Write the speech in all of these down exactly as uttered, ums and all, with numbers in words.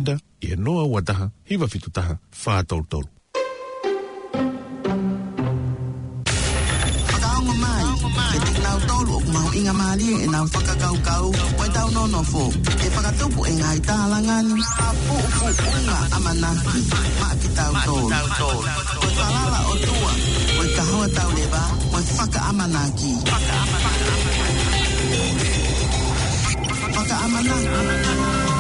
Vector ʻi he noa ua taha, hiva fitu taha, fā tolu tolu. Fakaongo mai, kiate kinautolu ʻoku mahuʻingamālie ʻenau fakakaukau, ʻo ʻetau nonofo, ʻe fakatupu ʻe he ngaahi tālanga ni ha puʻupuʻunga ʻamanaki maʻa kitautolu. Ko e falala ʻOtua, ko e kahoa tauleva, ko e fakaʻamanaki. Fakaʻamanaki.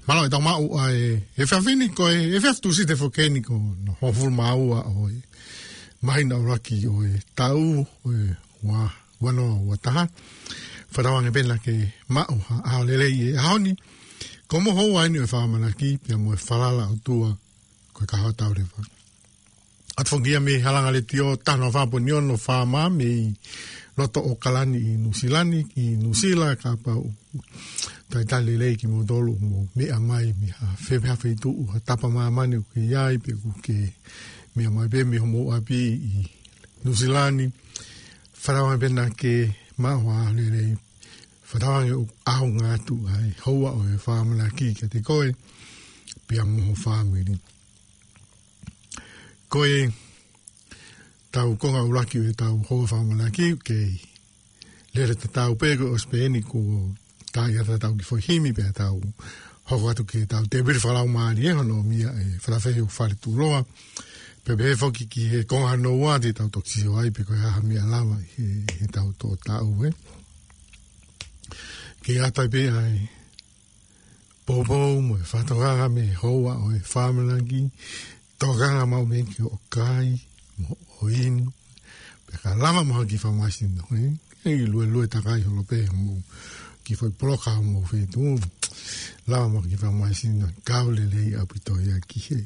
Mālō e tau maʻu ʻa e, e efiafi ni ko e, efiafi Tūsite foki eni ko hono hongofulu mā ua ʻo e māhina ʻuluaki ʻo e taʻu ʻo e ua, ua noa ua taha. Fakatauange pē naʻa ke maʻu ha ʻaho lelei he ʻaho ni. Ko hoʻomou houa eni ʻo e fakaʻamanaki, pea mo e falala ʻOtua, ko e kahoa tauleva. ʻOatu foki ia mei he Halanga Letiō, taha noa fā poini ono FM mei loto ʻAokalani ʻi Nuʻusila ni, ʻi Nuʻusila, kapau ʻoku talitali lelei kimoutolu ʻoku mou meʻa mai mei ha fefe ha feituʻu, ha tapa māmani ʻoku ke ʻi ai, pe ʻoku ke meʻa mai pē mei homou ʻapi ʻi Nuʻusila ni. Fakatauange pē naʻa ke maʻu ha ʻaho lelei. Fakatauange ʻoku ʻaonga atu ʻa e houa ʻo e fakaʻamanaki kiate koe, pea mo ho fāmili. Ko e tau konga ʻuluaki ʻo e tau houa fakaʻamanaki, kei lele tatau pē, ko e ʻosi pē eni kuo tā ia ʻetau kiʻi foʻi himi, pea tau hoko atu ki heʻetau tēpile fakalaumālie, hono ʻomai ʻe Falafehi ʻo Faletuʻuloa. Pea pehē foki ki he konga hono ua te tau toki sio ai pe ko e hā ha meʻa lava ʻi he, heʻetau toʻo taʻu, ē. Ke ʻatā pē ʻa e poupou mo e fakatokanga mei he houa ʻo e fakaʻamanaki, tokanga maʻu mei he kiʻi hoʻo kai mo hoʻo inu, pea ka lava mo ha kiʻi fakamāsino, ē? ʻE luelue takai holo pē mo e kiʻi foʻi poloka mo e feituʻu. Lava mo ha kiʻi fakamāsino, kau lelei ʻaupito ia ki he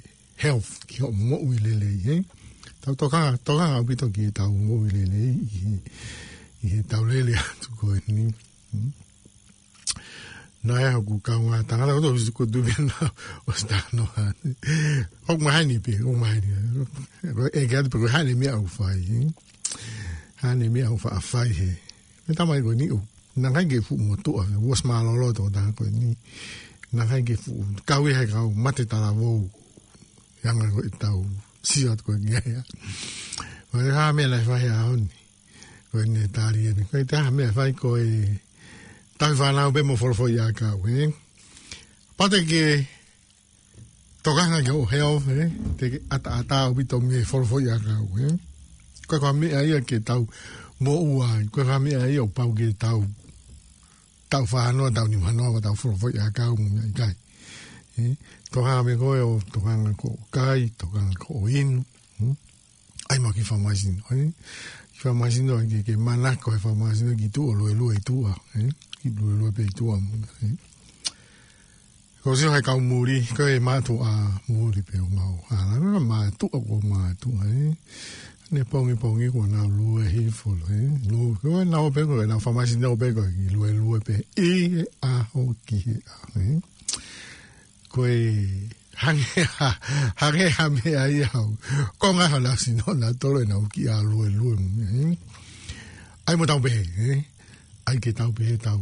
health, ki hoʻo moʻui lelei, ē? Tau tokanga, tokanga ʻaupito ki heʻetau moʻui lelei ʻi he, ʻi heʻetau lele atu ko eni. Hmm? Naʻe ʻi ai hoku kaungā tangata, ko e tau siko tu pē naʻa ʻosi talanoa. ʻOku maheni pē, ʻoku maheni. Ko e ʻeke atu pe ko e hā e meʻa ʻoku fai, ē? Hā e meʻa ʻoku faʻa fai he. Meʻa tamai ko eni ʻoku, naʻe ʻikai ke fuʻu motuʻa, ʻosi mālōlō e tokotaha ko eni. Naʻe ʻikai ke fuʻu, kau ia he kau mate talavou. Anga ko ʻetau sio atu ko eni ia. Ko e hā e meʻa naʻe fai he ʻaho ni. Ko eni e tali eni. Ko e taha e meʻa ʻe fai ko e tauhi fānau pē mo e folofola ʻakau, ē? Pea te ke tokanga ki hoʻo health, ē? Te ke ʻataʻatā ʻaupito mei he folofola ʻakau, ē? Ko e hā e meʻa ia ke tau moʻua ai, ko e hā e meʻa ia ʻoku pau ke tau, tau fānau, tau nima noa, tau folofola ʻakau mo e meʻa ʻikai. Ē? Tokanga mei koe ʻo tokanga ki hoʻo kai, tokanga ki hoʻo inu, hmm? ʻAi mo ha kiʻi fakamāsino, ē? Kiʻi fakamāsino, ʻai ke, ke manako he fakamāsino ki tuʻa, luelue ʻi tuʻa, ē? Kiʻi luelue pē ʻi tuʻa mo, ē? Ko e sio he kau muli, ko e mātuʻa muli pē ʻoku mau ʻalu, mātuʻa ko e mātuʻa, ē? Ne pongipongi kuo nau lue hifo, ē? Lue, ko e nau pē ko e nau fakamāsino pē ko e kiʻi luelue pē ʻi he ʻā ʻi he, ē? Ko e hangē ha, hangē ha meʻa ia ʻoku, ko e ngaahi hala sino na tolo ʻenau kiʻi ʻalu e lue mo e meʻa, ē? ʻAi mo tau pehē, ē? ʻAi ke tau pehē tau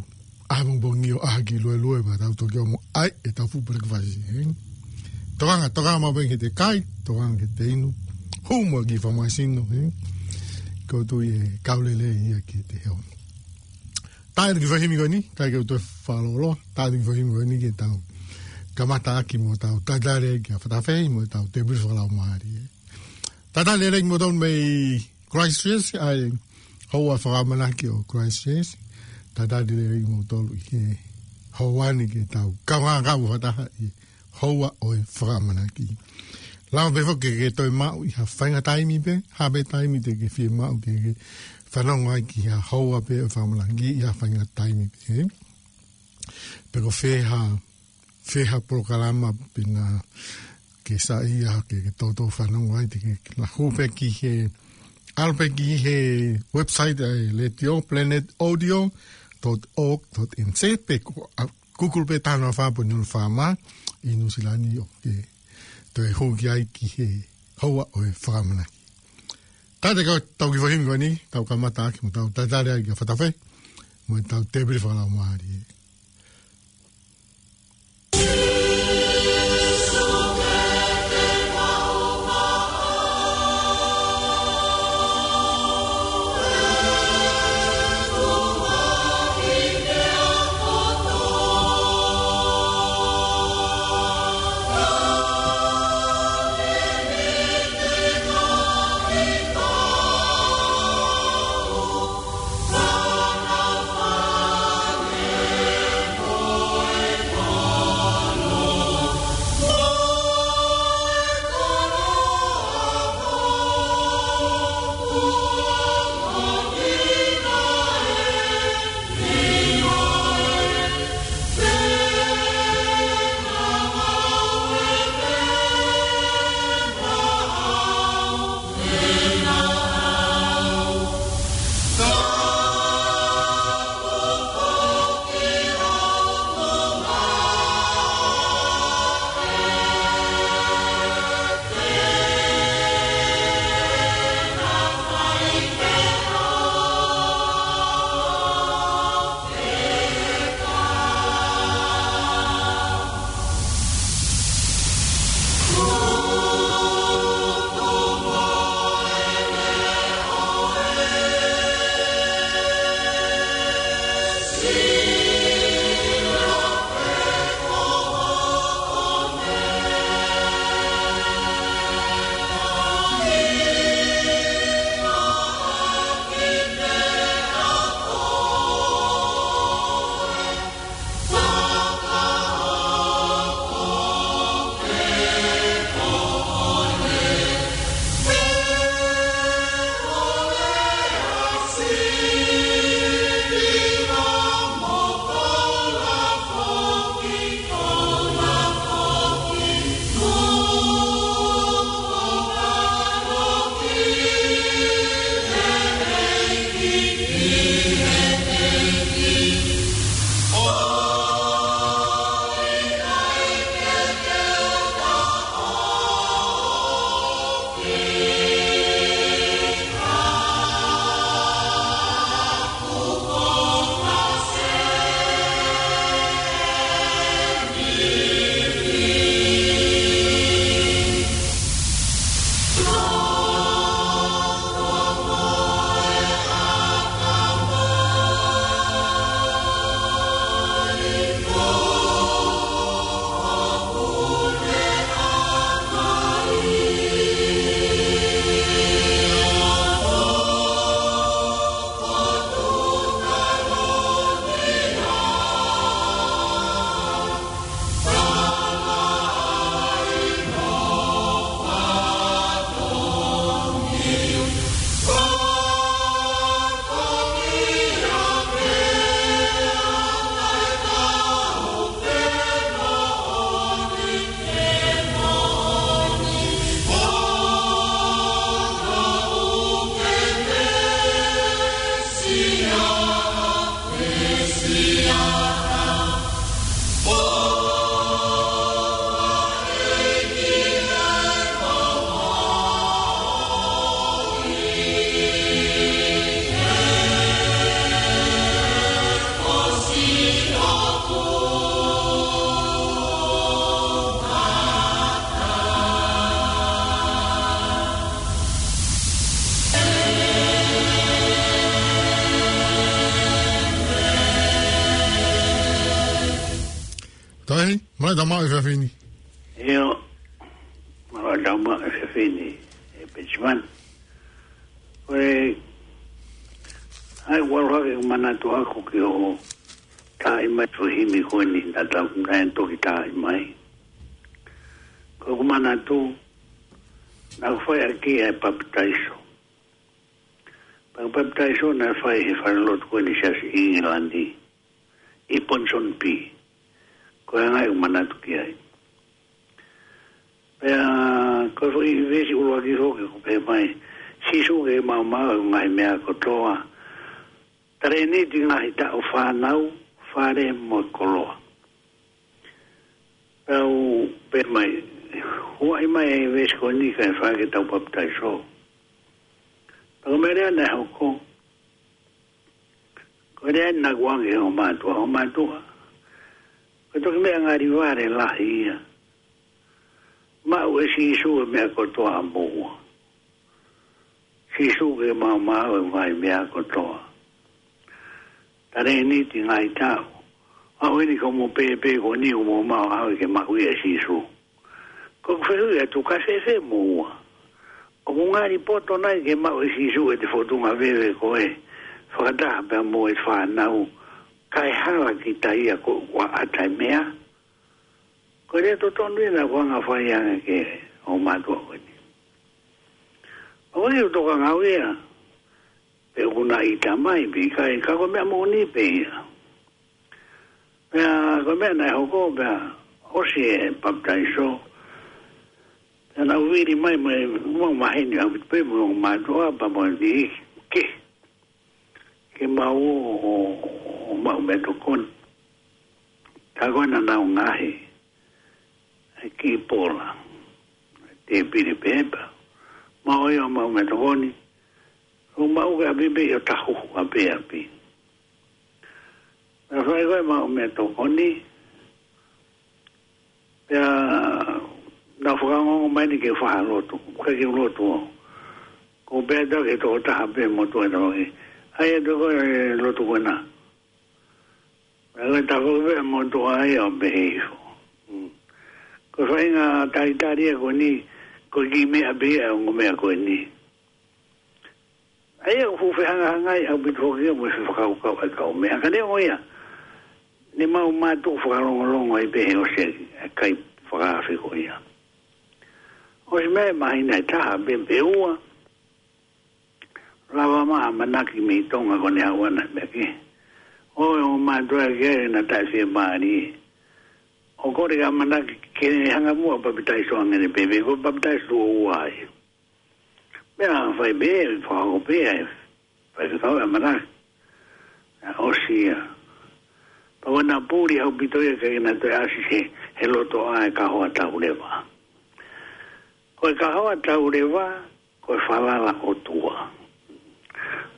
ʻapongipongi ʻo ʻalu ki luelue pea tau toki ō mo ʻai ʻetau fuʻu breakfast, ē? Tokanga, tokanga maʻu pē ki he kai, tokanga ki he inu. Hū mo e kiʻi fakamasino, ē? Ko e tui ʻe kau lelei ia ki he ʻaho. Tā atu e kiʻi fai himi ko eni, tā ke u toe fakalōloa, tā atu e kiʻi fai himi ko eni ke tau kamata ʻaki mo tau tatali ki he fakatafe mo tau tēpile fakalaumālie, ē? Tatali lelei kimoutolu mei Christchurch, ʻa e houa fakaʻamanaki ʻo Christchurch. Tatali lelei kimoutolu ʻi he houa ni ke tau kaungā kau fakataha ʻi he houa ʻo e fakaʻamanaki. Lava pē foki ke ke toe maʻu ʻi ha faʻahinga taimi pē, ha pē taimi te ke fiemaʻu ke ke fanongo ai ki ha houa pē ʻo e fakaʻamanaki ʻi ha faʻahinga taimi pē, ē? Pe ko fē ha, fē ha polokalama pe naʻa ke saiʻia ke, ke toutou fanongo ai, te ke, ke lau pē ki he, ʻalu pē ki he website ʻa e letiō, planet audio dot org dot N Z, pe ko, ʻa, Google pē taha noa fā pongipongi noa fā mā ʻi Nuʻusila ni ʻo ke toe hū ki ai ki he houa ʻo e fakaʻamanaki. Tā atu e kiʻi fai himi ko eni, tau kamata ʻaki mo tau tatali ai ki he fakatafe mo tau tēpile fakalaumālie. Tahi, mālō e tau maʻu e efiafi ni. ʻIo, mālō e tau maʻu e efiafi ni, ʻe Petimani. Ko e, ʻai ʻoku ou ʻalu hake ʻo manatu ʻaku ki hoʻo tā mai e foʻi himi ko eni naʻa tau, naʻe toki tā mai. Ko ʻeku manatu, naʻa ku fai ʻaki ʻa e papitaiso. Pea ko e papitaiso naʻe fai he falelotu ko eni Siasi ʻIngilani, ʻi Ponsonby. Ko e anga ʻeku manatu ki ai. Pea ko e foʻi veesi ʻuluaki foki ʻoku pehē mai, Sīsū ke maumau ʻa e ngaahi meʻa kotoa. Talēniti, ngaahi taʻu, fānau, fale mo e koloa. Pea u pehē mai, huaʻi mai e veesi ko eni kae fai ke tau papitaiso. Pea ko e meʻa leva naʻe hoko, ko e lea naʻa ku ʻange ki hoʻo mātuʻa, hoʻo mātuʻa, ko e toki meʻa ngali vale lahi ia. Maʻu ʻe Sīsū e meʻa kotoa ʻamoua. Sīsū ke maumau e ngaahi meʻa kotoa. Talēniti, ngaahi taʻu. Aʻu eni ko hoʻomo pēpē ko eni ʻoku mo maʻu, ʻaʻu ke maʻu ia ʻe Sīsū. Ko ʻeku fehuʻi atu, kae fēfē moua? ʻOku ngali poto nai ke maʻu ʻe Sīsū ʻete fōtunga veve ko ē, fakataha pea mo e fānau, kae hala kita ia ko ʻoku ʻata e meʻa? Ko e lea totonu ia naʻa ku ʻange ʻo fai ange ki hoʻo mātuʻa ko eni. ʻOku ou tokanga au ia, pe ʻoku na ʻita mai pe ʻikai, ka ko e meʻa moʻoni pē ia. Pea ko e meʻa naʻe hoko, pea ʻosi e papitaiso, pea naʻa ku vili mai mo e, mo e maheni ʻaupito pē mo hoʻo mātuʻa pea mo e niʻihi ke, ke mau ō ʻo, ʻo, ʻo maʻu meʻatokoni. Ka ko e naʻa nau ngaohi e kiʻi pola, tēpile pē pea mau ō ia ʻo maʻu meʻatokoni. ʻO maʻu ki ʻapi pē ʻo tahuhu ʻapi ʻapi. Naʻe fai ko ē maʻu meʻatokoni, pea naʻa ku fakaongoongo mai eni ke u faʻa lotu, ʻikai ke u lotu au. Ko e pehē atu ki he tokotaha pē motuʻa ʻe taha ke, ʻai atu ko e lotu ko ena. Pea ko e taha ko ē pē motuʻa ia ʻo pehē hifo. Mm. Ko e faʻahinga talitali ia ko eni, ko e kiʻi meʻa pē ia ʻo e ongo meʻa ko eni. ʻA ia ʻoku fuʻu fehangahangai ʻaupito foki ia mo e fefakakaukau ʻa e kau meʻa. Ka neongo ia, ne mau mātuʻaki fakalongolongo ai pē he ʻosi e kai fakaafe ko ia. ʻOsi mei he māhina ʻe taha pē pe ua, lava mai ha ʻamanaki mei Tonga ko ʻene haʻu ʻana mei he ʻEiki. ʻO e ongo mātuʻa ki ai naʻa taʻefiemālie. ʻO kole ki he ʻamanaki ke ne hanga muʻa ʻo papitaiso ange ʻene pēpē, ko e papitaiso tuʻo ua ia. Pea fai pē, fakahoko pē ʻa e faifekau e ʻamanaki. Naʻe ʻosi ia. Pea ko ʻena puli ʻaupito ia ke na toe ʻasi he, he loto ʻa e kahoa tauleva. Ko e kahoa tauleva, ko e falala ʻOtua.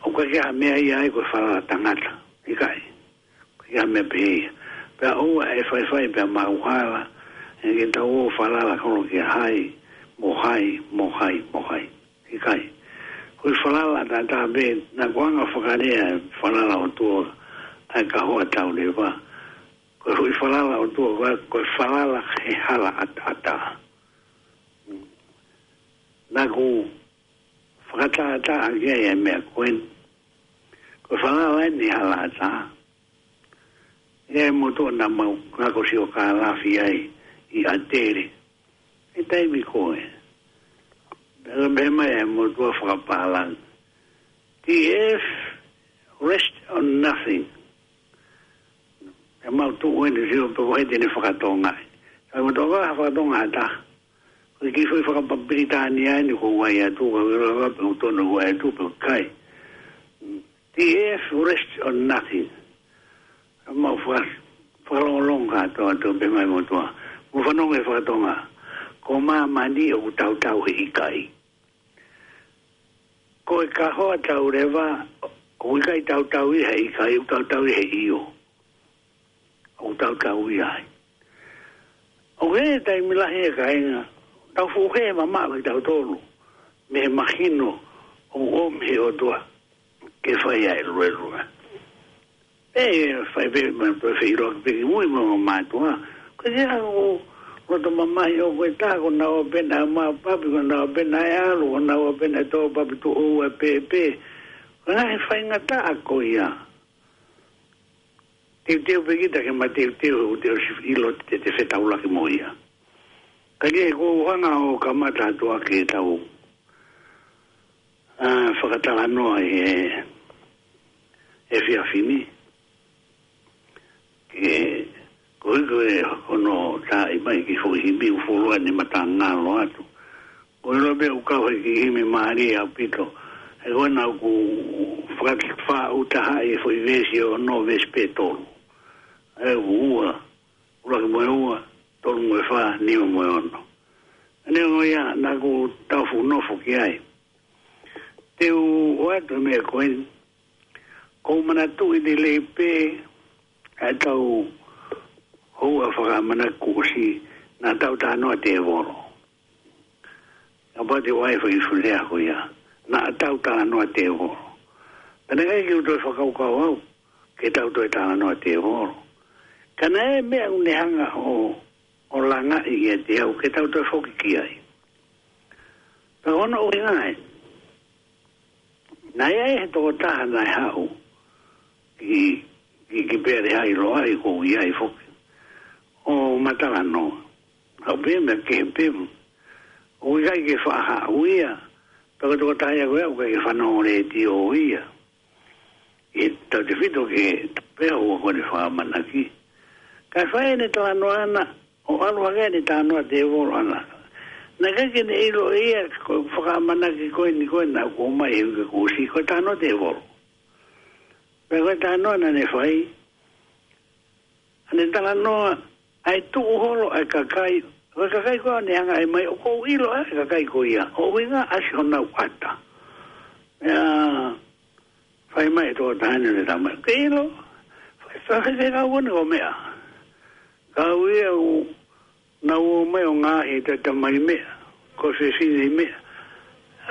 ʻOku ʻikai ke ʻi ai ha meʻa ia ai ko e falala tangata. ʻIkai. ʻIkai ha meʻa pehē ia. Pea ʻoua ʻe faifai pea maʻu hala, ʻe ke tau ō ʻo falala holo kia hai, mo hai, mo hai, mo hai. ʻIkai. Ko e falala ʻataʻatā pē, naʻa ku anga ʻo fakalea e falala ʻOtua, ʻa e kahoa tauleva. Ko e foʻi falala ʻOtua, ko e, ko e falala he hala ʻataʻatā. Naʻa ku fakatātā ʻaki ai e meʻa ko eni. Ko e falala eni he hala ʻatā. ʻI ai e motuʻa naʻa mau ngako siokālafi ai ʻi ʻAtele. ʻI he taimi ko ē. Pea mei mai e motuʻa fakapālangi. T F, rest on nothing. ʻE mau tuʻu eni sio pe ko hai te ne fakatonga ai. Ka ko e toka ha fakatonga ʻatā. Ko e kiʻi foʻi fakapapilitānia eni ko e ʻai atu, ka ko e lava pe ʻoku tonu ʻo ʻai atu pe ʻikai. T F rest on nothing. Mau faka-, fakalongolongo kātoa atu pē mai motuʻa. Mo fanongo he fakatonga. Ko māmani ʻoku tautau he ʻikai. Ko e kahoa tauleva, ʻoku ʻikai tautau ia he ʻikai, ʻoku tautau ia he ʻio. ʻOku tautau ia ai. ʻOku ʻi ai e taimi lahi ʻe kāinga, tau fuʻu hē mamaʻo kitautolu, mei he mahino, ʻoku ʻomi he ʻOtua, ke fai ʻa e luelue. ʻE, fai pē, ma, pē feʻiloaki pē ki mui mo e mātuʻa, Ko ia ʻoku loto mamahi ʻoku ʻi ai, ko naua pē naʻe maʻu papi, ko naua pē naʻe ʻalu, ko naua pē naʻe tō papi tuʻo ua pē pē. Ko e ngaahi faingataʻa ko ia. Teuteu pē kita ke mateuteu, ʻoku te ʻosi ʻilo te te fetaulaki mo ia. Ka ʻi he ʻoku ou hanga ʻo kamata atu ʻaki ʻetau, ʻa, fakatalanoa ʻi he, he efiafi ni. Ke, ko e, ko e, ko hono tā mai ki he foʻi himi ʻoku fuoloa ni matangalo atu. Ko e loa pē ʻoku kau he kiʻi himi mālie ʻaupito. He ko ena ʻoku fakafaʻu taha ʻi he foʻi veesi ʻe ono, veesi pē tolu. ʻE ua, ʻuluaki mo e ua, tolu mo e fā, nima mo e ono. Neongo ia, naʻa ku tau fuʻu nofo ki ai. Te u ʻoatu e meʻa ko eni. ʻOku ou manatuʻi lelei pē ʻa ʻetau houa fakaʻamanaki kuo ʻosi, naʻa tau talanoa tēvolo. Kapau te u ʻai e foʻi fuʻu lea ko ia, naʻa tau talanoa tēvolo. Pea naʻe ʻikai ke u toe fakakaukau au ke tau toe talanoa tēvolo. Ka naʻe ʻi ai e meʻa ʻoku ne hanga ʻo, ʻo langaʻi ʻiate au ke tau toe foki ki ai. Pea ko hono ʻuhinga ē, naʻe ʻi ai e tokotaha naʻe haʻu ki, ki, ki Pelehaʻi Loʻahi, ʻoku ou ʻi ai foki, ʻo ma talanoa. Haʻu pē meʻa kehe pē. ʻOku ʻikai ke faʻa haʻu ia, pea ko e tokotaha ia ko ia ʻoku ʻikai ke fanongo letiō ia. ʻI he tautefito ki he tapu pē ʻoku ne fakaʻamanaki. Kae fai ʻene talanoa ʻana, ʻo ʻalu hake ʻene talanoa tēvolo ʻana. Naʻe ʻikai ke ne ʻilo ia ko e fakaʻamanaki ko eni ko ē naʻa ku ʻomai he uike kuo ʻosi, ko e talanoa tēvolo. Pea ko e talanoa naʻa ne fai, ʻa ʻene talanoa ʻa e tuʻu holo ʻa e kakai, ko e kakai ko ē naʻe hanga ʻo ʻomai, ʻoku ou ʻilo ʻa e kakai ko ia, ʻo ʻuhinga ʻa siʻonau ʻata. Pea fai mai e tokotaha ni ʻo ne talamai, ke ʻilo, fai, fai, fai, kau kone ko meʻa. Kau ia ʻoku nau ō mai ʻo ngaahi tatamai meʻa, ko e fefine meʻa.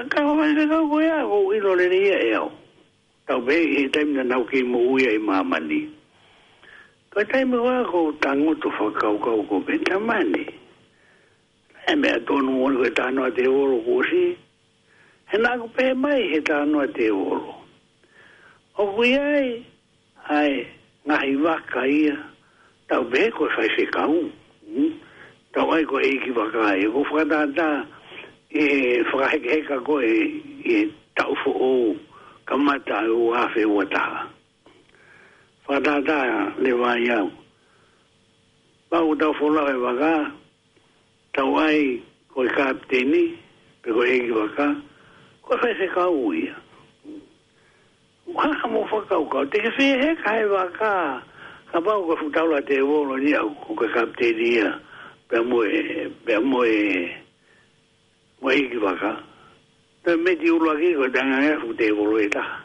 Ka ko e fai, fai, kau ko ia, ʻoku ou ʻilo lelei ia ʻe au. Tau pehē ʻi he taimi naʻa nau kei moʻui ai ʻi māmani. Ko e taimi ko ē ʻoku ou tangutu fakakaukau ko e pehē tamani. ʻE meʻa tonu ʻoku ko e talanoa tēvolo kuo ʻosi. He naʻa ku pehē mai he talanoa tēvolo, ʻoku ʻi ai ʻa e ngaahi vaka ia, tau pehē ko e faifekau. Hmm? Tau ʻai ko e ʻeikivaka ia, ʻoku fakatātā ʻi he fakahekeheka ko ē ʻi he taʻu foʻou kamata ʻi he ua afe ua taha. Fakatātā leva ia. Pau tau folau e vaka, tau ʻai ko e kapiteni, pe ko e ʻeikivaka, ko e faifekau ia. Ua ha mo fakakaukau, te ke fie heka he vaka, kapau ko e fuʻu taula tēvolo ni ʻa ko e kapiteni ia, pea mo e, pea mo e, mo e ʻeikivaka. Pea meti ʻuluaki ko e tanganga fuʻu tēvolo ʻe taha.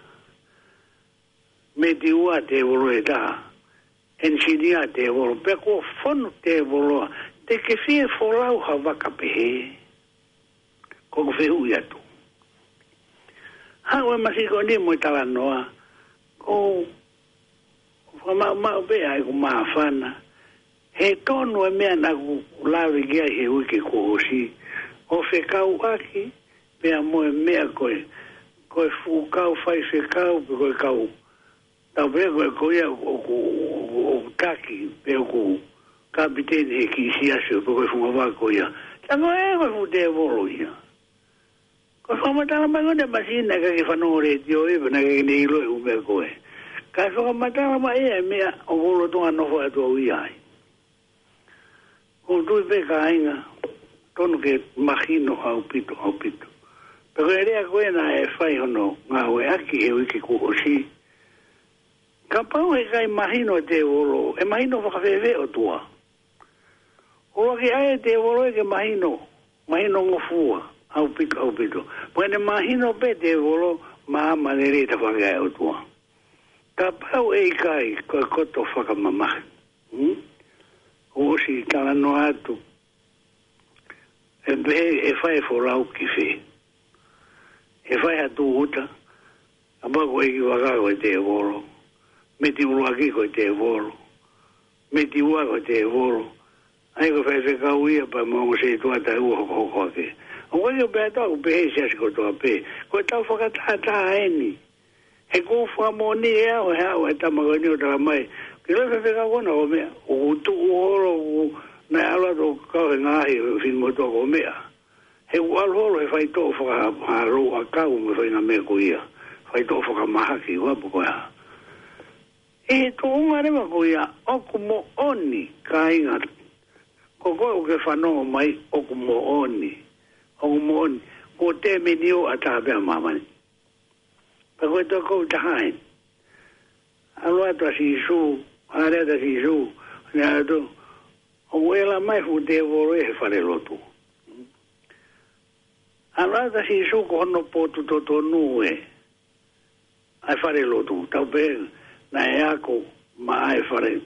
Meti ua tēvolo ʻe taha. ʻEnisinia tēvolo, pea kuo fonu tēvolo, te ke fie folau ha vaka pehē? Ko ʻeku fehuʻi atu. Haʻu e masiko ni mo e talanoa, ʻoku ou fakamaʻumaʻu pē ʻa ʻeku māfana, he tonu e meʻa naʻa ku lave ki ai he uike kuo ʻosi, ʻo fekauʻaki pea mo e meʻa ko ē, ko e fuʻu kau faifekau, pe ko e kau, tau pehē ko ē ko ia ʻoku, ʻoku, ʻoku taki, pe ʻoku kapiteni he kiʻi siasi, pe ko e fungavaka ko ia. Tā ko ē ko e fuʻu tēvolo ia. Ko e fakamatala mai ko ē ʻa e masina, ʻikai ke fanongo letiō ia, pea naʻe ʻikai ke ne ʻilo e ʻū meʻa ko ē. Ka fakamatala mai e meʻa ʻoku ou lolotonga nofo atu au ʻi ai. ʻOku ou tui pē kāinga, tonu ke mahino ʻaupito, ʻaupito. Pea ko e lea ko ē naʻe fai hono ngāueʻaki he uike kuo ʻosi. Kapau ʻe ʻikai mahino e tēvolo, ʻe mahino fakafēfē ʻOtua? ʻUluaki ʻai e tēvolo ia ke mahino, mahino ngofua, ʻaupito, ʻaupito. Pea ʻe mahino pē tēvolo, maama lelei tafaʻaki ʻa e ʻOtua. Kapau ʻe ʻikai, ko e koto fakamamahi. Hmm? ʻOsi talanoa atu. ʻE pehē, ʻe fai e folau ki fē? ʻE fai ha tūʻuta, kapau ko e ʻeikivaka ko e tēvolo. Meti ʻuluaki ko e tēvolo. Meti ua ko e tēvolo. ʻA ia ko e faifekau ia pea mo e ongo setuata ʻe ua hokohoko ake. ʻOku ʻikai ke pehē ʻe au, pehē ʻe he siasi kotoa pē. Ko ʻetau fakatātā eni. He ʻoku ou fakamoʻoni ʻe au, he ʻaho ʻe tama ko eni ʻo tala mai, ke loi faifekau ko ena ko e meʻa, ʻoku tuʻu holo, ʻoku, naʻe ʻalu atu ʻo kau he ngaahi finemotuʻa ko e meʻa. He ʻoku ʻalu holo he faitoʻo faka-, ha lou ʻakau mo e faʻahinga meʻa ko ia. Faitoʻo fakamahaki, ʻoku ʻapo ko ia. ʻI he tuʻunga leva ko ia, ʻoku moʻoni, kāinga. Ko koe ʻoku ke fanongo mai, ʻoku moʻoni. ʻOku moʻoni. Ko e tēmeni ʻo ʻatā pē ʻa māmani. Pea ko e tokotaha eni. ʻAlu atu ʻa Sīsū, ʻalu atu ʻa Sīsū, ne atu, ʻoku ʻela mai fuʻu tēvolo ʻi he falelotu. ʻAlu atu ʻa Sīsū ko hono potu totonu ē. ʻA e falelotu, tau pehē, naʻe ako, maʻa e fale,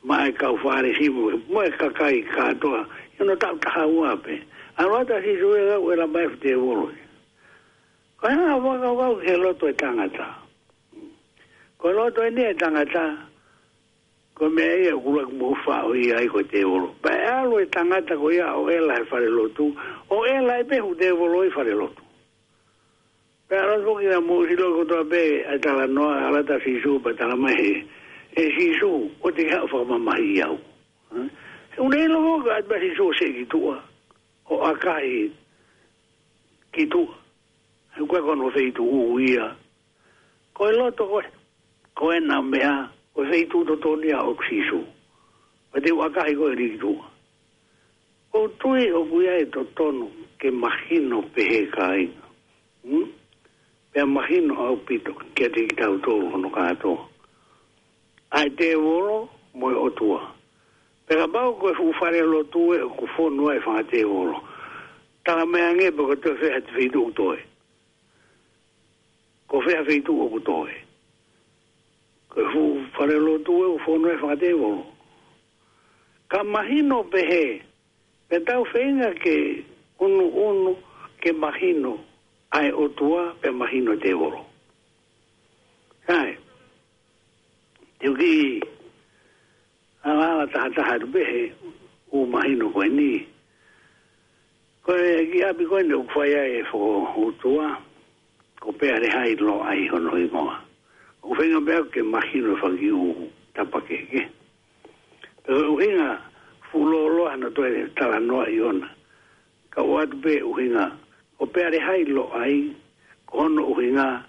maʻa e kau Fālesi mo, mo e kakai kātoa, ʻi hono taʻu taha ua pē. ʻAlu atu ʻa Sīsū ē, ʻoku ʻela mai fuʻu tēvolo ē. Ko e hā ʻa e fakakaukau ki he loto ʻo e tangata. Ko e loto eni ʻo e tangata, ko e meʻa ia ʻoku ʻuluaki mou faʻo ia ai ko e tēvolo. Pea ʻe ʻalu e tangata ko ia ʻo ʻela he falelotu, ʻo ʻela ai pē fuʻu tēvolo ʻi he falelotu. Pea ʻalu atu foki naʻa mou ʻilo kotoa pē ʻa e talanoa, ʻalu atu ʻa Sīsū pea tala mai ē, ʻe Sīsū, ʻoua te ke haʻu ʻo fakamamahiʻi au. He ʻoku ne ʻilo foki ʻa e meʻa ʻa Sīsū ʻoku seʻi ki tuʻa, ʻo ʻakahi ki tuʻa. He ʻoku ʻikai ko hono feituʻu ia. Ko e loto ko ē, ko ena meʻa, ko e feituʻu totonu ia ʻo Sīsū. Pea te u ʻakahi koe ʻo lī ki tuʻa. ʻOku ou tui ʻoku ʻi ai e totonu ke mahino pehē kāinga. Hmm? Pea mahino ʻaupito kiate kitautolu hono kātoa. ʻA e tēvolo mo e ʻOtua. Pea kapau ko e fuʻu falelotu ē ʻoku fonu ai e fanga tēvolo. Tala mai ange pē ko e toe fē ha feituʻu ʻoku toe. Ko fē ha feituʻu ʻoku toe. Ko e fuʻu falelotu ē ʻoku fonu ai e fanga tēvolo. Ka mahino pehē, pea tau feinga ke ʻunuʻunu ke mahino ʻa e ʻOtua pea mahino e tēvolo. Sai, te u kiʻi ʻalaʻala tahataha atu pē he ʻoku mahino ko eni. Ko e kiʻi ʻapi ko eni ʻoku fai ai e fokoutua, ko Pealehailoai hono hingoa. ʻOku feinga pē au ke mahino e fanga kiʻi ʻū tapakeke. Pea ko e ʻuhinga fuʻu lōloa hano toe talanoaʻi ʻona. Ka ʻoatu pē ʻuhinga, ko Pealehailoai, ko hono ʻuhinga,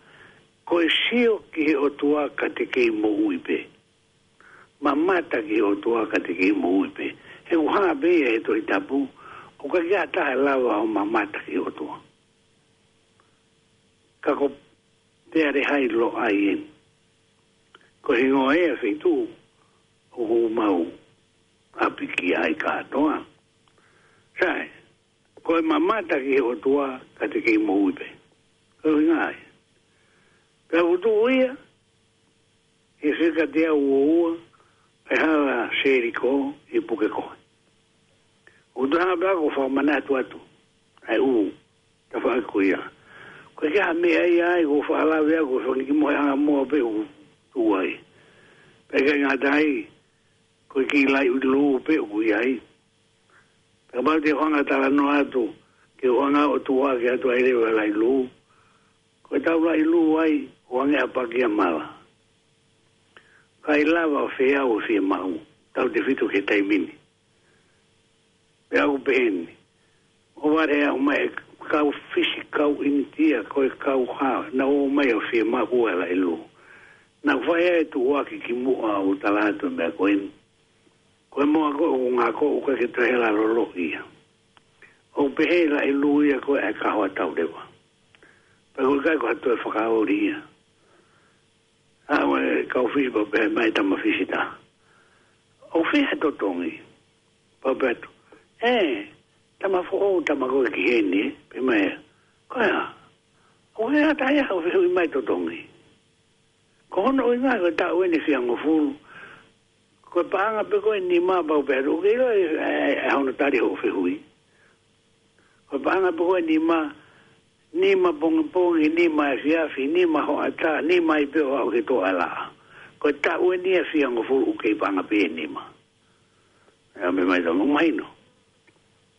ko e sio ki he ʻOtua ka te kei moʻui pē. Mamata ki he ʻOtua ka te kei moʻui pē. He ʻoku hā pē ia he Tohi Tapu, ʻoku ʻikai ke ʻi ai ha taha ʻe lava ʻo mamata ki he ʻOtua. Ka ko Pealehailoai eni. Ko e hingoa ia e feituʻu ʻoku mau ʻapi ki ai kātoa. Sai, ko e mamata ki he ʻOtua ka te kei moʻui pē. Ko e ʻuhinga ia. Pea ʻoku tuʻu ia, ʻi he fika teau ua ua, ʻi he hala Seliko ʻi Pukekohe. ʻOku toe hanga pē au ʻo fakamanatu atu ʻa e ʻū tafaʻaki ko ia. Ko e kiʻi meʻa ia ai, ʻoku fakalave au, ko e fanga kiʻi mohenga moa pē ʻoku tuʻu ai. Pea ʻikai ngata ai, ko e kiʻi laʻi lū pē ʻoku ʻi ai. Pea kapau te u hanga ʻo talanoa atu, ke u hanga ʻo tuʻu hake atu ai leva e laʻi lū. Ko ʻetau laʻi lū ai, ʻoku hangē ha paki ʻa mala. ʻIkai lava ʻo feau ʻo fiemaʻu, tautefito ki he taimi ni. Pea ʻoku pehē ni. ʻO vale au mai e kau Fisi, kau ʻInitia, ko e kau hā, naʻa nau ō mai ʻo fiemaʻu e laʻi lū. Naʻa ku fai ai e tuʻuaki kimuʻa ʻo tala atu e meʻa ko eni. Ko e moa ko ē ʻoku ngako, ʻoku ʻikai ke toe hela loloto ia. ʻOku pehē ʻe he laʻi lū ia ko e ʻai kaho ʻa tau leva. Pea ʻoku ʻikai ko ha toe fakaoli ia. ʻA, ʻoku kau Fisi pea pehē mai e tama Fisi taha, ʻoku fē ha totongi? Pea u pehē atu, ē, tama foʻou, tama ko ē ki heni, ē, pehē mai ē, ko e hā? ʻOku ʻikai ha taha ia ʻoku fehuʻi mai e totongi. Ko hono ʻuhinga ko e taʻu eni ʻe fiha ngofulu. Ko e paʻanga pē ko ē ʻe nima, pea u pehē atu, ʻoku ke ʻilo e, e, e hono tali hoʻo fehuʻi? Ko e paʻanga pē ko ē ʻe nima, nima pongipongi, nima efiafi, nima hoʻatā, nima ai pē ʻo aʻu ki he toʻa laʻā. Ko e taʻu eni ʻe fiha ngofulu ʻoku kei paʻanga pē ʻe nima. ʻA ia mei Mai tau mahino.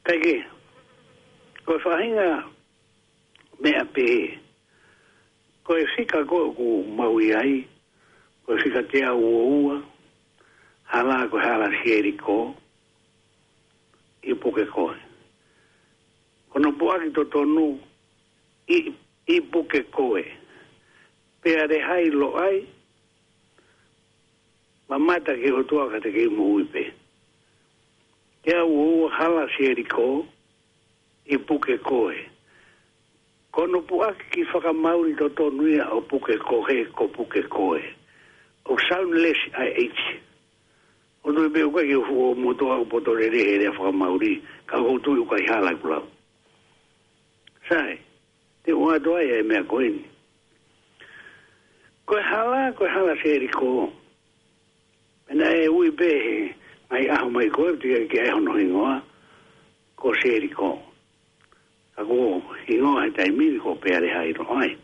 Kae kehe, ko e faʻahinga meʻa pehē, ko e fika ko ē ʻoku mau ʻi ai, ko e fika teau ua ua, hala ko e hala Selikō, ʻi Pukekohe. Ko hono puʻaki totonu ʻi, ʻi Pukekohe. Pea lehai loʻai, mamata ki he ʻOtua ka te kei moʻui pē. Teau ua ua, hala Selikō, ʻi Pukekohe. Ko hono puʻaki ki he fakamaau totonu ia ʻo Pukekohe, ko Pukekohe. ʻOku soundless ʻa e H. ʻOku ou tui pē ʻoku ʻikai ke fuʻu motuʻa ʻoku poto lelei he lea fakamaau, ka ʻoku ou tui ʻoku ʻikai hala ʻeku lau. Sai, te u ʻoatu ai e meʻa ko eni. Ko e hala, ko e hala Selikō. Pea naʻe ui pē he ngaahi ʻaho mai ko ē, teʻeki ai ke ʻai hono hingoa ko Selikō. Ka ko e hingoa he taimi ni ko Pea lehai loʻai.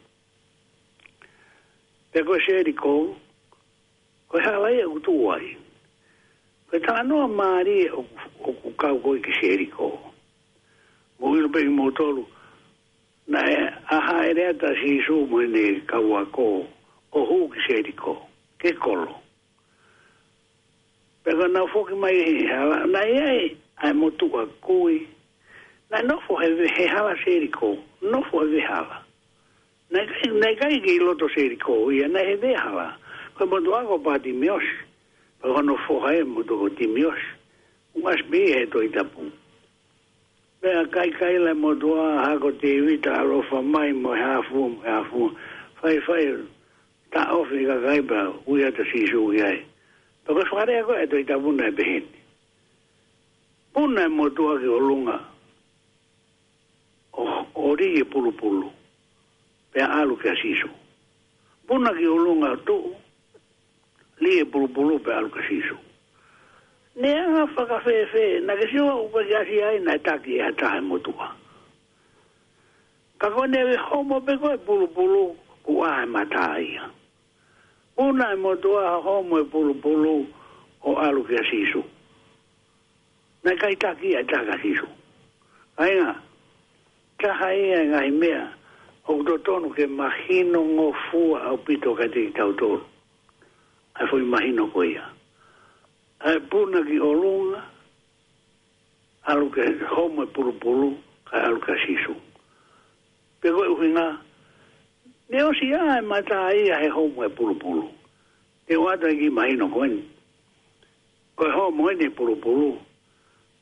Pea ko Selikō, ko e hala ia ʻoku tuʻu ai. Ko e talanoa mālie ʻoku, ʻoku kau ko ē ki Selikō. Mou ʻilo pē kimoutolu, naʻe ʻā hāʻele atu ʻa Sīsū mo ʻene kau ako ʻo hū ki Selikō, ki he kolo. Pea ka nau foki mai he hala, naʻe ʻi ai ʻa e motuʻa kui. Naʻe nofo he ve-, he hala Selikō, nofo he vehala. Naʻe ʻikai, naʻe ʻikai ke ʻi loto Selikō ia, naʻe he vehala. Ko e motuʻa ko Patimiosi, pea ko hono foha ʻa e motuʻa ko Timiosi. ʻOku ʻasi pē ia he Tohi Tapu. Pea kaikaila e motuʻa, hako Tēvita, ʻaloʻofa mai mo e hā fua, mo e hā fua. Faifai, taʻofi e kakai pea ui atu ʻa Sīsū ki ai. Pea ko e fakalea ko ē ʻa e Tohi Tapu naʻe pehē ni. Puna e motuʻa ki ʻolunga ʻo, ʻo lī e pulupulu, pea ʻalu kia Sīsū. Puna ki ʻolunga ʻo tuʻu, lī e pulupulu pea ʻalu kia Sīsū. Neongo fakafēfē, naʻa ke sio ʻoku ʻikai ke ʻasi ai, naʻe taki ʻe ha taha e motuʻa. Ka ko ʻene homo pē ko ē pulupulu, kuo ʻā e mata ia. Puna e motuʻa, homo e pulupulu ʻo ʻalu kia Sīsū. Naʻe ʻikai taki ʻe ha taha kia Sīsū. Kāinga, taha ia e ngaahi meʻa ʻoku totonu ke mahinongofua ʻaupito kiate kitautolu ʻa e foʻi mahino ko ia. ʻA e puna ki ʻolunga, ʻalu ke homo e pulupulu, kae ʻalu kia Sīsū. Pea ko e ʻuhinga, neongo ʻosi ʻā e mata ia he homo e pulupulu. Te u ʻoatu e kiʻi mahino ko eni. Ko e homo eni e pulupulu,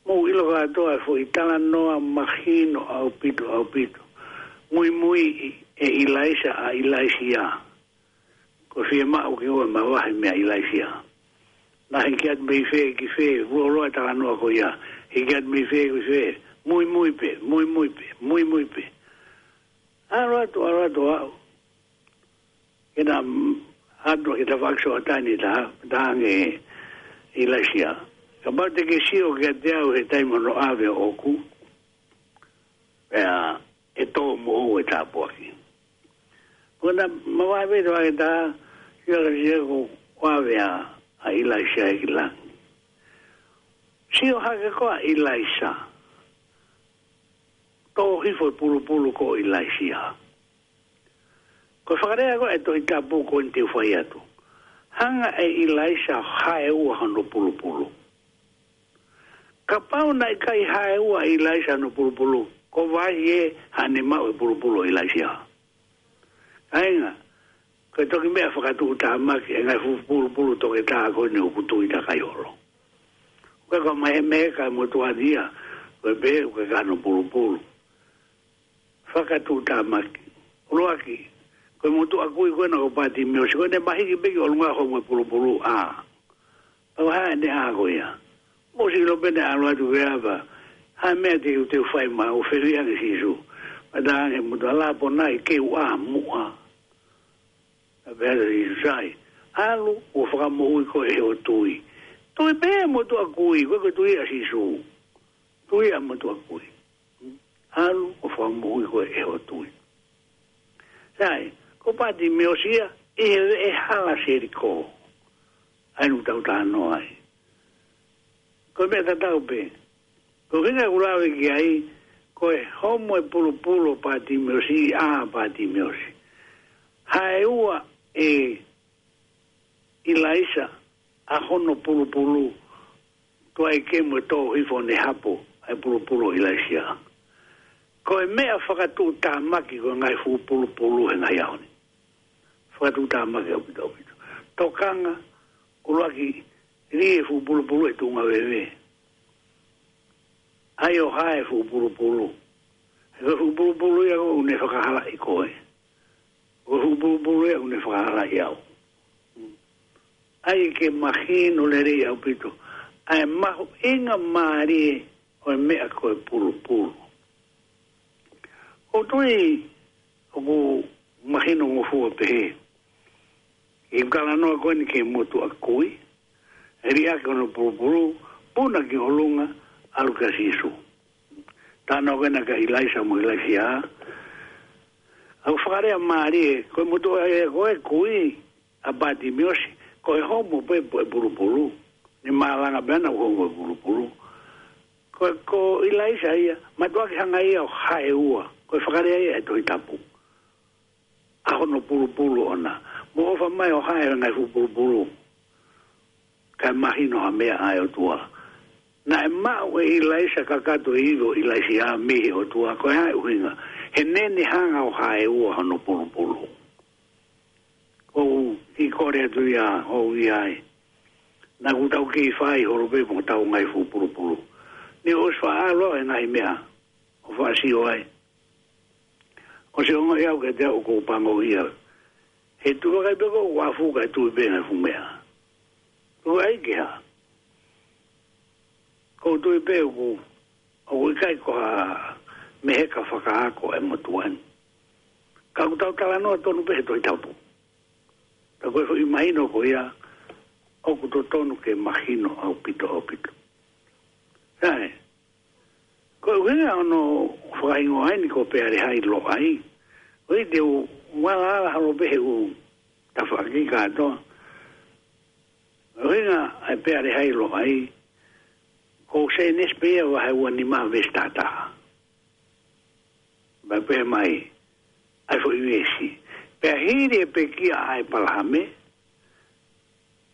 mou ʻilo kātoa e foʻi talanoa mahino ʻaupito, ʻaupito. Muimui ʻe ʻIlaisa ʻa ʻIlaisiā. Ko e fiemaʻu ke ʻoua ʻe mavahe meia ʻIlaisiā. Naʻe hiki atu mei fē ki fē, fuoloa e talanoa ko ia. Hiki atu mei fē ki fē, muimui pē, muimui pē, muimui pē. ʻAlu atu, ʻalu atu ʻo aʻu. Ke na, mm, ʻalu ki he tafaʻaki Soatani, tā, tā ange ʻIlaisiā. Kapau te ke sio kiate au he taimi hono ʻave ʻoʻoku, pea ʻe tō moʻou e tāpuaki. Ko na mavahe pē ʻi he tafaʻaki tā, sio ka sio ko ʻave ʻa, ʻa ʻIlaisiā ki langi. Sio hake ko ē ʻa ʻIlaisa, tō hifo e pulupulu ko ʻIlaisiā. Ko e fakalea ko ē ʻa e Tohi Tapu ko eni te u fai atu. Hanga ʻe ʻIlaisa ʻo haeua hono pulupulu. Kapau naʻe ʻikai haeua ʻe ʻIlaisa hono pulupulu, ko e vahe ē haʻane maʻu e pulupulu ʻo ʻIlaisiā. Kāinga, ko e toki meʻa fakatuʻutāmaki, e ngaahi fuʻu pulupulu toketā ko eni ʻoku tuʻi takai holo. Ko e ka mai he meʻa ka motuʻa ia, ko e pē, ko e ka hono pulupulu. Fakatuʻutāmaki. ʻUluaki, ko e motuʻa kui ko ena ko Patimiosi, ko ʻene mahiki pē ki ʻolunga homo e pulupulu, ʻā. Pea ko e hā ʻene ʻā ko ia. Mou ʻosi ʻilo pē naʻe ʻalu atu ki he ʻapa. Hā e meʻa te u, te u fai maʻau, fehuʻi ange Sīsū. Pea tā ange motuʻa, Lāponai, ke u ʻā muʻa. Pea pehē atu Sīsū, sai. ʻAlu, ʻo fakamoʻui koe ʻe hoʻo tui. Tui pē motuʻa kui, ko e ko e tui ʻa Sīsū. Tui ʻa motuʻa kui. ʻAlu ʻo fakamoʻui koe ʻe hoʻo tui. Sai, ko Patimiosi ia, ʻi he veʻe hala Selikō. ʻA eni ʻoku tau talanoa ai. Ko e meʻa tatau pē. Ko e ʻuhinga ʻoku lave ki ai, ko e homo e pulupulu ʻo Patimiosi, ʻa Patimiosi. Haʻu ʻa ʻIlaisa ʻa hono pulupulu, tuai ke mo tō hifo ne hapo ʻa e pulupulu ʻo ʻIlaisa. Ko e meʻa fakatuʻutāmaki ko e ngaahi fuʻu pulupulu he ngaahi ʻaho ni. Fakatuʻutāmaki ʻaupito ʻaupito. Tokanga, ʻuluaki, lī e fuʻu pulupulu ʻi he tuʻunga veve. ʻAi ʻo hae fuʻu pulupulu. He ko e fuʻu pulupulu ia ʻoku ne fakahalaʻi koe. Ko e fuʻu pulupulu ia ʻoku ne fakahalaʻi au. ʻAi ke mahino lelei ʻaupito ʻa e mahuʻinga mālie ʻo e meʻa ko e pulupulu. ʻOku ou tui ʻoku mahino ngofua pehē. ʻI he talanoa ko eni ki he motuʻa kui, ʻe liʻaki hono pulupulu, puna ki ʻolunga, ʻalu kia Sīsū. Talanoa ko ena kia ʻIlaisa mo ʻIlaisa. ʻOku fakalea mālie, ko e motuʻa ē ko e kui, ʻa Patimiosi, ko e homo pē ʻo e pulupulu. Ne malanga pē ʻa hono homo e pulupulu. Ko, ko ʻIlaisa ia, mātuʻaki hanga ia ʻo hae ua, ko e fakalea ia ʻa e Tohi Tapu. ʻA hono pulupulu ʻoʻona. Mo ʻofa mai ʻo hae e ngaahi fuʻu pulupulu. Kae mahino ha meʻa ʻa e ʻOtua. Naʻe maʻu ʻe ʻIlaisa kakato e ivi ʻo ʻIlaisa mei he ʻOtua, ko e hā e ʻuhinga? He naʻa ne hanga ʻo hae ua hono pulupulu. ʻOku ou kole atu ia, ʻoku ʻi ai. Naʻa ʻoku tau kei fai holo pē mo ʻetau ngaahi fuʻu pulupulu. Ne ʻosi faʻa ʻalu e ngaahi meʻa ʻo faʻa sio ai. ʻOsi ongoʻi au kiate au ʻoku ou pango ia. He tuʻu vakai pē ʻoku ou afu kae tui pē ngaahi fuʻu meʻa. Tuku ai ke hā? ʻOku ou tui pē ʻoku, ʻoku ʻikai ko ha meheka fakaako e motuʻa ni. Ka ʻoku tau talanoa tonu pē he Tohi Tapu. Ka ko e foʻi mahino ko ia, ʻoku totonu ke mahino ʻaupito ʻaupito. Sai, ko e ʻuhinga hono fakahingoa ni ko Pealehailoʻai. ʻOi te u walaala holo pē he ʻū tafaʻaki kātoa. ʻUhinga ʻa e Pealehailoʻai, ko Sēnesi pē ia vahe ua nima veesi taha taha. Pea pehē mai ʻa e foʻi veesi. Pea hili e pekia ʻa ʻĒpalahame,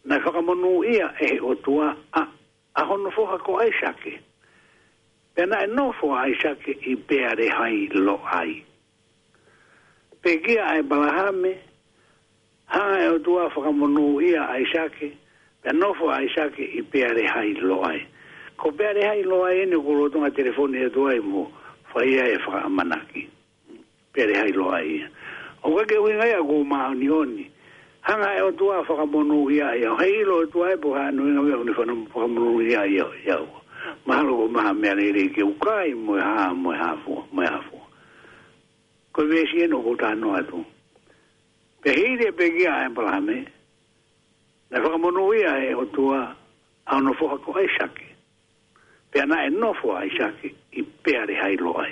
naʻe fakamonūʻia ʻe he ʻOtua ʻa, ʻa hono foha ko ʻAisake. Pea naʻe nofo ʻa ʻAisake ʻi Pealehailoʻai. Pekia ʻa ʻĒpalahame, hanga ʻe he ʻOtua ʻo fakamonūʻia ʻa ʻAisake, pea nofo ʻa ʻAisake ʻi Pealehailoʻai. Ko Pealehailoʻai eni ʻoku ou lolotonga telefoni atu ai mo fai ai e fakaʻamanaki. Pealehailoʻai ia. ʻOku ʻikai ke ʻuhinga ia ʻoku ou māʻoniʻoni. Hanga ʻe he ʻOtua ʻo fakamonūʻia ia. ʻOku ʻikai ʻilo ʻe he ʻOtua ia pe ko e hā hono ʻuhinga ʻoku ne fakamonūʻia ia ʻo ia. Mahalo ko e maha meʻa lelei ke u kai mo e hā, mo e hā fua, mo e hā fua. Ko e veesi eni ʻoku ou talanoa atu. Pea hili e pekia ʻa ʻĒpalahame, naʻe fakamonūʻia ʻe he ʻOtua ʻa hono foha ko ʻAisake. Pea naʻe nofo ʻa ʻAisake ʻi Pealehailoʻai.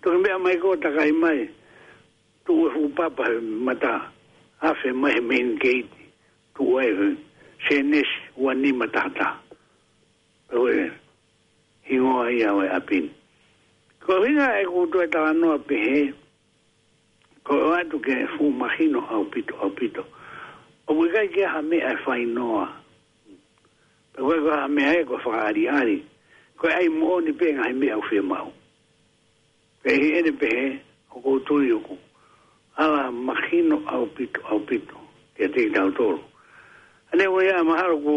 Toki meʻa mai ko e takai mai, tuʻu e fuʻu papa he mata afe mai he main gate, tuʻu ai he Sēnesi ua nima taha taha. Pea ko e hingoa ia ʻo e ʻapi ni. Ko e ʻuhinga ʻeku toe talanoa pehē, ko e ʻoatu ke fuʻu mahino ʻaupito, ʻaupito. ʻOku ʻikai ke ʻi ai ha meʻa ʻe fainoa. Pea ko e, ko e hā e meʻa ē ko e fakaʻaliʻali. Ko e ʻai moʻoni pē ngaahi meʻa ʻoku fiemaʻu. Pea ʻi heʻene pehē, ʻoku ou tui ʻoku ala mahino ʻaupito, ʻaupito kiate kitautolu. ʻA ia ʻoku ou ʻi ai mahalo ko,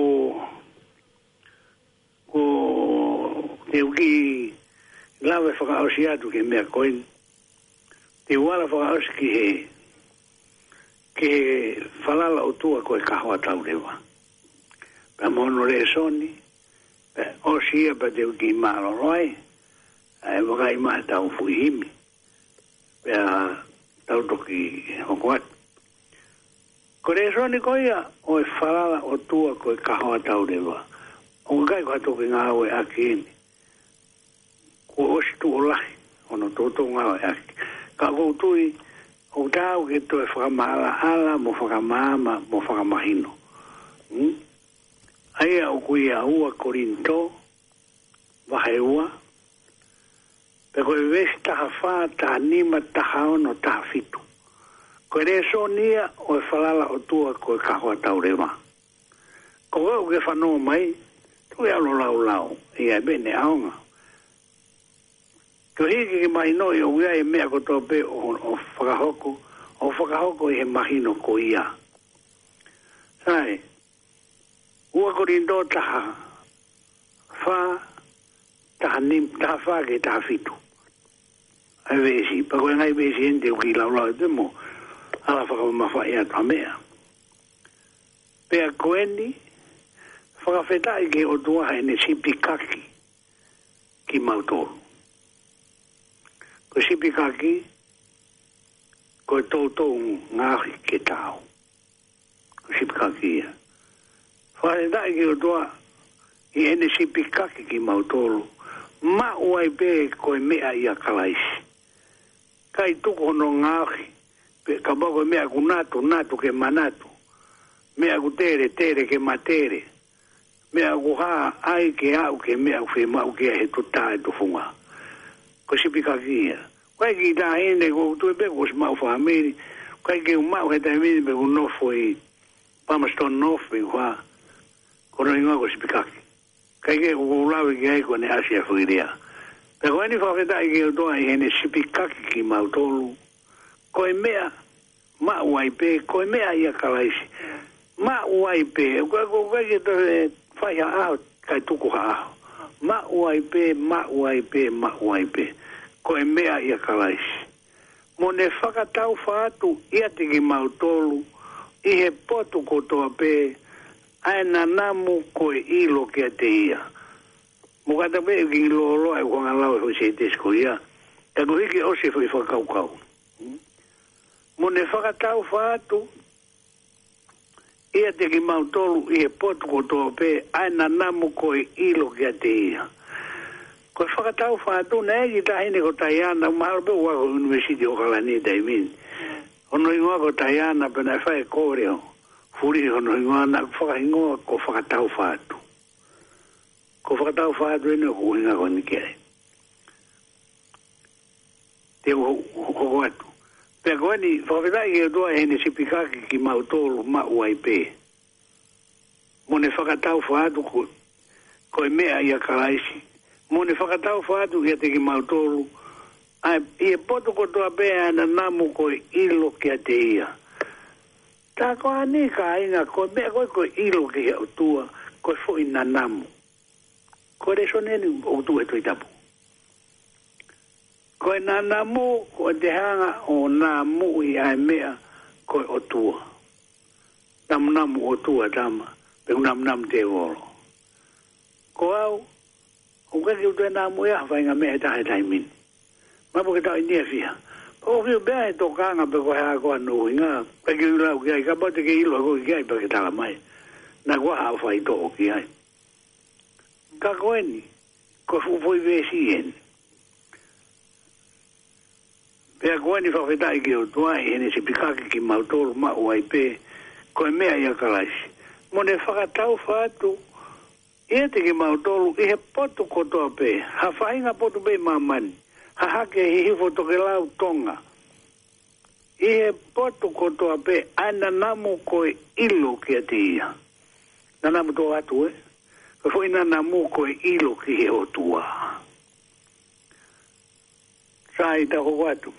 ko te u kiʻi lave fakaʻosi atu ki he meʻa ko eni. Te u ala fakaʻosi ki he, ki he falala ʻOtua ko e kahoa tauleva. Pea mo hono lēsoni, pea ʻosi ia pea te u kiʻi mālōlō ai, ʻa e vakai mai he tau fuʻu himi. Pea tau toki hoko atu. Ko e lēsoni ko ia ʻo e falala ʻOtua ko e kahoa tauleva. ʻOku ʻikai ko ha toki ngāueʻaki eni. Kuo ʻosi tuʻo lahi hono toutou ngāueʻaki. Ka ʻoku ou tui, ʻoku taau ke toe fakamaʻalaʻala, mo fakamaama, mo fakamahino. Hmm? ʻA ia ʻoku ʻi he ua Kolinitō, Ko e veesi taha fā, taha nima, taha ono, taha fitu. Ko e lēsoni ia ʻo e falala ʻOtua ko e kahoa tauleva. Ko koe ʻoku ke fanongo mai, tuku ke u lau lau, ʻi ai pē ʻene ʻaonga. Koeʻuhi ke ke mahinoʻi ʻoku ʻi ai e meʻa kotoa pē ʻoku, ʻoku fakahoko, ʻoku fakahoko ʻi he mahino ko ia. Sai, ua Kolinitō taha fā, taha nim-, taha fā ki he taha fitu. ʻA e veesi, pea ko e ngaahi veesi eni te u kiʻi lau lau atu mo ala fakamamafaʻi atu ha meʻa. Pea ko eni, fakafetaʻi ki he ʻOtua heʻene sipikaki kimautolu. Ko e sipikaki, ko e toutou ngaohi ke tau. Ko e sipikaki ia. Fakafetaʻi ki he ʻOtua ʻi heʻene sipikaki kimautolu. Maʻu ai pē ko e meʻa ʻia Kalaisi. ʻIkai tuku hono ngaohi, pe kapau ko e meʻa ʻoku natu, natu ke manatu. Meʻa ʻoku tele, tele ke matele. Meʻa ʻoku hā, ʻai ke aʻu ki he meʻa ʻoku fiemaʻu ke ʻi ai he tuʻu tā e tufunga. Ko e sipikaki ia. ʻIkai ke taʻahine, ʻoku ou tui pē kuo ʻosi maʻu fāmili. ʻIkai ke u maʻu he taimi ni pe ʻoku ou nofo ʻi Palmerston North pe ʻoku hā. Ko hono hingoa ko e sipikaki. ʻIkai ke u lave ki ai ko ʻene ʻasi ʻa Fililia. Pea ko eni, fakafetaʻi ki he ʻOtua ʻi heʻene sipikaki kimautolu. Ko e meʻa, maʻu ai pē, ko e meʻa ʻia Kalaisi. Maʻu ai pē, ko, ko, ko e ke toe fai ha ʻaho, ʻikai tuku ha ʻaho. Maʻu ai pē, maʻu ai pē, maʻu ai pē. Ko e meʻa ʻia Kalaisi. Mo ne fakataufa atu ʻiate kimautolu ʻi he potu kotoa pē ʻa e nanamu ko e ʻilo kiate ia. Mo kata pē ʻeku kiʻi lōloa ʻeku hanga lau e foʻi sētesi ko ia. Ka koeʻuhi ke ʻosi e foʻi fakakaukau. Mo ne fakataufa atu ʻiate kimautolu ʻi he potu kotoa pē ʻa e nanamu ko e ʻilo kiate ia. Ko e fakataufa atu, naʻe ʻi ai e kiʻi taʻahine ko Taiana, mahalo pē ʻoku ʻi he University ʻOkalani taimi ni. Hono hingoa ko Taiana, pea naʻe fai e kole ʻo fulihi hono hingoa, naʻe fakahingoa ko Fakataufa Atu. Ko Fakataufa Atu eni ʻoku ʻuhinga ko eni ki ai. Te u ho-, ho-, hoko atu. Pea ko eni, fakafetaʻi ki he ʻOtua ʻi heʻene sipikaki kimautolu, maʻu ai pē. Mo ne fakataufa atu ko, ko e meʻa ʻia Kalaisi. Mo ne fakataufa atu ʻiate kimautolu ʻa e, ʻi he potu kotoa pē ʻa e nanamu ko e ʻilo kiate ia. Tā ko eni kāinga, ko e meʻa ko ē ko e ʻilo ki he ʻOtua, ko e foʻi nanamu. Ko e lēsoni eni ʻoku tuʻu he Tohi Tapu. Ko e nanamu, ko e te hanga ʻo namuʻi ʻa e meʻa ko e ʻOtua. Namunamu ʻOtua tama, pe ʻoku namunamu tēvolo. Ko au, ʻoku ʻikai ke u toe namuʻi ha faʻahinga meʻa ʻe taha he taimi ni. Mahalo pē ke tau ʻi he near future. Pea ʻoku ou fiu pē he tokanga pe ko e hā ko hono ʻuhinga, ʻikai ke u lau ki ai, kapau te ke ʻilo ʻe koe ki ai pea ke tala mai. Naʻa kuo haʻu faitoʻo ki ai. Ka ko eni, ko e fuʻu foʻi veesi eni. Pea ko eni, fakafetaʻi ki he ʻOtua ʻi heʻene sipikaki kimautolu, maʻu ai pē, ko e meʻa ʻia Kalaisi. Mo ne fakataufa atu ʻiate kimautolu ʻi he potu kotoa pē, ha faʻahinga potu pē ʻi māmani, hahake, Hihifo, Tokelau, Tonga. ʻI he potu kotoa pē ʻa e nanamu ko e ʻilo kiate ia. Nanamu tō atu ē. Ko e foʻi nanamu ko e ʻilo ki he ʻOtua. Sai, tau hoko atu.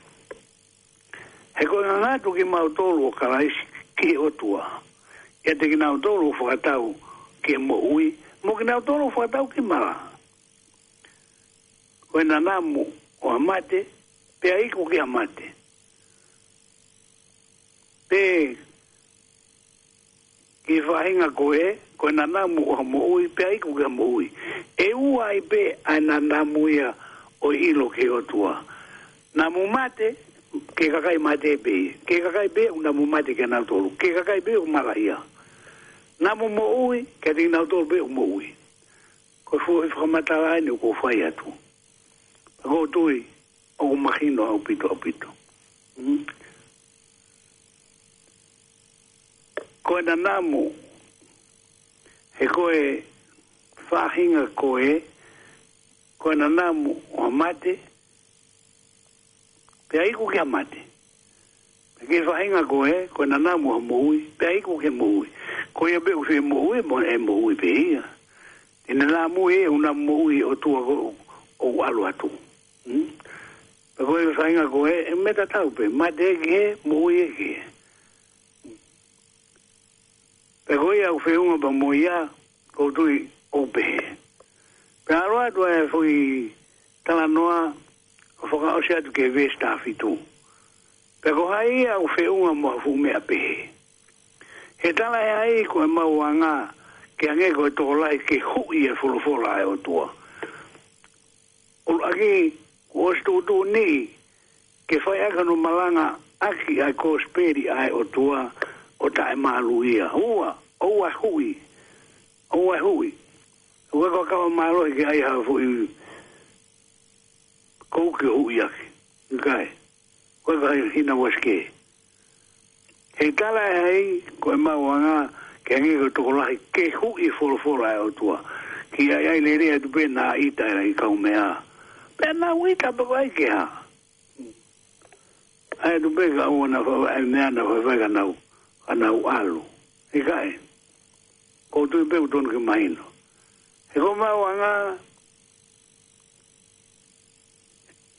He ko e ngangatu kimautolu ʻo Kalaisi ki he ʻOtua, ʻiate kinautolu ʻoku fakatau ki he moʻui, mo kinautolu ʻoku fakatau ki he mala. Ko e nanamu ʻo ha mate, pea iku ki ha mate. Pe ki he faʻahinga ko ē, ko e nanamu ʻo ha moʻui, pea iku ki ha moʻui. ʻE ua ai pē ʻa e nanamu ia ʻo e ʻilo ki he ʻOtua. Namu mate, ki he kakai mate pē ia. Ki he kakai pē ʻoku namu mate kinautolu. Ki he kakai pē ʻoku mala ia. Namu moʻui, kiate kinautolu pē ʻoku moʻui. Ko e foʻi fakamatala eni ʻoku ou fai atu. Pea ʻoku ou tui, ʻoku mahino ʻaupito, ʻaupito. Mm. Ko e nanamu, he ko e faʻahinga ko ē, ko e nanamu ʻo ha mate, Pea iku ki he mate. Pea ki he faʻahinga ko ē, ko e nanamu ʻa e moʻui, pea iku ki he moʻui. Ko ia pē ʻoku fie moʻui, mo e moʻui pē ia. Te ne lamui ē, ʻoku na moʻui ʻOtua ko ē ʻoku ʻalu atu. Hmm? Pea ko e faʻahinga ko ē, ʻe meʻa tatau pē, mate ē ki hē, moʻui ē ki hē. Pea ko ia ʻoku feʻunga pea mo ia, ʻoku ou tui ʻoku pehē. Pea ʻalu atu ʻa e foʻi talanoa ʻo fakaʻosi atu ki he veesi taha fitu. Pea ko hai ia ʻoku feʻunga mo ha fuʻu meʻa pehē. He talaʻehai ko ʻemau anga ke hangē ko e tokolahi ke huʻi e folofola ʻa e ʻOtua. ʻUluaki, kuo ʻosi tuʻutuʻuni ke fai ʻaki hono malanga ʻaki ʻa e kosipeli ʻa e ʻOtua ʻo taʻemāluʻia. Ua, ʻoua ʻe huʻi. ʻOua ʻe huʻi. ʻOku ʻikai ko ha kava mālohi ke ʻai ha foʻi kouke ʻo huʻi ʻaki. ʻIkai. ʻOku ʻikai ko ha hina uasikē. He talaʻehai ko ʻemau anga ke hangē ko e tokolahi ke huʻi e folofola ʻa e ʻOtua. Ki ai ai lele atu pē naʻa ʻita e lahi kaumeʻa. Pea naʻa nau ʻita pē ko ai ke hā. ʻAi atu pē ka ʻoua naʻa faʻa, ʻai meʻa naʻa faʻa fai ka nau, ka nau ʻalu. ʻIkai. ʻOku ou tui pē ʻoku totonu ke mahino. He ko ʻemau anga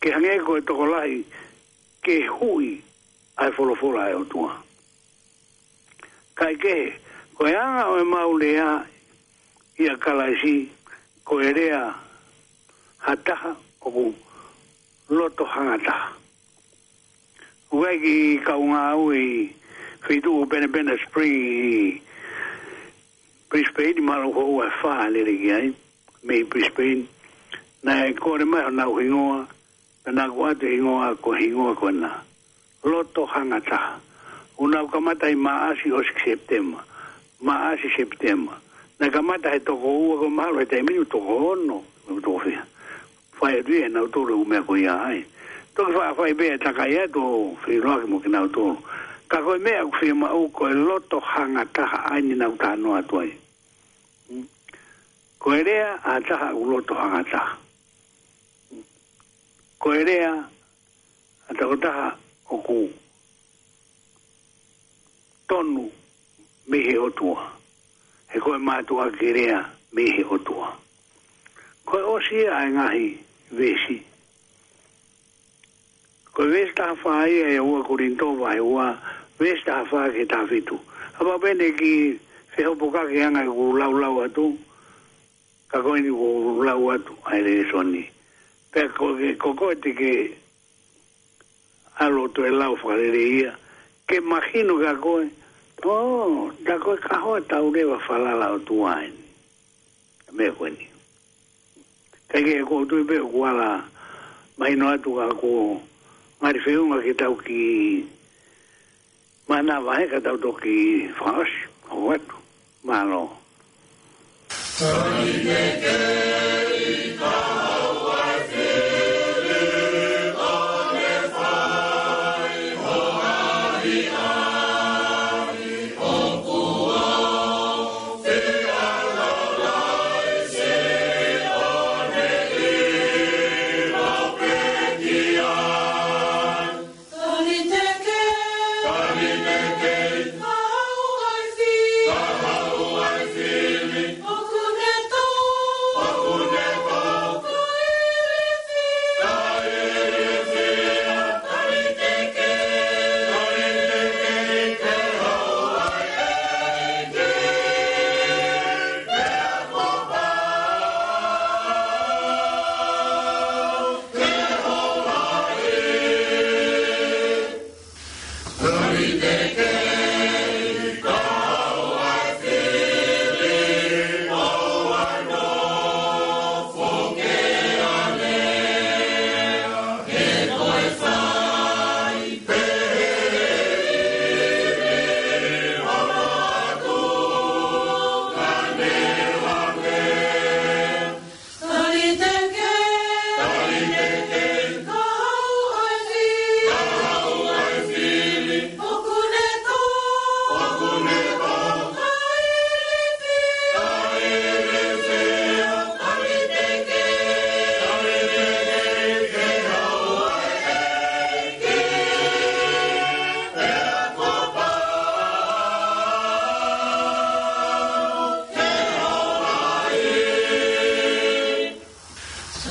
ke hangē ko e tokolahi ke huʻi ʻa e folofola ʻa e ʻOtua. Kaikehe, ko e anga ʻo ʻemau lea ʻia Kalaisi, ko e lea ha taha ʻoku loto hangataha. ʻOku ʻi ai e kiʻi kaungāue ʻi he feituʻu ko Penapena Spring ʻi Brisbane, mahalo ʻoku ua fā lele ki ai, mei Brisbane. Naʻe kole mai honau hingoa, pea naʻa ku ʻoatu e hingoa, ko e hingoa ko ena. Loto hangataha. ʻOku nau kamata ʻi Maʻasi ʻosi ki Sepitema. Maʻasi Sepitema. Naʻe kamata he toko ua, ko e mahalo he taimi ni toko ono, toko fiha. Fai atu ia ʻe nautolu e ʻū meʻa ko ia ai. Toki faʻa fai pē e takai atu ʻo feʻiloaki mo kinautolu. Ka ko e meʻa ʻoku fiemaʻu ko e loto hangataha ʻa eni naʻa ku talanoa atu ai. Hmm? Ko e lea ʻa ha taha ʻoku loto hangataha. Ko e lea ʻa ha tokotaha ʻoku tonu mei he ʻOtua. He ko e mātuʻaki lea mei he ʻOtua. Ko e ʻosi ia ʻa e ngaahi veesi. Ko e veesi taha fā ia ʻi he ua Kolinitō vahe ua, veesi taha fā ki he taha fitu. Kapau pē naʻe kiʻi fehopokaki ange ʻeku laulau atu, ka ko eni ʻoku ou lau atu ʻa e lēsoni. Pea ko ke, ko koe te ke ʻalu ʻo toe lau fakalelei ia, ke mahino kia koe, ʻō, tā ko e kahoa tau leva falala ʻOtua eni. Meʻa ko eni. Kaikehe ʻoku ou tui pē ʻoku ala mahino atu ka ko e ngali feʻunga ke tau kiʻi mānava he ka tau toki fakaʻosi, ʻoatu. Mālō.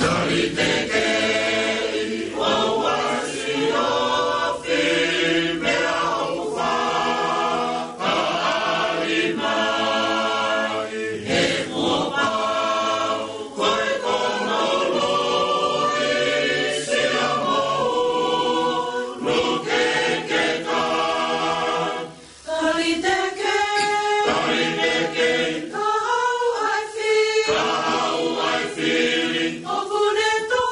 Taliteke. Taliteke. Ka hau ai fili. Ka hau ai fili. ʻOku ne tō.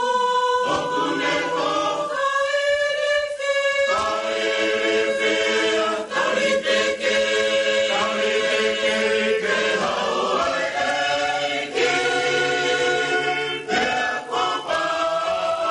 ʻOku ne tō. Ka ilifia. Ka ilifia. Taliteke. Taliteke. Ke hau ai ʻEiki. Pea kuo pau.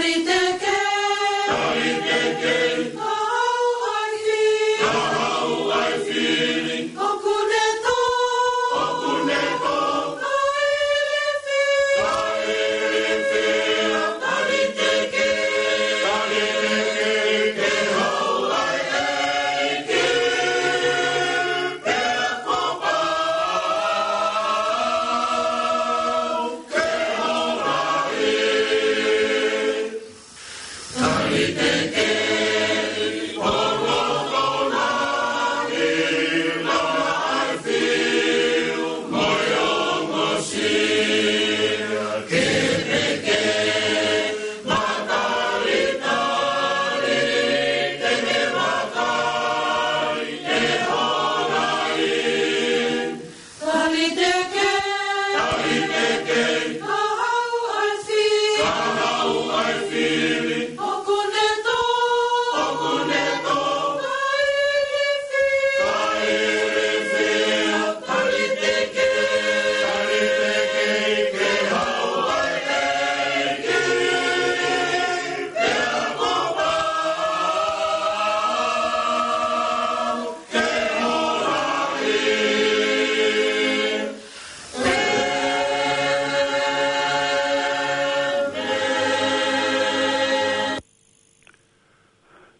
Taliteke. Taliteke. Ka hau ai fili. Ka hau ai fili. ʻOku ne tō. ʻOku ne tō. Ka ilifia. Ka ilifia. Taliteke. Taliteke. Ke hau ai ʻEiki. Pea kuo pau. Taliteke. Taliteke. Ka hau ai fili. Ka hau ai fili. ʻOku ne tō. ʻOku ne tō. Ka ilifia. Ka ilifia. Taliteke. Taliteke. Ke hau ai ʻEiki. Pea kuo pau.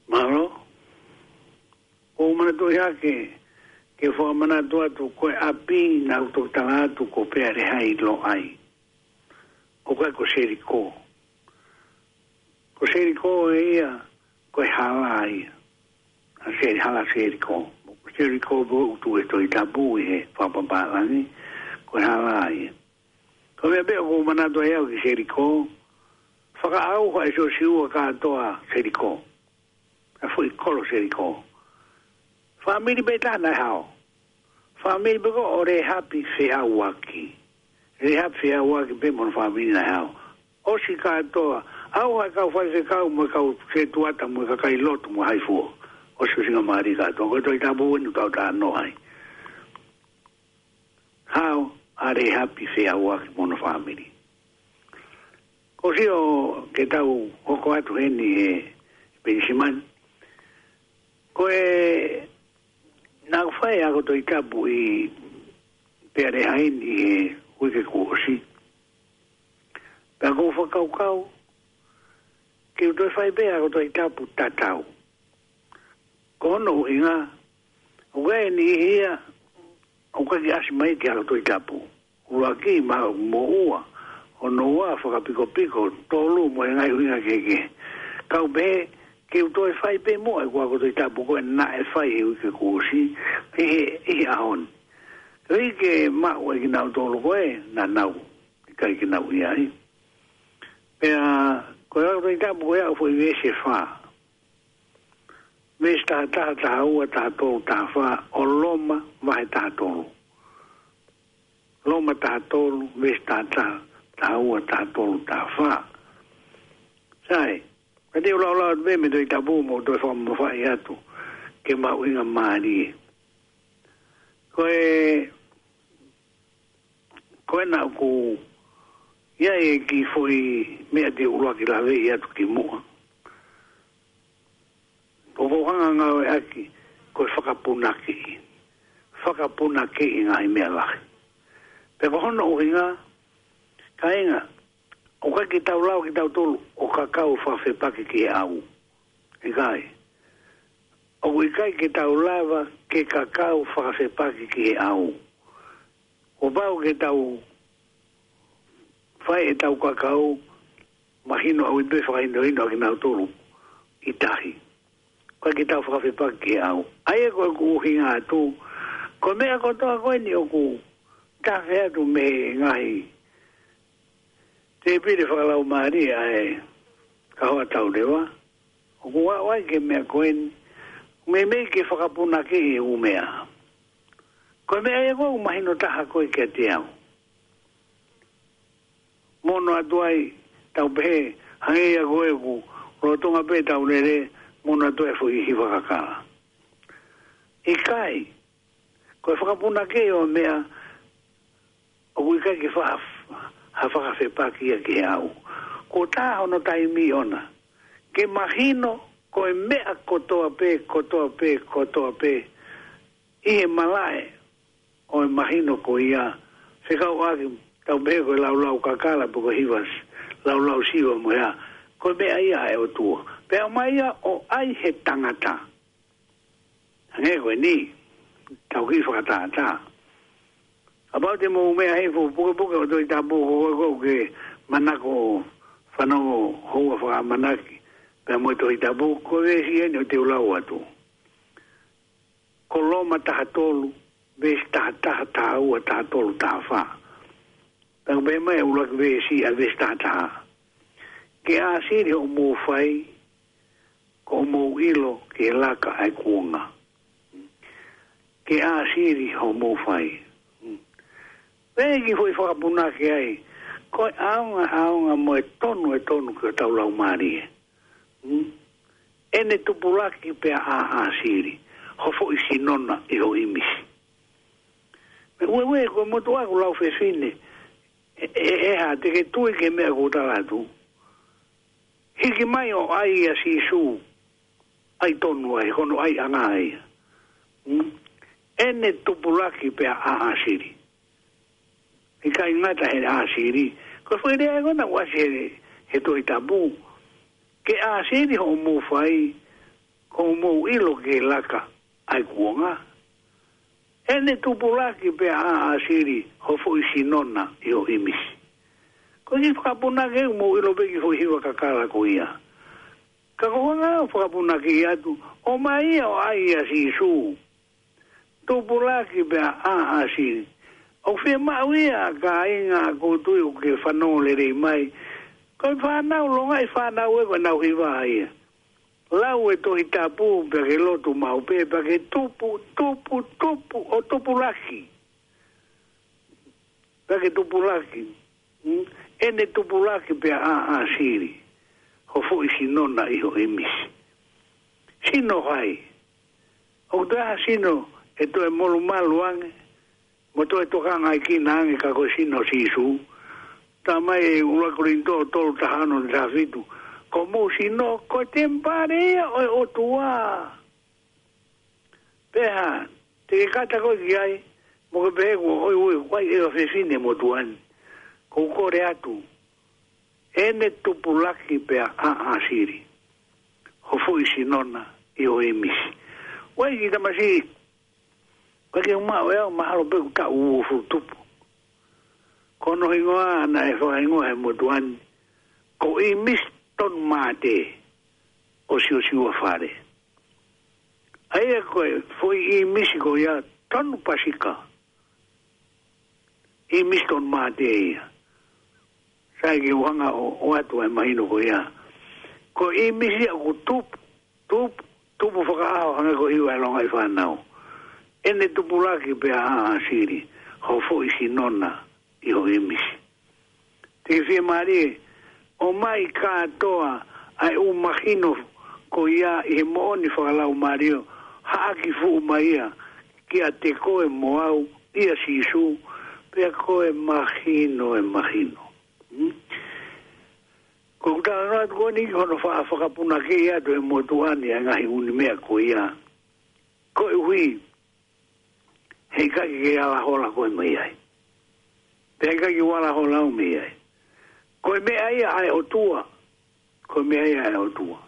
Mālō. ʻOku ou manatuʻi hake, ke fakamanatu atu ko e ʻapi naʻa ku toki tala atu ko Pealehailoʻai. ʻOku ʻikai ko Selikō. Ko Selikō ʻe ia, ko e hala ia. ʻA Seli-, hala Selikō. Ko Selikō pē ʻoku tuʻu he Tohi Tapu ʻi he fakapapālangi, ko e hala ia. Ko e meʻa pē ʻoku ou manatu ai au ki Selikō, fakaʻauha ʻe Siosiua kātoa Selikō. ʻA e foʻi kolo Selikō. Fāmili pē taha naʻe hao. Fāmili pē ko ē ʻo Lehapi Feʻauaki. Lehapi Feʻauaki pē mo hono fāmili naʻe hao. ʻOsi kātoa. ʻAuha e kau faifekau mo e kau setuata mo e kakai lotu mo e haifua. ʻOsi ʻusingamālie kātoa. Ko e Tohi Tapu eni ʻoku tau talanoa ai. Hao ʻa Lehapi Feʻauaki mo hono fāmili. Ko e sio ke tau hoko atu heni he Penisimani. Ko e naʻa ku fai ʻa e ako Tohi Tapu ʻi Pealehai ni he uike kuo ʻosi. Pea ʻoku ou fakakaukau, ke u toe fai pē ʻa e ako Tohi Tapu tatau. Ko hono ʻuhinga, ʻoku ʻi ai e niʻihi ia, ʻoku ʻikai ke ʻasi mai ki he ako Tohi Tapu. ʻUluaki, maʻu moʻua, hono ua, fakapikopiko, tolu, mo e ngaahi ʻuhinga kehekehe. Kau pehē, ke u toe fai pē muʻa ʻeku ako Tohi Tapu ko ē naʻe fai he uike kuo ʻosi, ʻi he, ʻi he ʻaho ni. Koeʻuhi ke maʻu ʻe kinautolu ko ē naʻa nau ʻikai ke nau ʻi ai. Pea, ko e ako Tohi Tapu ko ē ʻoku foʻi veesi ʻe fā. Veesi taha taha, taha ua, taha tolu, taha fā, ʻo Loma, vahe taha tolu. Loma taha tolu, veesi taha taha, taha ua, taha tolu, taha fā. Sai, ka te u lau atu pē mei he Tohi Tapu mo toe fakamamafaʻi atu, ke mahuʻingamālie. Ko e, ko ena ʻoku ʻI ai e kiʻi foʻi meʻa te u ʻuluaki lave atu ki muʻa. ʻOku ou hanga ʻo ngāueʻaki ko e fakapunakiʻi. Fakapunakiʻi ngaahi meʻa lahi. Pea ko hono ʻuhinga, kāinga, ʻoku ʻikai ke tau lava kitautolu ʻo kakau fakafepaki ki he ʻau. ʻIkai. ʻOku ʻikai ke tau lava ke kakau fakafepaki ki he ʻau. Kuo pau ke tau fai ʻetau kakau, mahino ʻaupito e fakahinohino ʻa kinautolu ʻi tahi. ʻOku ʻikai ke tau fakafepaki ki he ʻau. ʻA ia ko ʻeku ʻuhinga atu, ko e meʻa kotoa ko eni ʻoku tafe atu mei he ngaahi tēpile fakalaumālie ʻa e kahoa tau leva, ʻoku ʻaʻu ai ki he meʻa ko eni, meimei ke fakapunakiʻi e ʻū meʻa. Ko e meʻa ia ʻoku mahino taha ko ē kiate au. Mono atu ai, tau pehē, hangē ia ko ē ʻoku lolotonga pē tau lele, mono atu ai e foʻi hiva kakala. ʻIkai, ko e fakapunakiʻi ʻo e meʻa, ʻoku ʻikai ke fa-, ha fakafepaki ia ki he ʻau. Kuo tā hono taimi ʻona ke mahino ko e meʻa kotoa pē, kotoa pē, kotoa pē ʻi he malaʻe ʻo e mahino ko ia, fekauʻaki, tau pehē ko e laulau kakala pe ko e hiva s-, laulau siva mo ia, ko e meʻa ia ʻa e ʻOtua. Pea ʻomai ia ʻo ʻai he tangata. Hangē ko eni, tau kiʻi fakatātā. Kapau te mou meʻa hei fo pukepuke ʻo e Tohi Tapu, ko koe ʻoku ke manako fanongo houa fakaʻamanaki pea mo e Tohi Tapu, ko e veesi eni ʻoku te u lau atu. Ko Loma taha tolu, veesi taha taha, taha ua, taha tolu, taha fā. Pea ʻoku pehē mai e ʻuluaki veesi ʻa e veesi taha taha. Ke ʻāsili hoʻomou fai, ko hoʻomou ʻilo ke laka ʻa e kuonga. Ke ʻāsili hoʻomou fai. Pea kiʻi foʻi fakapunake ai, ko e ʻaonga, ʻaonga mo e tonu, e tonu ki hotau laumālie. ʻEne tupulaki pea ʻāsili ho foʻi sino na ʻi ho ʻimisi. Meʻa ueue, ko e motuʻa ʻoku lau fefine, ʻe, ʻe, ʻe hā, te ke tui ki he meʻa ʻoku ou tala atu? Hiki mai ʻo ʻai ʻa Sīsū, ʻai tonu ai, hono ʻaiʻanga ia. ʻEne tupulaki pea ʻāsili. ʻIkai ngata he ʻāsili. Ko e foʻi lea ko ena ʻoku ʻasi he, he Tohi Tapu. Ke ʻāsili hoʻomou fai, ko hoʻomou ʻilo ke laka ʻa e kuonga. ʻEne tupulaki pea ʻāsili ho foʻi sino na ʻi ho ʻimisi. Ko e kiʻi fakapunake, mou ʻilo pē kiʻi foʻi hiva kakala ko ia. Ka ko e anga ʻo e fakapunake atu, ʻomai ia ʻo ʻai ʻa Sīsū. Tupulaki pea ʻāsili. ʻOku fiemaʻu ia, kāinga, ʻoku ou tui ʻoku ke fanongo lelei mai. Ko e fānau, longaʻi fānau ē, ko ʻenau hiva ia. Lau e Tohi Tapu, pea ke lotu maʻu pē, pea ke tupu, tupu, tupu, ʻo tupulaki. Pea ke tupulaki. ʻEne tupulaki pea ʻāsili ho foʻi sino na ʻi ho ʻimisi. Sino hai? ʻOku ʻi ai ha sino ʻe toe molumalu ange, mo toe tokangaekina ange ka ko e sino ʻo Sīsū. Talamai ʻe ʻuluaki Kolinitō tolu taha ono taha fitu, ko homou sino ko e temipale ia ʻo e ʻOtua. Pea hā, te ke kata koe ki ai, mo ke pehē kuo ʻoiʻoi, ʻoku ʻi ai e fefine motuʻa ni. ʻOku ou kole atu, ʻEne tupulaki pea ʻāsili ho foʻi sino na ʻi ho ʻimisi. ʻOku ʻi ai e kiʻi tamasiʻi, ʻoku ʻikai ke u maʻu ʻe au, mahalo pē ʻoku taʻu uofulu tupu. Ko hono hingoa naʻe fakahingoa he motuʻa ni, ko ʻImisi Tonumate ʻo Siosiua Fale. ʻA ia ko e foʻi ʻimisi ko ia, tonu pasika. ʻImisi Tonumate ia. Sai ke u hanga ʻo, ʻoatu ʻa e mahino ko ia. Ko e ʻimisi ia ʻoku tupu, tupu, tupu fakaʻaho hangē ko e hiva ʻa e longaʻi fānau. ʻEne tupulaki pea ʻāsili ho foʻi sino na ʻi ho ʻimisi. Te ke fiemālie, ʻomai kātoa ʻa e ʻū mahino ko ia ʻi he moʻoni fakalaumālie, haʻaki fuʻu mai ia kiate koe mo au ʻia Sīsū, pea ko e mahino, e mahino. Ko ʻeku talanoa atu ko eni ki hono fa-, fakapunakeʻi atu ʻe he motuʻa ni ʻa e ngaahi ʻū meʻa ko ia. Koeʻuhi, heʻikai ke ala hola koe mei ai. Pea heʻikai ke u ala hola au mei ai. Ko e meʻa ia ʻa e ʻOtua. Ko e meʻa ia ʻa e ʻOtua.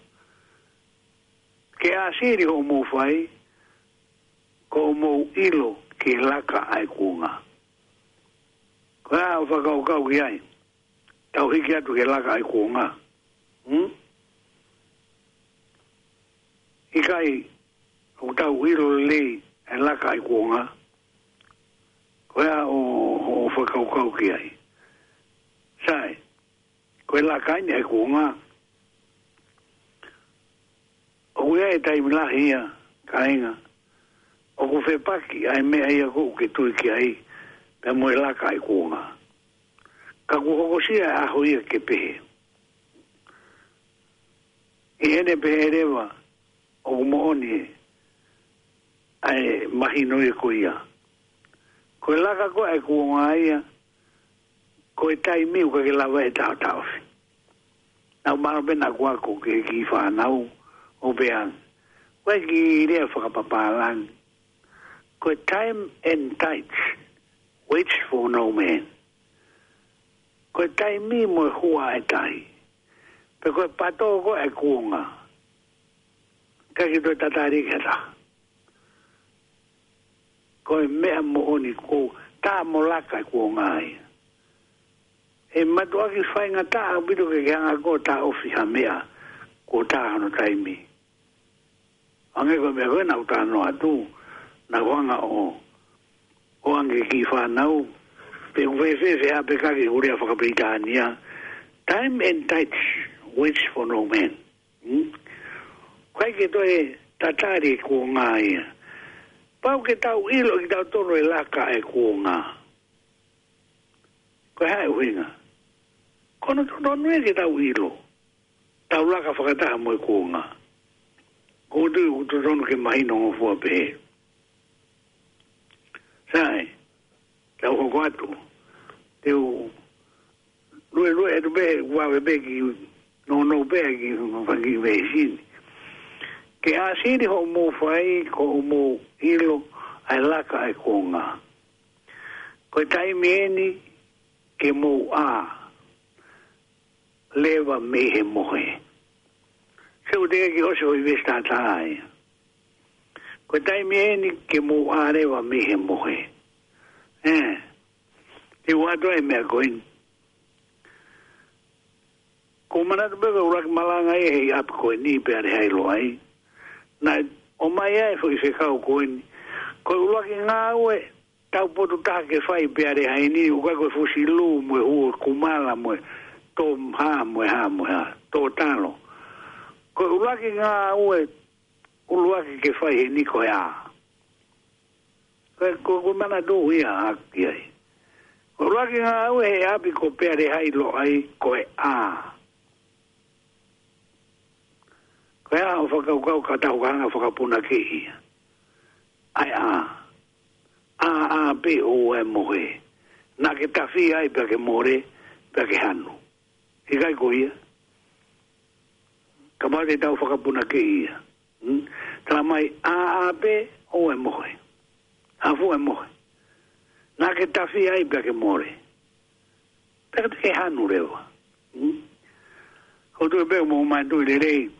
Ke ʻāsili hoʻomou fai, ko hoʻomou ʻilo ke laka ʻa e kuonga. Ko e hā hoʻo fakakaukau ki ai? Tau hiki atu ke laka ʻa e kuonga. Hmm? ʻIkai, ʻoku tau ʻilo lelei ʻa e laka ʻa e kuonga? Ko e hā hoʻo, hoʻo fakakaukau ki ai? Sai, ko e laka eni ʻa e kuonga. ʻOku ʻi ai e taimi lahi ia, kāinga, ʻoku fepaki ʻa e meʻa ia ʻoku ke tui ki ai, pea mo e laka ʻa e kuonga. Ka kuo hokosia e ʻaho ia ke pehē. ʻI heʻene pehē leva, ʻoku moʻoni ʻa e mahino ia ko ia. Ko e laka ko ē ʻa e kuonga ia, ko e taimi ʻoku ʻikai ke lava ʻe taʻotaʻofi. Naʻa ku mālō pē naʻa ku ako ki he kiʻi fānau ʻo pehē ange, ko e kiʻi lea fakapapālangi, ko e time and tide waits for no man. Ko e taimi mo e hua ʻa e tahi, pe ko e pato ko ē ʻa e kuonga, ʻikai ke toe tatali ki ha taha. Ko e meʻa moʻoni, ko e tā mo laka ʻa e kuonga ia. ʻE mātuʻaki faingataʻa ʻaupito ke ke hanga koe ʻo taʻofi ha meʻa kuo tā hono taimi. Hangē ko e meʻa ko ē naʻa ku talanoa atu, naʻa ku hanga ʻo, ʻo ʻoange ki he kiʻi fānau, pe ʻoku fēfē, fēfē ʻa e peka ki he lea faka-Pilitānia. Time and tide waits for no man. Hmm? ʻIkai ke toe tatali e kuonga ia. Pau ke tau ʻilo ʻe kitautolu e laka ʻa e kuonga. Ko e hā e ʻuhinga? Ko hono totonu ia ke tau ʻilo, tau laka fakataha mo e kuonga. ʻOku ou tui ʻoku totonu ke mahino ngofua pē. Sai, tau hoko atu. Te u luelue atu pē, vave pē ki nounou pē ki he fanga kiʻi veesi ni. Ke ʻāsili hoʻomou fai, ko hoʻomou ʻilo ʻa e laka ʻa e kuonga. Ko e taimi eni ke mou ʻā leva mei he mohe. Sio, ʻoku teʻeki ke ʻosi hoʻo veesi tātā ia. Ko e taimi eni ke mou ʻā leva mei he mohe. Ē, te u ʻoatu ʻa e meʻa ko eni. ʻOku ou manatu pē ko e ʻuluaki malanga ia he ʻapi ko eni Pealehaʻi Loʻai. Naʻe ʻomai ai e foʻi fekau ko eni. Ko e ʻuluaki ngāue taupotu taha ke fai Pealehaʻi ni, ʻoku ʻikai ko e fusi lū mo e huo kumala mo e tō hā mo e hā mo e hā, tō talo. Ko e ʻuluaki ngāue ʻuluaki ke fai heni ko e ʻā. Ko e, ko, ko e manatu ia ʻaʻaku ki ai. Ko e ʻuluaki ngāue he ʻapi ko Pealehaʻi Loʻai ko e ʻā. Ko e hā hoʻo fakakaukau ka tau hanga ʻo fakapunakeʻi ia? ʻA e ʻā. ʻĀ, ʻā pē ʻoua ʻe mohe. Naʻa ke tafi ai pea ke mole, pea ke hanu. ʻIkai ko ia? Kapau te tau fakapunakeʻi ia. Hmm? Tala mai, ʻā, ʻā pē ʻoua ʻe mohe. Hā fua e mohe? Naʻa ke tafi ai pea ke mole, pea ke hanu leva. Hmm? ʻOku ou tui pē ʻoku mou manatuʻi lelei,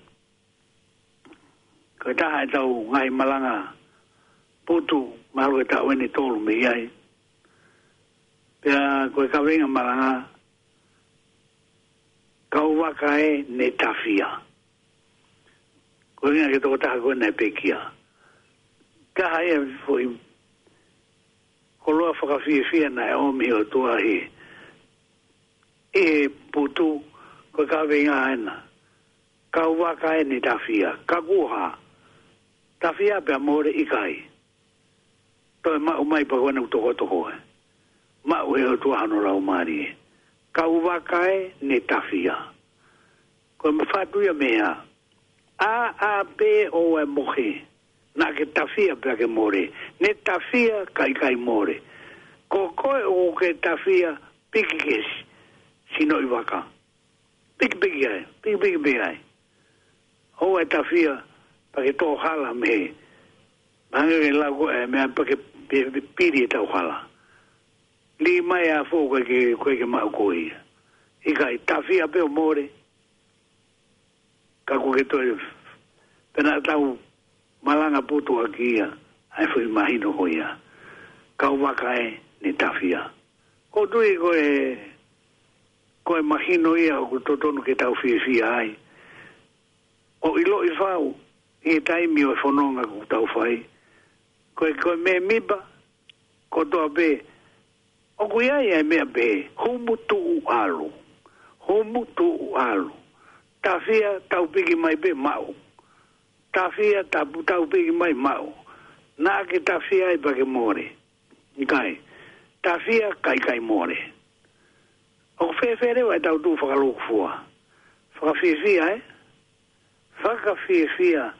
ko e taha ʻetau ngaahi malanga putu, mahalo ko e taʻu eni ʻe tolu mei ai. Pea ko e kaveinga malanga, kau vaka ē ne tafia. Ko e ʻuhinga ki he tokotaha ko ē naʻe pekia. Taha ia e foʻi koloa fakafiefia naʻe ʻomi ʻe he ʻOtua ʻi he, ʻi he putu, ko e kaveinga ena. Kau vaka ē ne tafia. Ka kuo hā? Tafia pea mole? ʻIkai. Toe maʻu mai pea ko ena ʻoku tokoto ko ē. Maʻu ʻe he ʻOtua hono Laumālie. Kau vaka ē ne tafia. Ko e mafatu ia mei he ʻā. ʻĀ, ʻā pē ʻoua ʻe mohe. Naʻa ke tafia pea ke mole. Ne tafia ka ʻikai mole. Ko koe ʻoku ke tafia, piki kesi. sino ʻi vaka. Pikipiki ai, pikipiki pē ai. ʻOua ʻe tafia, pea ke tō hala mei he. Mahalo ke lau ko e meʻa pea ke pe-, pe-, pili ʻetau hala. Lī mai ʻa e fō ko ē ke, ko ē ke maʻu ko ia. ʻIkai, tafia pē ʻo mole. Ka ko e ke toe. Pea naʻa tau malanga putu ʻaki ia, ʻa e foʻi mahino ko ia. Kau vaka ē ne tafia. ʻOku ou tui ko e, ko e mahino ia ʻoku totonu ke tau fiefia ai. ʻO ʻiloʻi fau, ʻi he taimi ʻo e fononga ʻoku tau fai. Ko e, ko e mēmipa, kotoa pē, ʻoku ʻi ai ʻa e meʻa pē, humu tuʻu ʻalu. Humu tuʻu ʻalu. Tafia tau piki mai pē maʻu. Tafia tau, tau piki mai maʻu. Naʻa ke tafia ai pea ke mole. ʻIkai. Tafia kae ʻikai mole. ʻOku fēfē leva ʻetau tuʻu fakalūkufua. Fakafiefia, ē? Fakafiefia.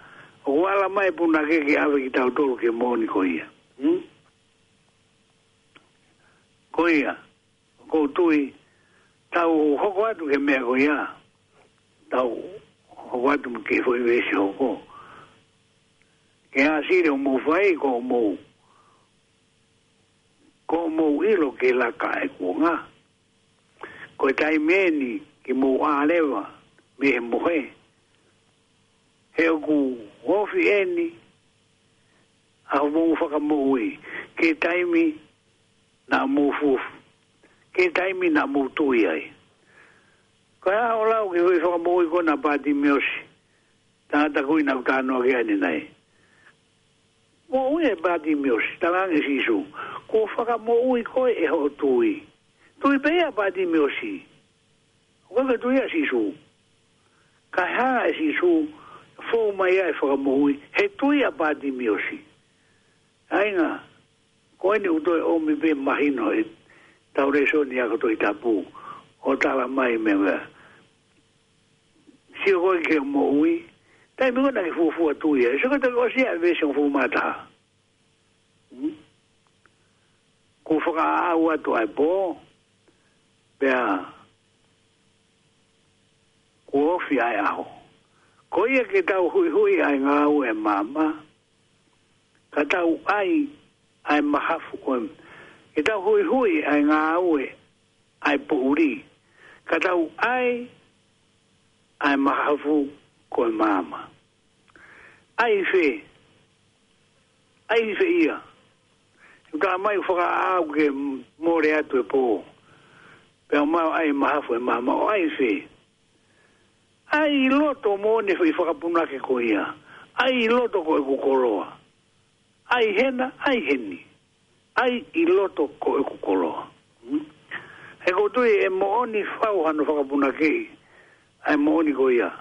ʻOku ala mai punake ke ʻave kitautolu ki he moʻoni ko ia. Hmm? Ko ia. ʻOku ou tui. Tau hoko atu ki he meʻa ko ia. Tau hoko atu mo e kiʻi foʻi veesi hoko. Ke ʻāsili hoʻomou fai ko hoʻomou. Ko hoʻomou ʻilo ke laka e kuonga. Ko e taimi eni ke mou ʻā leva mei he mohe. He ʻoku ofi eni ʻa hoʻomou fakamoʻui. Ke taimi naʻa mou fufu. Ke taimi naʻa mou tui ai. Ko e hā hoʻo lau ki he fakamoʻui ko ena ʻa Patimiosi. Tangata ko ena ʻoku talanoa ki ai ʻanenai. Moʻui ʻa Patimiosi, talaange ʻe Sīsū. Kuo fakamoʻui koe ʻe hoʻo tui. Tui pē ia Patimiosi. ʻOku ʻikai ke tui ʻa Sīsū. Kae hanga ʻe Sīsū, fou mai ʻa e fakamoʻui, he tui ʻa Patimiosi. ʻAinga, ko eni ʻoku toe ʻomi pē mahino ʻetau lēsoni ako Tohi Tapu. ʻO tala mai meʻa. Sio koe ki he moʻui. Taimi ko ena ke fuofua tui ai. Sio koe toki ʻosi ʻa e veesi hongofulu mā taha. Hmm? Kuo fakaʻau atu ʻa e pō. Pea kuo ofi ʻa e ʻaho. Ko ia ke tau huʻihuʻi ʻa e ngāue ʻa e maama. Ka tau ʻai ʻa e mahafu ko e. Ke tau huʻihuʻi ʻa e ngāue ʻa e poʻuli. Ka tau ʻai ʻa e mahafu ko e maama. ʻAi fē. ʻAi fē ia. Ka mai fakaʻau ke mole atu e pō. Pea mau ʻai mahafu e maama ʻo ʻai fē. ʻAi ʻi loto moʻoni foʻi fakapunake ko ia. ʻAi ʻi loto ko ʻeku koloa. ʻAi hena, ʻai heni. ʻAi ʻi loto ko ʻeku koloa. Hmm? He ʻoku ou tui ʻe moʻoni fau hano fakapunakeʻi. ʻA e moʻoni ko ia.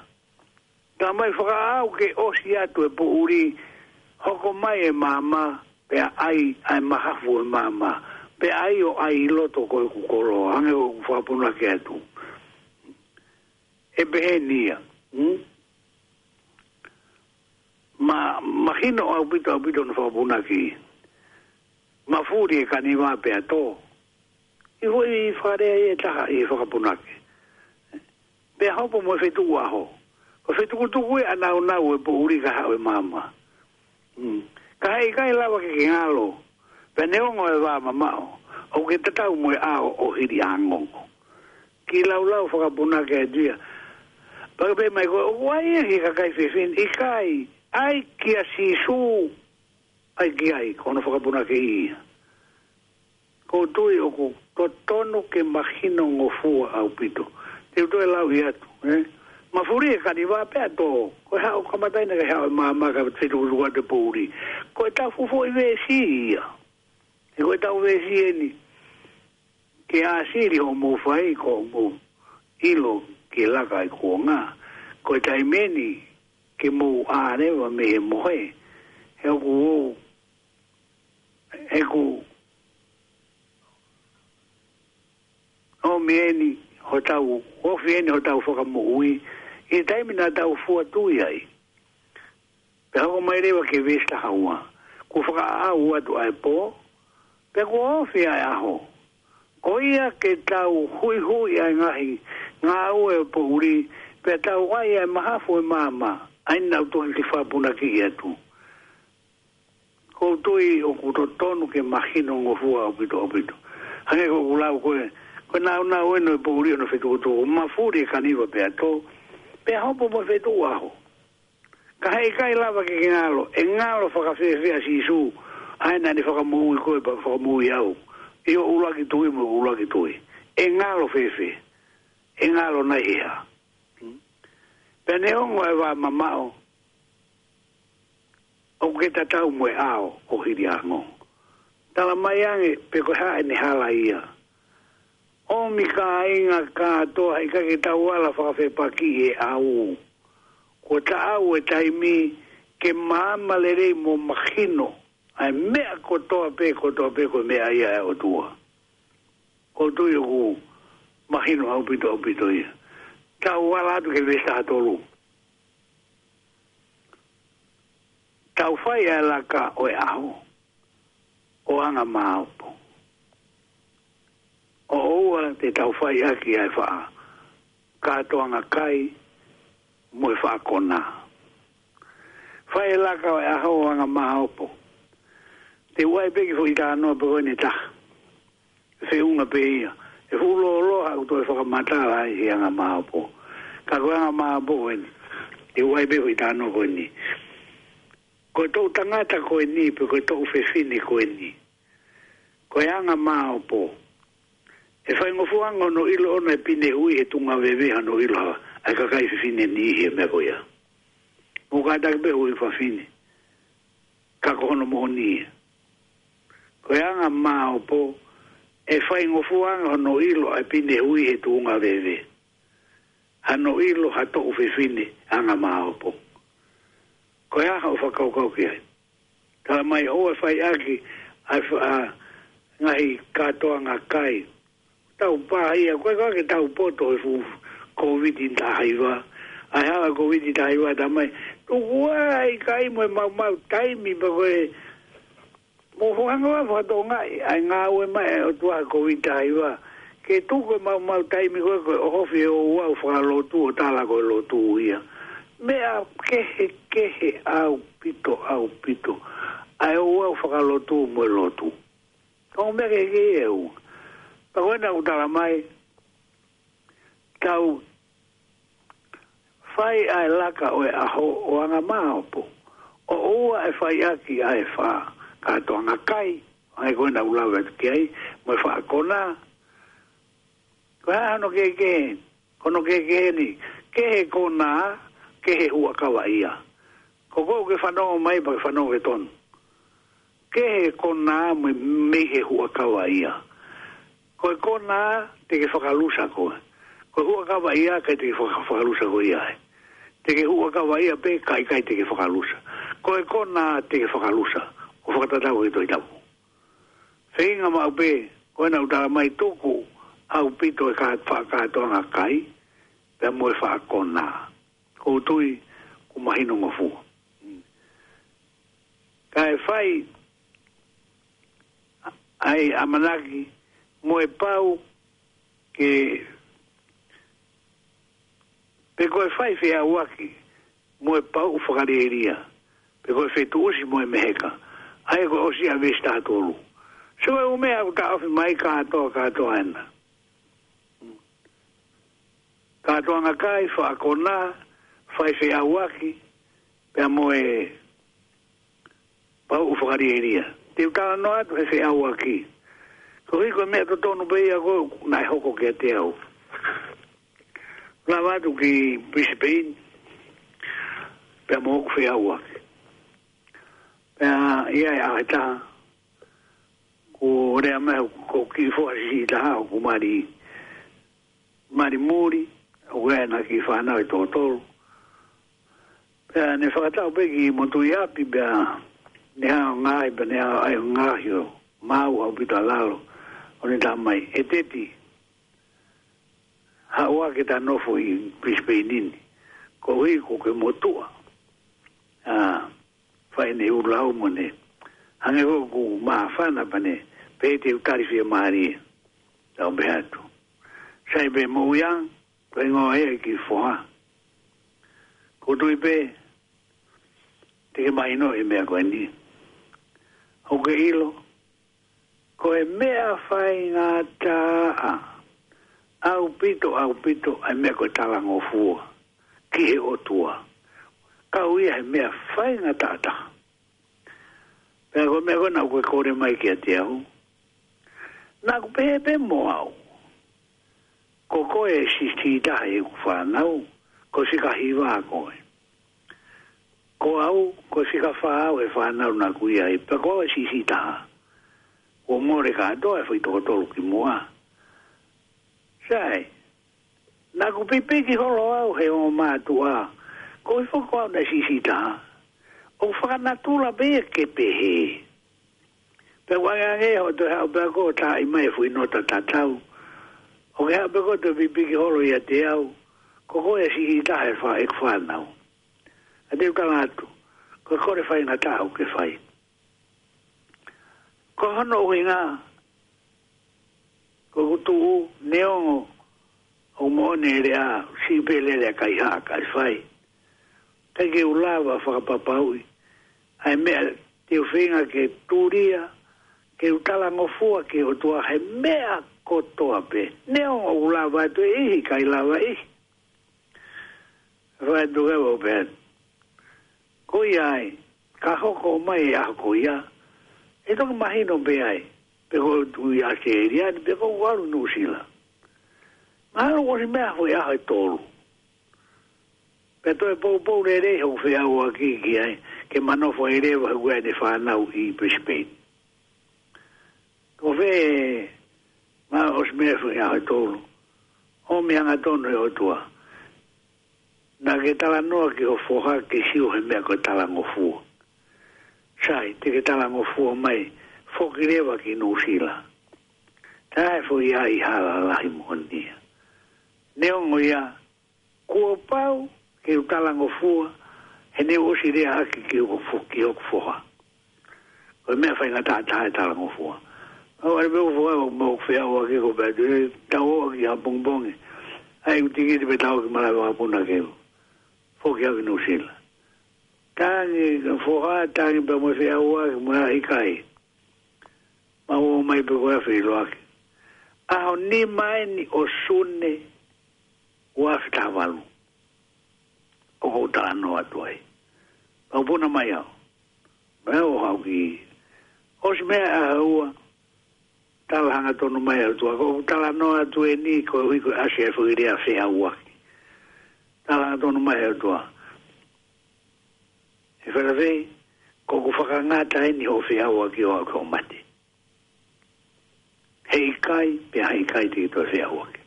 Ka mai fakaʻau ke ʻosi atu e poʻuli, hoko mai e maama, pea ʻai, ʻai mahafu e maama. Pea ʻai ʻo ʻai ʻi loto ko ʻeku koloa. Hangē ko ʻeku fakapunake atu. ʻE pehē ni ia. Hmm? Ma, mahino ʻaupito, ʻaupito hono fakapunake. Mafuli e kaniva pea tō. ʻI foʻi fakalea ʻe taha ʻi he fakapunake. Pea hopo mo e fetuku ʻaho. Ko e fetukutuku ʻe ʻanaunau e poʻuli kae haʻu e maama. Hmm. Ka heʻikai lava ke ke ngalo. Pea neongo e vā mamaʻo. ʻOku ke tatau mo e ʻao ʻo hili ʻa ngongo. Kiʻi laulau fakapunake atu ia. Pea ke pehē mai ko e, ʻoku ʻai ia ki he kakai fefine, ʻikai, ʻai kia Sīsū, ʻai ki ai, ko hono fakapunakeʻi ia. ʻOku ou tui ʻoku totonu ke mahino ngofua ʻaupito. Te u toe lauʻi atu, ē? Mafuli e kaniva pea tō, ko e haʻu kamataʻina ke haʻu e maama kae fetukutuku atu e poʻuli. Ko ʻetau fuofua veesi ia. He ko ʻetau veesi eni. Ke ʻāsili hoʻomou fai ko hoʻomou ʻilo ke laka e kuonga. Ko e taimi eni ke mou ʻā leva mei he mohe. He ʻoku ou, he ʻoku ʻomi eni hotau, ofi eni hotau fakamoʻui. ʻI he taimi naʻa tau fua tui ai. Pea hoko mai leva ki he veesi taha ua. Kuo fakaʻau atu ʻa e pō, pea kuo ofi ʻa e ʻaho. ʻO ia ke tau huihui ʻa e ngaahi ngāue ʻo e poʻuli, pea tau ʻai ʻa e mahafu ʻo e maama, ʻa ia naʻa tau toki fakapunakiʻi atu. ʻOku ou tui ʻoku totonu ke mahino ngofua ʻaupito ʻaupito. Hangē ko ʻeku lau ko ē, ko e nāunau ʻeni ʻo e poʻuli ʻo e fetukutuku, mafuli e kaniva pea tō, pea hopo mo e fetuʻu ʻaho. Ka heʻikai lava ke ke ngalo, ʻe ngalo fakafēfē ʻa Sīsū, ʻa ia naʻa ne fakamoʻui koe pea fakamoʻui au, ʻi hoʻo ʻuluaki tui mo ʻeku ʻuluaki tui. ʻE ngalo fēfē, ʻe ngalo nai ʻe hā? Pea neongo ʻa e vā mamaʻo, ʻoku ke tatau mo e ʻao ʻo Hiliango. Tala mai ange pe ko e hā ʻene hala ia. ʻOmi kāinga kātoa, heʻikai ke tau ala fakafepakiʻi e ʻau. Kuo taʻau e taimi ke maama lelei mo mahino ʻa e meʻa kotoa pē, kotoa pē ko e meʻa ia ʻa e ʻOtua. ʻOku ou tui ʻoku mahino ʻaupito ʻaupito ia. Tau ala atu ki he veesi taha tolu. Tau fai ʻa e laka ʻo e ʻaho ʻo anga māopo. ʻO ʻoua te tau fai ʻaki ʻa e faʻa kātoanga kai mo e faʻa konā. Fai e laka ʻo e ʻaho ʻo anga māopo. Te u ʻai pē ki he foʻi talanoa pē ko eni ʻe taha. Feʻunga pē ia. ʻE fuʻu lōloa haʻaku toe fakamatala ai he anga māopo. Ka ko e anga māopo ko eni. Te u ʻai pē foʻi talanoa ko eni. Ko e toʻu tangata ko eni, pe ko e toʻu fefine ko eni. Ko e anga māopo. ʻE faingofua ange hono ʻilo ʻona ʻe Pinehui he tuʻunga veve hano ʻilo ha, ʻa e kakai fefine ni he meʻa ko ia. Mo kātaki pē hui fafine. Ka ko hono moʻoni ia. Ko e anga māopo, ʻe faingofua ange hono ʻilo ʻa e Pinehui he tuʻunga veve. Hano ʻilo ha toʻu fefine anga māopo. Ko e hā hoʻo fakakaukau ki ai? Tala mai ʻoua ʻe fai ʻaki ʻa e fa-, ʻa e ngaahi kātoanga kai. Tau pā ia, ko e kau ke tau poto he fuʻu Kōviti taha hiva. ʻA e hala Kōviti taha hiva, tala mai, tuku ā ʻa e kai mo e maumau taimi pea ko e mo hoʻo hanga ʻo fakatokangaʻi ʻa e ngāue mai ʻa e ʻOtua he Kōviti taha hiva. Ke tuku e maumau taimi ko ē ko e ʻohofi e ouau fakalotu ʻo tala ko e lotu ia. Meʻa kehekehe ʻaupito, ʻaupito. ʻA e ouau fakalotu mo e lotu. Ko e meʻa kehekehe ʻe ua. Pea ko ena ʻoku tala mai, tau fai ʻa e laka ʻo e ʻaho ʻo anga māopo. ʻO ʻoua ʻe fai ʻaki ʻa e faʻa kātoanga kai. ʻA ia ko ena ʻoku lave atu ki ai, mo e faʻa konā. Ko e hā hono kehekehe, ko hono kehekehe ni, kehe konā, kehe huʻakavaʻia. Ko koe ʻoku ke fanongo mai pea ke fanongo ke tonu. Kehe konā mo e mei he huʻakavaʻia. Ko e konā te ke fakalusa koe. Ko e huʻakavaʻia ʻikai te ke faka-, fakalusa koe ia ai. Te ke huʻakavaʻia pē kae ʻikai te ke fakalusa. Ko e konā te ke fakalusa. ʻO fakatatau ki he Tohi Tapu. Feinga maʻu pē, ko ena ʻoku tala mai tuku ʻaupito e kā-, faʻa kātoanga kai, pea mo e faʻa konā. ʻOku ou tui, ʻoku mahino ngofua. Kae fai ʻa e ʻamanaki mo e pau ke, pe ko e fai feʻauaki mo e pauʻu fakalielia, pe ko e fetuʻusi mo e meheka. ʻA ia ko e ʻosi ʻa e veesi taha tolu. So e ʻū meʻa ʻoku taʻofi mai kātoa, kātoa ena. Kātoanga kai, faʻa konā, fai feʻauaki, pea mo e pauʻu fakalielia. Te u talanoa atu he feʻauaki. Koeʻuhi ko e meʻa totonu pē ia ko ē naʻe hoko kiate au. Lava atu ki Brisbane, pea mo hoku feʻauaki. Pea ʻi ai e ʻaho ʻe taha, kuo lea mai hoku kiʻi foha siʻisiʻi taha, hoku mali, mali muli, ʻoku ʻi ai ʻena kiʻi fānau ʻe toko tolu. Pea ne fakatau pē ki motuʻi ʻapi pea ne hanga ʻo ngaohi, pea ne hanga ʻo ngaohi ʻo maau ʻaupito ʻa lalo. ʻO ne tala mai, ʻe Teti, haʻu ā ke ta nofo ʻi Brisbane ni. Koeʻuhi ko e motuʻa. ʻA, fai ʻene ʻū lau mo ʻene hangē ko ʻeku māfana pea ne pehē te u tali fiemālie. Tau pehē atu. Sai pē moʻui ā, ko e hingoa ia ki foha. Ko tui pē, te ke mahino e meʻa ko eni. ʻOku ke ʻilo, ko e meʻa faingataʻa ʻaupito, ʻaupito, ʻa e meʻa ko e talangofua ki he ʻOtua. Kau ia he meʻa faingataʻa taha. Pea ko e meʻa ko ē naʻa ke kole mai kiate au. Naʻa ku pehē pē mo au. Ko koe e siʻi taha ʻeku fānau, ko e fika hiva koe. Ko au, ko e fika fā au he fānau naʻa ku ʻi ai, pea ko au e siʻi taha. Kuo mole kātoa e foʻi toko tolu kimuʻa. Sai, naʻa ku pipiki holo au he ongo mātuʻa. Ko e foʻi ko au naʻe siʻi taha. ʻOku fakanatula pē ia ke pehē. Pea ʻoku angeange hoʻo toe haʻu pea ko e taaʻi mai e foʻi nota tatau. ʻOku ke haʻu pē ko e toe pipiki holo ʻiate au. Ko koe e siʻi taha he fā-, ʻeku fānau. ʻA te u tala atu, ko e kole faingataʻa ʻoku ke fai. Ko hono ʻuhinga, ko ʻeku tuʻu, neongo ʻoku moʻoni e lea, siʻi pē lele ʻa e kaihaʻa kae fai. ʻIkai ke u lava fakapapauʻi ʻa e meʻa te u feinga ke tulia, ke u talangofua ki he ʻOtua he meʻa kotoa pē. Neongo ʻoku lava atu e ʻihi, ʻikai lava e ʻihi. Fai atu ke vau pē. Ko ia ai, ka hoko mai e ʻaho ko ia, ʻe toki mahino pē ai, pe ko e tuʻu ʻi ʻAositelēlia ni, pe ko e ʻalu Nuʻusila. Mahalo ʻosi meʻa foʻi ʻaho ʻe tolu. Pea toe poupou lelei hoku feʻauaki ki ai, ke ma nofo ai leva he ʻoku ʻi ai ʻene fānau ʻi Brisbane. Ko fē, ma ʻosi meʻa foʻi ʻaho ʻe tolu. ʻOmi hangatonu ʻe he ʻOtua. Naʻa ke talanoa ki ho foha ke sio he meʻa ko e talangofua. Sai, te ke talangofua mai, foki leva ki Nuʻusila. Tā e foʻi ʻai hala lahi moʻoni ia. Neongo ia, kuo pau ke u talangofua, he ne u ʻosi leaʻaki ki hoku fo-, ki hoku foha. Ko e meʻa faingataʻa taha e talangofua. Au are pē ʻoku foha, ʻoku mau feʻauaki ko pea te tau ō ki ʻapongipongi. ʻAi ʻeku tikiti pea tau ō ki malaʻe vakapuna ke u foki au ki Nuʻusila. Tangi, foha, tangi pea mo e feʻauaki, mo e ʻikai. Mau ō mai pē ko e feʻiloaki. ʻAho nima eni ʻo Sune, ua afe taha valu. ʻOku ou talanoa atu ai. Pea u puna mai au. Pea u haʻu ki. ʻOsi meʻa ʻaho ua. Tala hangatonu mai ʻe he ʻOtua. ʻOku ou talanoa atu eni koeʻuhi ko e ʻasi e foʻi lea feʻauaki. Tala hangatonu mai ʻe he ʻOtua. ʻE Fēlafei, ko ʻeku fakangata eni hoʻo feʻauaki ʻo aʻu ki hoʻo mate. Heʻikai, pea heʻikai te ke toe feʻauaki.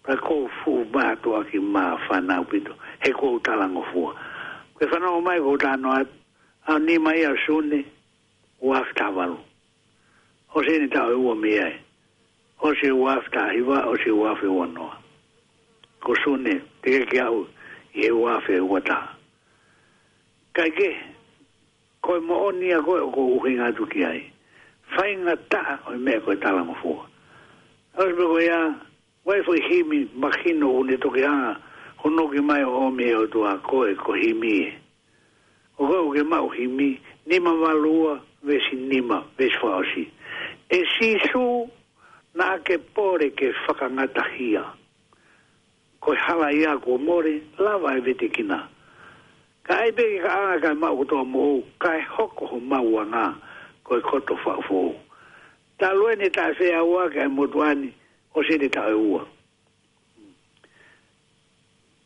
Pea ʻoku ou fuʻu mātuʻaki māfana ʻaupito, he ʻoku ou talangofua. Ko e fanongo mai ʻoku ou talanoa atu, ʻaho nima ia ʻo Sune, ua afe taha valu. ʻOsi eni taʻu ʻe ua mei ai. ʻOsi e ua afe taha hiva, ʻosi e ua afe ua noa. Ko Sune, teʻeki ke aʻu ʻi he ua afe ua taha. Kae kehe, ko e moʻoni ia ko ē ʻoku ou ʻuhinga atu ki ai. Faingataʻa ʻo e meʻa ko e talangofua. ʻOsi pē ko ia, ʻoku ʻi ai e foʻi himi, mahino ʻoku ne toki hanga ʻo noki mai ʻo ʻomi ʻe he ʻOtua koe ko e himi ē. ʻOku ke maʻu himi, nima valu ua, veesi nima, veesi fakaʻosi. ʻE Sīsū, naʻa ke pole ke fakangatahia. Ko e hala ia kuo mole, lava e vetekina. Ka ʻai pē ke kaʻanga kae maʻu kotoa moʻou, kae hoko ho maʻuʻanga, ko e koto faʻu foʻou. Talu eni taʻe feʻauaki ʻa e motuʻa ni, ʻosi eni taʻu ʻe ua.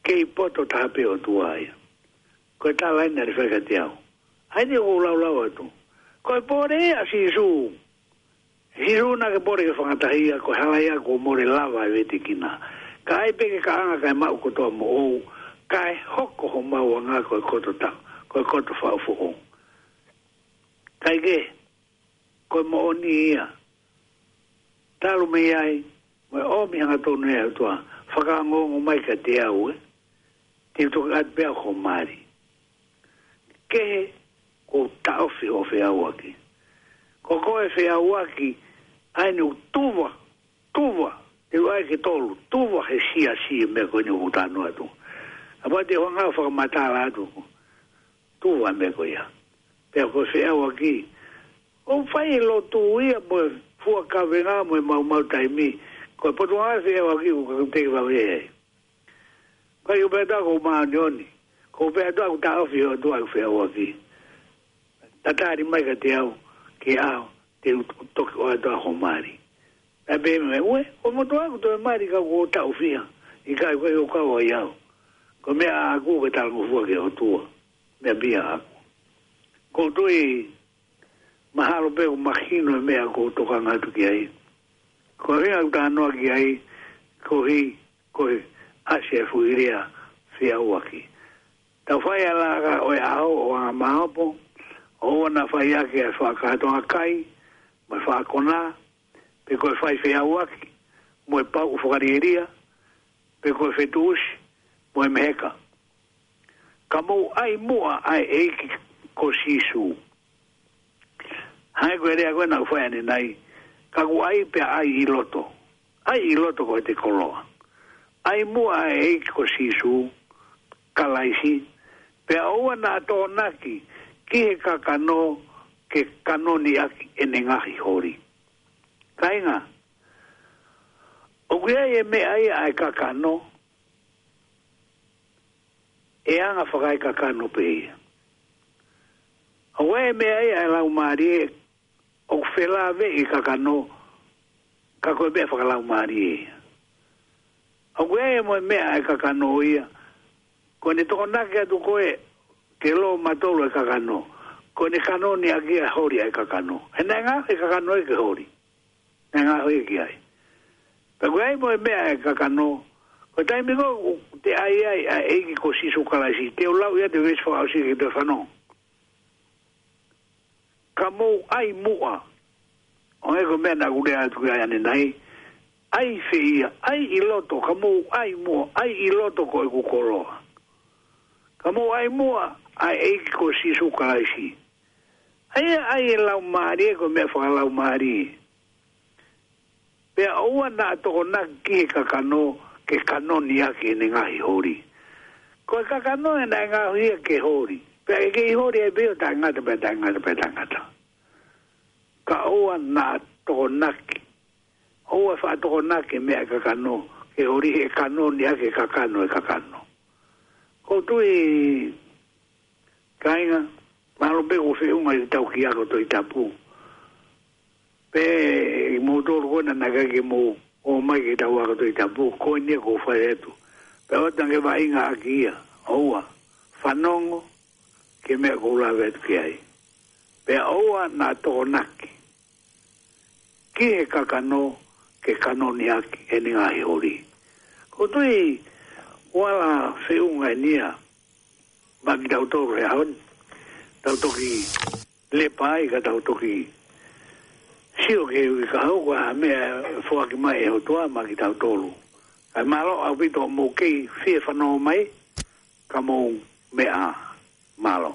Kei poto taha pē ʻOtua ia. Ko e tala eni naʻe fai kiate au. ʻAi ni ʻoku ou laulau atu. Ko e pole ia ʻa Sīsū. Sīsū naʻa ke pole ke fakangatahia, ko e hala ia kuo mole, lava e vetekina. Ka ʻai pē ke kaʻanga kae maʻu kotoa moʻou, kae hoko ho maʻuʻanga ko e koto ta-, ko e koto faʻu foʻou. Kae kehe, ko e moʻoni ia. Talu mei ai, mo e ʻomi hangatonu ʻe he ʻOtua, fakaongoongo mai kiate au ē. Te u toki ʻatu pē au ho mali. Kehe, ʻoku ou taʻofi hoʻo feʻauaki. Ko koe feʻauaki, ʻA eni ʻoku tuva, tuva, te u ʻai ke tolu, tuva he siasi e meʻa ko eni ʻoku ou talanoa atu. ʻA pea te u hanga ʻo fakamatala atu, tuva e meʻa ko ia. Pea ko e feʻauaki, ʻoku fai e lotu ia mo e fua kavenga mo e maumau taimi, ko e potungāue feʻauaki ʻoku ka teke vave ai. Ka ʻi ʻo pehē atu ʻoku māʻoniʻoni, ko e pehē atu ʻoku taʻofi ʻe he ʻOtua ʻeku feʻauaki. Tatali mai kiate au, ke ʻaho, te u toki ʻoatu ʻa hoʻo mali. Pea pehē mai, ue, ko e motuʻa ʻoku toe mali ka kuo taʻofi ia, ʻikai ko e ʻikai ʻo kau ai au. Ko e meʻa ʻaʻaku ke talangofua ki he ʻOtua, meʻa pē ia ʻaʻaku. ʻOku ou tui, mahalo pē ʻoku mahino e meʻa ʻoku ou tokanga atu ki ai. Ko e ʻuhinga ʻoku ou talanoa ki ai, koeʻuhi, ko e ʻasi e fuʻu lea feʻauaki. Tau fai ʻa e laka ʻo e ʻaho ʻo anga māopo, ʻoua naʻa fai ʻaki ʻa e fakakātoanga kai, mo e fakakona, pe ko e fai feʻauaki, mo e pauʻu fakalielia, pe ko e fetuʻusi, mo e meheka. Ka mou ʻai muʻa ʻa e ʻEiki ko Sīsū. Hangē ko e lea ko ē naʻa ku fai ʻanenai, ka ʻoku ʻai pea ʻai ʻi loto. ʻAi ʻi loto ko e te koloa. ʻAi muʻa ʻa e ʻEiki ko Sīsū Kalaisi, pea ʻoua naʻa tokonaki ki he kakano ke kanoni ʻaki ʻene ngaahi holi. Kāinga, ʻoku ʻi ai e meʻa ia ʻa e kakano, ʻe anga fakaekakano pē ia. ʻOku ʻi ai e meʻa ia ʻa e laumālie, ʻoku felāveʻi e kakano, ka ko e meʻa fakalaumālie ia. ʻOku ʻi ai mo e meʻa ʻa e kakano ia, ko ʻene tokonaki atu koe ke lō matolu e kakano, ko ʻene kanoni ʻaki e holi ʻa e kakano. He naʻe ngaohi e kakano ia ke holi. Naʻe ngaohi ia ki ai. Pea ʻoku ʻi ai mo e meʻa ʻa e kakano, ko e taimi ko ē ʻoku te ʻai ai ʻa e ʻEiki ko Sīsū Kalaisi, te u lau ia ʻa e veesi fakaʻosi ke toe fanongo. Ka mou ʻai muʻa. ʻO e ko e meʻa naʻa ku lea atu ki ai ʻanenai. ʻAi fē ia, ʻai ʻi loto, ka mou ʻai muʻa, ʻai ʻi loto ko ʻeku koloa. Ka mou ʻai muʻa ʻa e ʻEiki ko Sīsū Kalaisi. ʻAi, ʻai e laumālie ko e meʻa fakalaumālie. Pea ʻoua naʻa tokonaki ki he kakano ke kanoni ʻaki ʻene ngaahi holi. Ko e kakano ē naʻe ngaohi ia ke holi. Pea ʻe kei holi ai pē ʻo taʻengata pea taʻengata pea taʻengata. Ka ʻoua naʻa tokonaki. ʻOua faʻa tokonaki e meʻa ʻa e kakano ke holi he kanoni ʻaki e kakano e kakano. ʻOku ou tui, kāinga, mahalo pē ʻoku feʻunga ʻi he tau ki ako Tohi Tapu. Pea ʻi moutolu ko ena naʻe ʻikai ke mou ō mai ke tau ako Tohi Tapu, ko eni ia ʻoku ou fai atu. Pea ʻoua te ke vaʻinga ʻaki ia, ʻoua, fanongo ki he meʻa ʻoku ou lave atu ki ai. Pea ʻoua naʻa tokonaki ki he kakano ke kanoni ʻaki ʻene ngaahi holi. ʻOku ou tui ʻoku ala feʻunga eni ia maʻa kitautolu he ʻaho ni. Tau toki lepa ai ka tau toki sio ki he uike kahaʻu ko e hā e meʻa ʻe foaki mai ʻe he ʻOtua maʻa kitautolu. Kae mālō ʻaupito hoʻomou kei fie fanongo mai, ka mou meʻa ā. Mālō.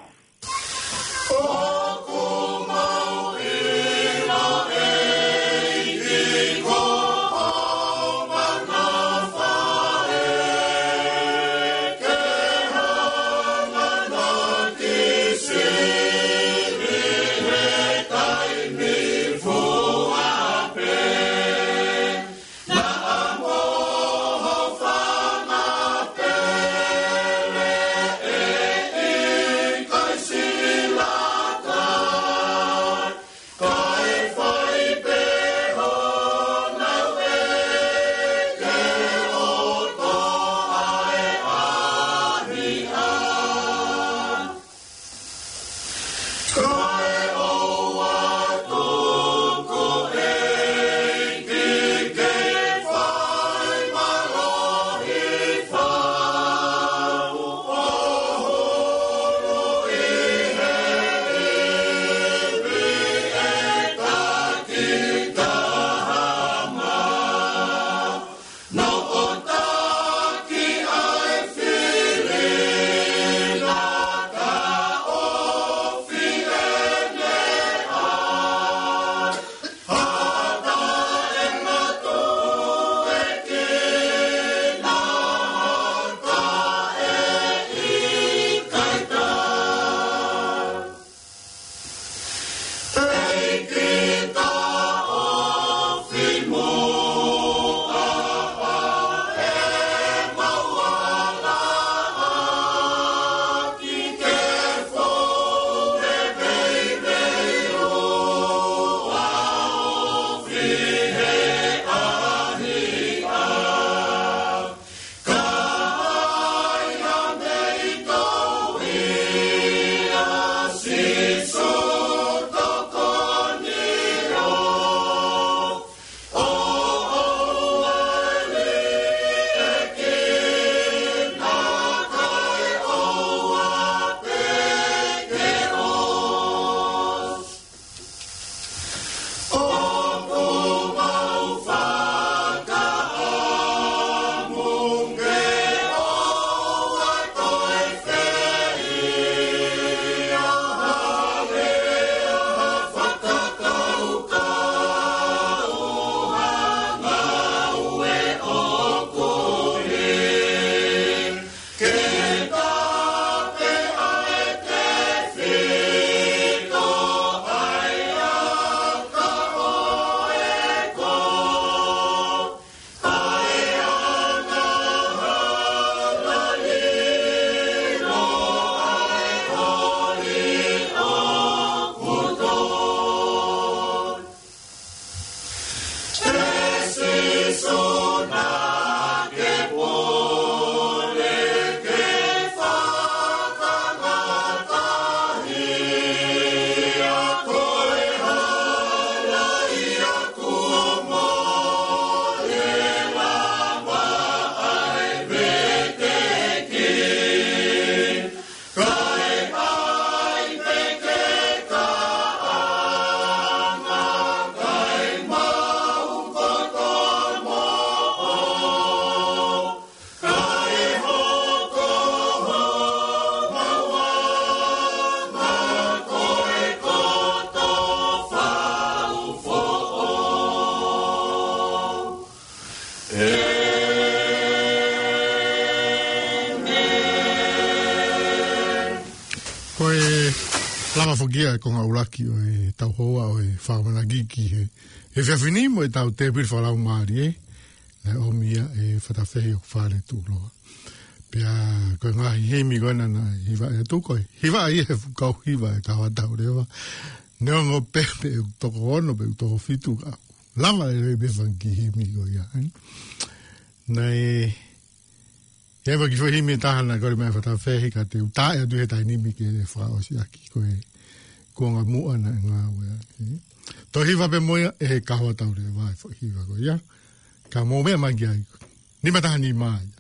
Lava foki ia e konga ʻuluaki ʻo e tau hoa ʻo e fakamanaki ki he, he efiafi ni mo e tau tēpile fakalaumālie, ē. Naʻe ʻomi ia ʻe Fatafehi ʻo Fale Tuʻuloa. Pea ko e ngaahi himi ko ena naʻe hiva ʻe Tuko, hiva ia he fuʻu kau hiva e Kahoa Tau Leva. Neongo pē pe ʻoku toko ono, pe ʻoku toko fitu ka. Lava e lei pe fanga kiʻi himi ko ia, ē. Naʻe, ʻi ai pē kiʻi foʻi himi ʻe taha naʻe kole mai ʻe Fatafehi ka te u tā atu he taimi ni ke fakaʻosi ʻaki ko e kuonga muʻa naʻe ngāue ai. Toe hiva pē mo ia ʻe he Kahoa Tau Leva e foʻi hiva ko ia. Ka mou meʻa mai ki ai. Nima taha nima ia.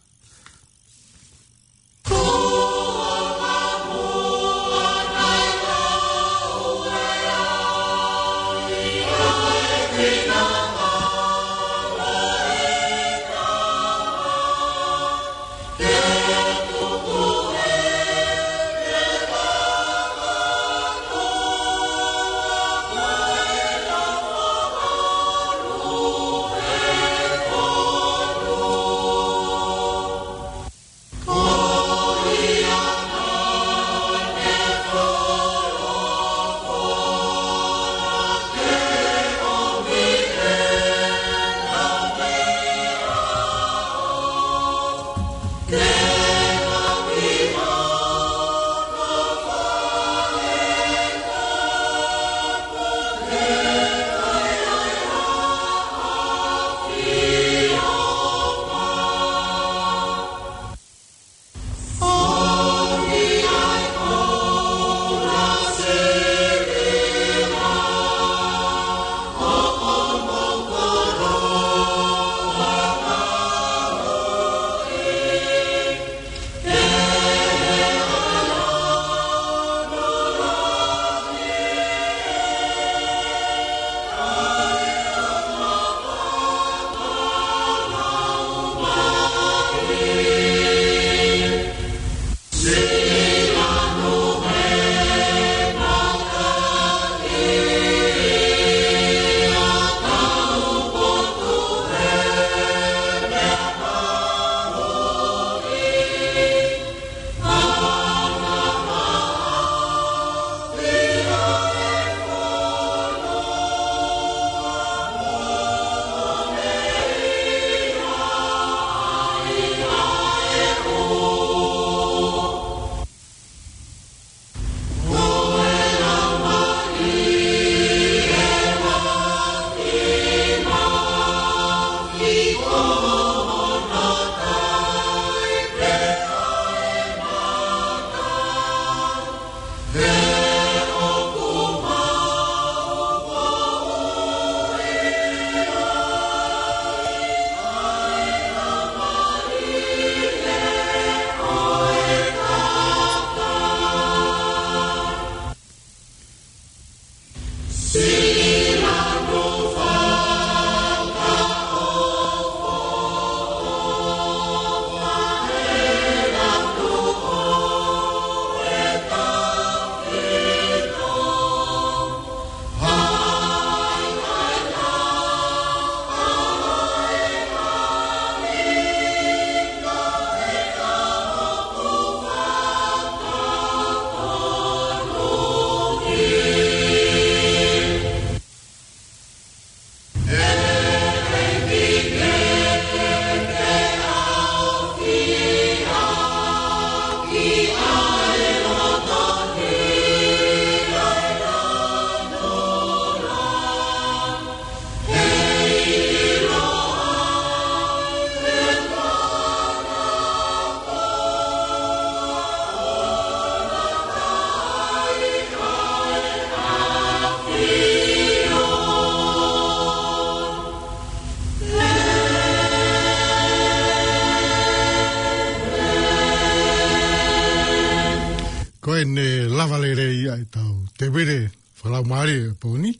Ko ʻene lava lelei ia e tau tēpile fakalaumālie ʻo e pō ni.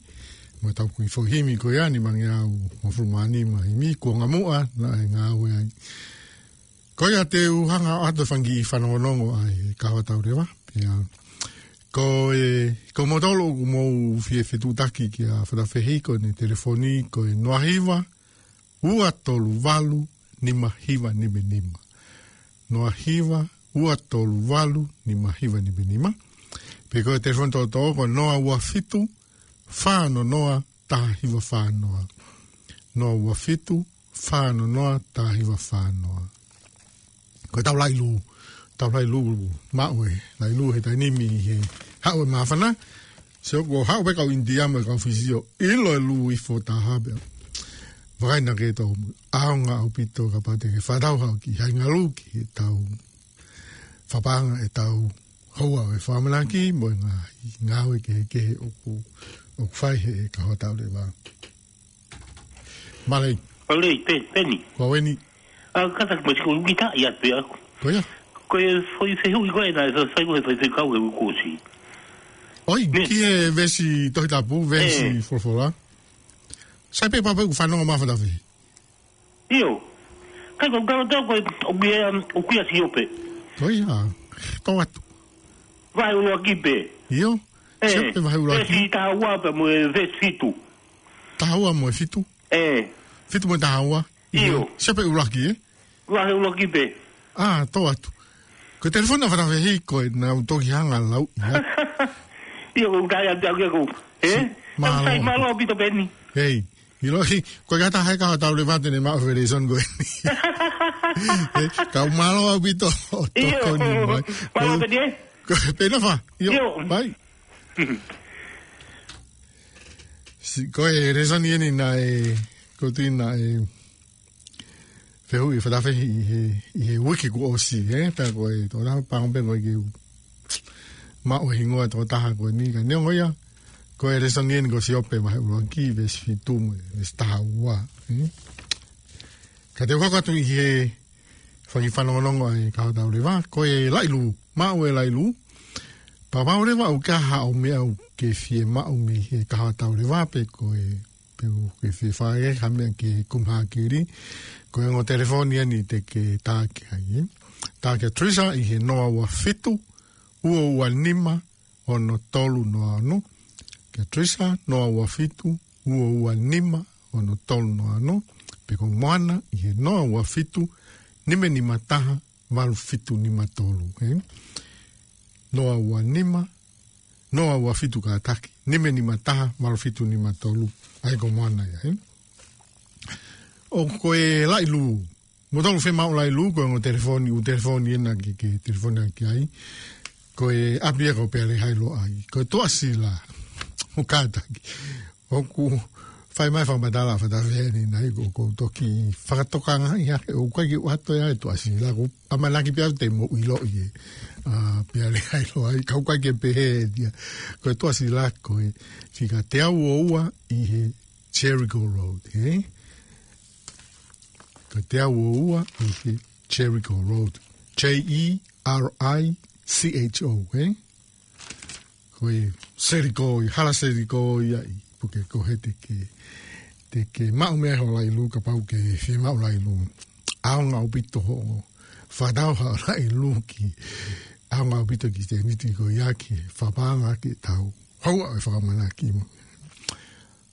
Mo e tau kiʻi foʻi himi ko ia, nimangeau hongofulu mā nima himi, Kuonga Muʻa naʻe ngāue ai. Ko ia te u hanga ʻo ʻoatu e fanga kiʻi fanongonongo ʻa e Kahoa Tau Leva. Pea ko e, ko moutolu ʻoku mou fie fetuʻutaki kia Fatafehi, ko ʻene telefoni ko e noa hiva, ua tolu valu, nima hiva nima nima. Noa hiva, ua tolu valu, nima hiva nima nima. Pe ko e telefoni tōtō ko e noa ua fitu, fā ono noa, taha hiva fā noa. Noa ua fitu, fā ono noa, taha hiva fā noa. Ko e tau laʻi lū, tau laʻi lū, maʻu e laʻi lū he taimi ni he haʻu e māfana. Sio ko e haʻu pē kau ʻInitia mo e kau Fisi ʻo ʻilo e lū hifo taha pē. Vakai naʻa ke tō ʻaonga ʻaupito kapau te ke fakatau haʻo kiʻi haʻinga lū ki he tau fakapaʻanga e tau houa e fakamanaki mo e ngaahi ngāue kehekehe ʻoku, ʻoku fai he kahaʻu tau leva. Mālō. Mālō, Pe-, Peni. Ko eni. ʻA, kātaki mai ko e uike taha ia pē ʻaku. Ko ia. Ko e foʻi fehuʻi ko ē naʻe fai, fai ko e foʻi fekau he uike kuo ʻosi. ʻOi, Ne. ki he veesi Tohi Tapu, veesi Ē. folofola. Sai pē papa ʻoku fanongo mai Fatafehi. ʻIo. Kai ko kalo tau ko e, ʻoku ʻi ai, um, ʻoku ʻi ai Siope. Ko ia, tō atu. Vahe ʻuluaki pē. ʻIo. Ē. Siope vahe ʻuluaki. Veesi taha ua pea mo e veesi fitu. Taha ua mo e fitu. Ē. Fitu mo e taha ua. ʻIo. Siope ʻuluaki, ē? Vahe ʻuluaki pē. ʻA, tō atu. Ko e telefoni ʻa Fatafehi ko ē naʻa ku toki hanga lau ia. ʻIo, ko e taha ia te au kia ko. Ē? Si, mālō. Sai mālō ʻaupito Peni. Hei, ʻiloʻi, ko e kata hai ka tau leva te ne maʻu e lēsoni ko eni. Ē, kau mālō ʻaupito ʻo ʻIo. tokoni mai. Mālō Ko, Peni, ē? ko, pena fa. ʻIo, ʻIo. Mai. Si, ko e lēsoni eni naʻe, ko tui naʻe, fehuʻi Fatafehi ʻi he, ʻi he uike kuo ʻosi, ē? Pea ko e, tō taha pango pē ko e ke u. Maʻu e hingoa tō taha ko eni ka neongo ia. Ko e lēsoni eni ko Siope vahe ʻuluaki, veesi fitu mo e veesi taha ua, ē? Ka te u hoko atu ʻi he fai fanongonongo ʻa e kahaʻu tau leva, ko e laʻi lū, maʻu e laʻi lū. Pea pau leva ʻoku ʻi ai haʻo meʻa ʻoku ke fiemaʻu mei he kahaʻu tau leva pe ko e pe ʻoku ke fie fai ha meʻa ki he kumi hākili, ko e ongo telefoni eni te ke tā ki ai, ē? Tā kia Teresa ʻi he noa ua fitu, ua ua nima, ono tolu noa ono. Kia Teresa, noa ua fitu, ua ua nima, ono tolu noa ono. Pe ko Moana ʻi he noa ua fitu, nima nima taha, valu fitu nima tolu, ē? Noa ua nima, noa ua fitu kātaki, nima nima taha, valu fitu nima tolu, ʻa ia ko Moana ia, ē? ʻO ko e laʻi lū, mou tolu fiemaʻu laʻi lū, ko e ongo telefoni, ʻū telefoni ena ke, ke telefoni ʻaki ai, ko e ʻapi ia ko Pea Lehailoa ai, ko e Tuʻasila, ʻo kātaki. ʻOku fai mai fakamatala Fatafehi eni naʻa ku, ku toki fakatokangaʻi hake ʻoku ʻikai ke u ʻoatu ia e Tuʻasila, ko e ʻamanaki pē au te mou ʻiloʻi ē. ʻA, Pea Lehailoa ai, ka ʻoku ʻikai ke pehē ia. Ko e Tuʻasila ko e fika teau ua ua ʻi he Jericho Road, ē? Ko e teau ua ua ʻi he Jericho Road. J E R I C H O, ē? Ko e Seriko, ʻi hala Seriko ia ʻi puke ko he te ke, te ke maʻu mei ai ho laʻi lū kapau ʻoku ke fiemaʻu laʻi lū. ʻAonga ʻaupito hoʻo fakatau haʻo laʻi lū ki, ʻaonga ʻaupito ki he tēniti ko ia ki he fakapaʻanga ki he tau houa e fakamanaki mo.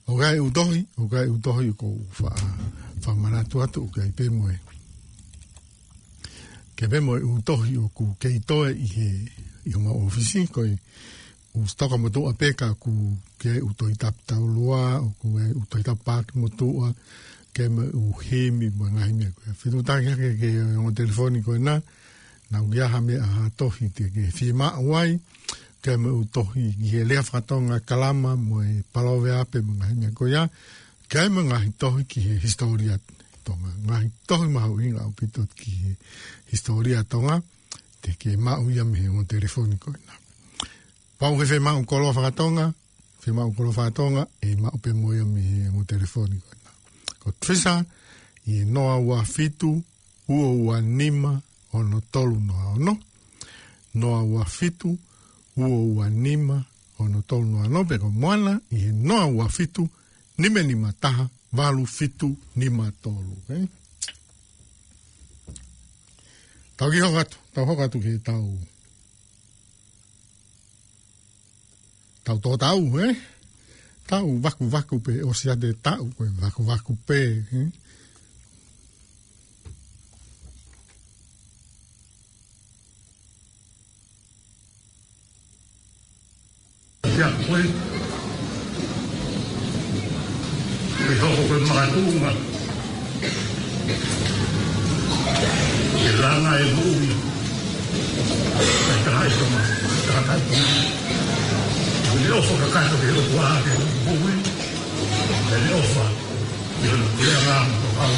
ʻOku ʻi ai e ʻū tohi, ʻoku ʻi ai e ʻū tohi ʻoku ou fa-, fakamanatu atu ʻoku ʻi ai pē mo e. ʻOku ʻi ai pē mo e ʻū tohi ʻoku kei toe ʻi he, ʻi homau ʻōfisi, ko e ʻū sitoka motuʻa pē ka ʻoku ʻi ai e ʻū Tohi Tapu Taulua, ʻoku ʻi ai e ʻū Tohi Tapu Paaki motuʻa, ʻoku ʻi ai mo e ʻū himi mo e ngaahi meʻa ko ia. Fetuʻutaki hake ki he ongo telefoni ko ena, naʻa ʻoku ʻi ai ha meʻa ha tohi te ke fiemaʻu ai, ʻoku ʻi ai mo e ʻū tohi ki he lea faka-Tonga kalama mo e paloveape mo e ngaahi meʻa ko ia. ʻOku ʻi ai mo e ngaahi tohi ki he hisitōlia Tonga. Ngaahi tohi mahuʻinga ʻaupito ki he hisitōlia Tonga. Te ke maʻu ia mei he ongo telefoni ko ena. Pau ke fiemaʻu koloa faka-Tonga, fiemaʻu koloa faka-Tonga, ʻe maʻu pē mo ia mei he ongo telefoni ko ena. Ko Teresa, ʻi he noa ua fitu, ua ua nima, ono tolu noa ono. Noa ua fitu, ua ua nima, ono tolu noa ono, pe ko Moana, ʻi he noa ua fitu, nima nima taha, valu fitu nima tolu, ē? Tau kiʻi hoko atu, tau hoko atu ki he tau. Tau tō tau, ē? Tau vakuvaku pē, ʻosi ʻa e tau, ko e vakuvaku pē, ē? Ia ko e, ʻe hoko ko e makatuʻunga ke langa e moʻui ʻa e tangataʻeiki Tonga, tangataʻeiki Tonga. Ko e ʻofa kakato ke ʻofa ke moʻui, ko e ʻofa ke ʻofa ke langa mo tokau.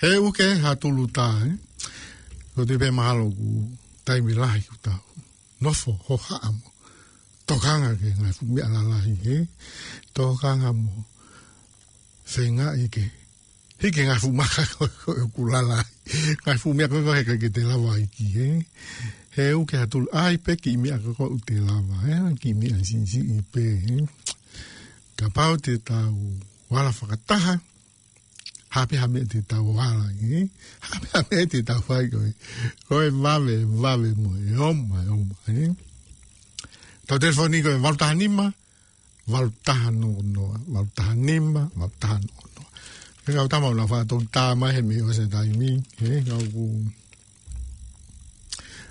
He uke ha tulu tā, ē? Ko te pē mahalo ʻoku taimi lahi ʻoku tau nofo hohaʻa mo tokanga ki he ngaahi fuʻu meʻa lalahi, ē? Tokanga mo feingaʻi ke hiki e ngaahi fuʻu maka ko ē ʻoku lalahi. Ngaahi fuʻu meʻa ko ē ʻoku ʻikai ke te lava ʻo hiki, ē? He uke ha tulu, ʻai pē kiʻi meʻa ko ē ʻoku te lava, ē? Kiʻi meʻa siʻisiʻi pē, ē? Kapau te tau ala fakataha, hā pē ha meʻa te tau ala ai, ē? Hā pē ha meʻa te tau fai ko ē. Ko e vave, vave mo e oma, e oma, ē? Tau telefoni ko e valu taha nima, valu taha noa noa, valu taha nima, valu taha noa noa. Ke kau tama ʻo na fa tau tā mai he meʻa ʻosi e taimi, ē? Kau ku.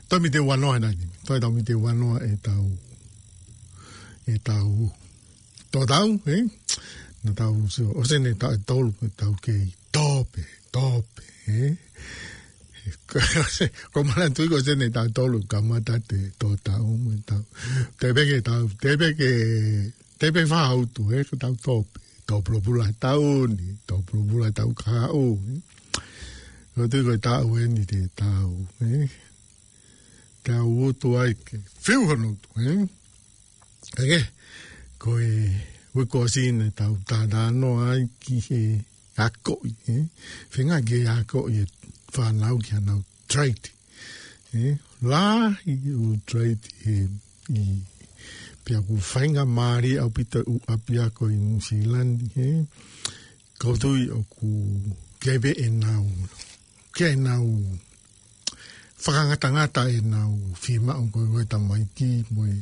Tau mite ua noa he nai. Tau, tau mite ua noa ʻetau, ʻetau tō tau, ē? Na tau sio, ʻosi eni taʻu ʻe tolu ʻetau kei tō pē, tō pē, ē? Ko, ko mana tui ko ʻosi eni taʻu ʻe tolu kamata te tō tau mo tau. Te peke tau, te peke, te peke fā utu, ē? Ko tau tō pē, tō pulopula tau ni, tō pulopula tau kahaʻu, ē? Ko tui ko e taʻu eni te tau, ē? Tau utu ai ke fiu hono utu, ē? Ake, ko e uike kuo ʻosi eni tau talanoa ai ki he akoʻi, ē? Feinga ke akoʻi e fānau ki haʻanau trade, ē? Lahi ʻū trade he, ʻi, pea ʻoku faingamālie ʻaupito ʻū ʻapiako ʻi Nuʻusila ni, ē? Ko tui ʻoku kei pē ʻenau, kei ʻenau fakangatangata ʻenau fiemaʻu ko ē ʻo e tamaiki mo e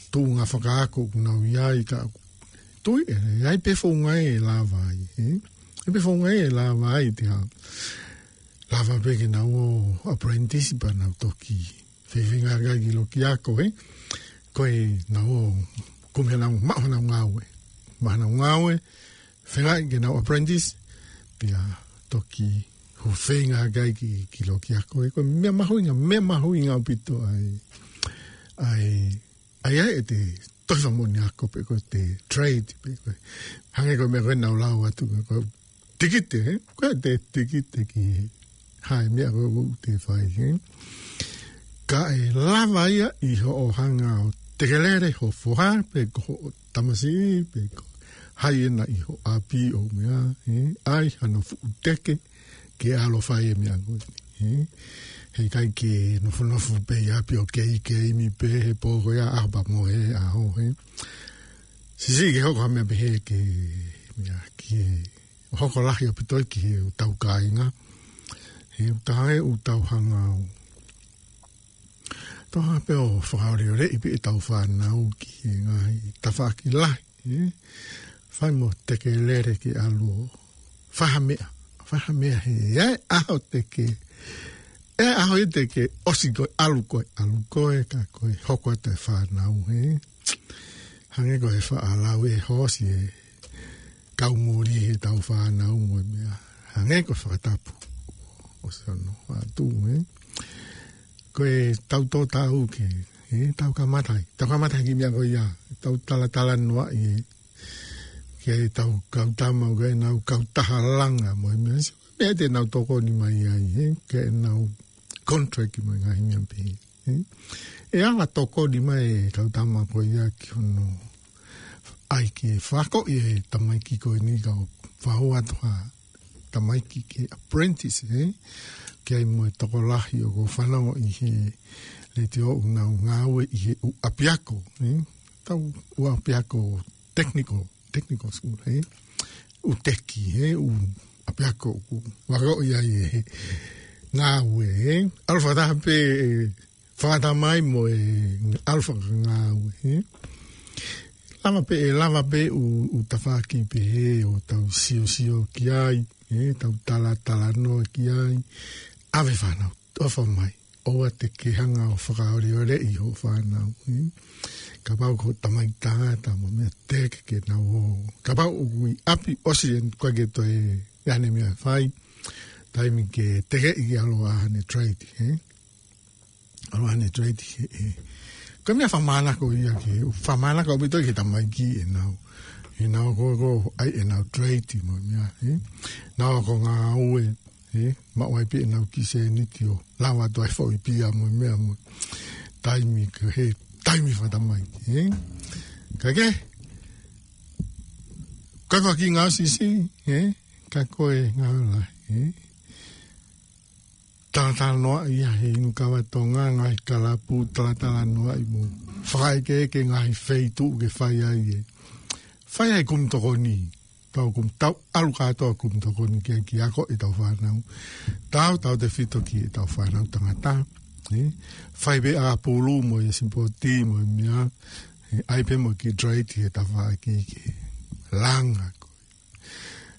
tuʻunga fakaako ʻoku nau ʻi ai ka tui ē, ʻe ʻi ai pē founga ʻe lava ai, ē? ʻI ai pē founga ʻe lava ai te ha. Lava pē ke nau ō apprentice pea nau toki feinga ki loki ako, ē? Ko ʻenau ō, kumi haʻanau, maʻu haʻanau ngāue. Maʻu haʻanau ngāue, feinga ke nau apprentice, pea toki Ko e feinga ʻa e kakai ki, ki loki ako, ē, ko e meʻa mahuʻinga, meʻa mahuʻinga ʻaupito ʻa e, ʻa e, ʻa e, ʻa e ʻete tohi fakamoʻoni ako pe ko ʻete trade pe ko e. Hangē ko e meʻa ko ē naʻa ku lau atu, ko e tikite, ē? Ko ʻete tikite ki he, ha meʻa ko ē ʻoku te fai, ē? Ka ʻe lava ia ʻi hoʻo hanga ʻo tekelele ho foha, pe ko hoʻo tamasiʻi, pe ko hai ʻena ʻi ho ʻapi ʻo meʻa, ē? ʻAi hano fuʻu teke, ke ʻalu ʻo fai e meʻa ko ē, ē? Heʻikai ke nofonofo pē ʻi ʻapi ʻo kei, keimi pē he pō ko ia, ʻaho pea mo e ʻaho, ē? Siʻisiʻi ke hoko ha meʻa pehē ke, meʻa ke hoko lahi ʻaupito ki heʻetau kāinga. He ʻoku taha ē ʻoku tau hanga ʻo tau hanga pē ʻo fakaoleoleʻi pē ʻetau fānau ki he ngaahi tafaʻaki lahi, ē? Fai mo tekelele ke ʻalu ʻo fai ha meʻa, fai ha meʻa he, ʻe ʻaho te ke, ʻe ʻaho ia te ke ʻosi koe, ʻalu koe, ʻalu koe, ka ko e hoko atu e fānau, ē? Hangē ko e faʻa lau ʻe Hōsi, ē, kau muli heʻetau fānau mo e meʻa. Hangē ko e fakatapu ʻo Sione atu, ē. Ko ʻetau tō taʻu ke, ē, tau kamata ai. Tau kamata ai ki he meʻa ko ia. Tau talatalanoaʻi, ē. Ke tau kau tama, ke nau kau taha langa mo e meʻa. Meʻa te nau tokoni mai ai, ē. Ke nau contract mo e ngaahi meʻa pehē, ē. ʻE ala tokoni mai e kau tama ko ia ki hono ʻai ke fakakoʻi e tamaiki ko eni ka ʻoku fai atu ha tamaiki ke apprentice, ē? Ke ʻai mo e tokolahi ʻoku fanongo ʻi he letiō ʻoku nau ngāue ʻi he ʻū ʻapiako, ē? Tau ʻū ʻapiako technical, technical school, ē? ʻŪ teki, ē? ʻŪ ʻapiako ʻoku fakakoʻi ai e ngāue, ē? ʻAlu fakataha pē, ē, fakatamai mo e ʻalu fakangāue, ē? Lava pē, ʻe lava pē ʻū, ʻū tafaʻaki pehē ʻo tau siosio ki ai, ē? Tau talatalanoa ki ai. ʻAve fānau, ʻofa mai. ʻOua te ke hanga ʻo fakaoleoleʻi hoʻo fānau, ē? Kapau ko e tamaiki tangata mo e meʻa, teke ke nau ō. Kapau ʻoku ʻi ʻapi ʻosi ʻene, ʻikai ke toe ʻi ai haʻane meʻa ʻe fai, taimi ke tekeʻi ke ʻalu ʻo ʻai haʻane trade, ē? ʻAlu ʻo ʻai haʻane trade, ē. Ko e meʻa fakamānako ia ke, fakamānako ʻaupito ki he tamaiki ʻenau, ʻenau ko, ko, ʻai ʻenau trade mo e meʻa, ē? Nau ako ngāue, ē? Maʻu ai pē ʻenau kiʻi sēniti ʻo lava atu ai foʻi pia mo e meʻa mo e taimi ko ē, taimi fakatamaiki, ē? Ka ke, ka ko e kiʻi ngāue siʻisiʻi, ē? Ka ko e ngāue lahi, ē? Talatalanoaʻi ia he inu kava Tonga, ngaahi kalapu, talatalanoaʻi mo fakaekeeke ngaahi feituʻu ke fai ai e, fai ai e kumi tokoni. Tau kumi, tau ʻalu kātoa kumi tokoni ke, ke ako ʻetau fānau. Tau, tautefito ki heʻetau fānau tangata, ē? Fai pē ʻa e pulu mo e sipoti mo e meʻa, ē, ʻai pē mo e kiʻi trade he tafaʻaki ke langa ko.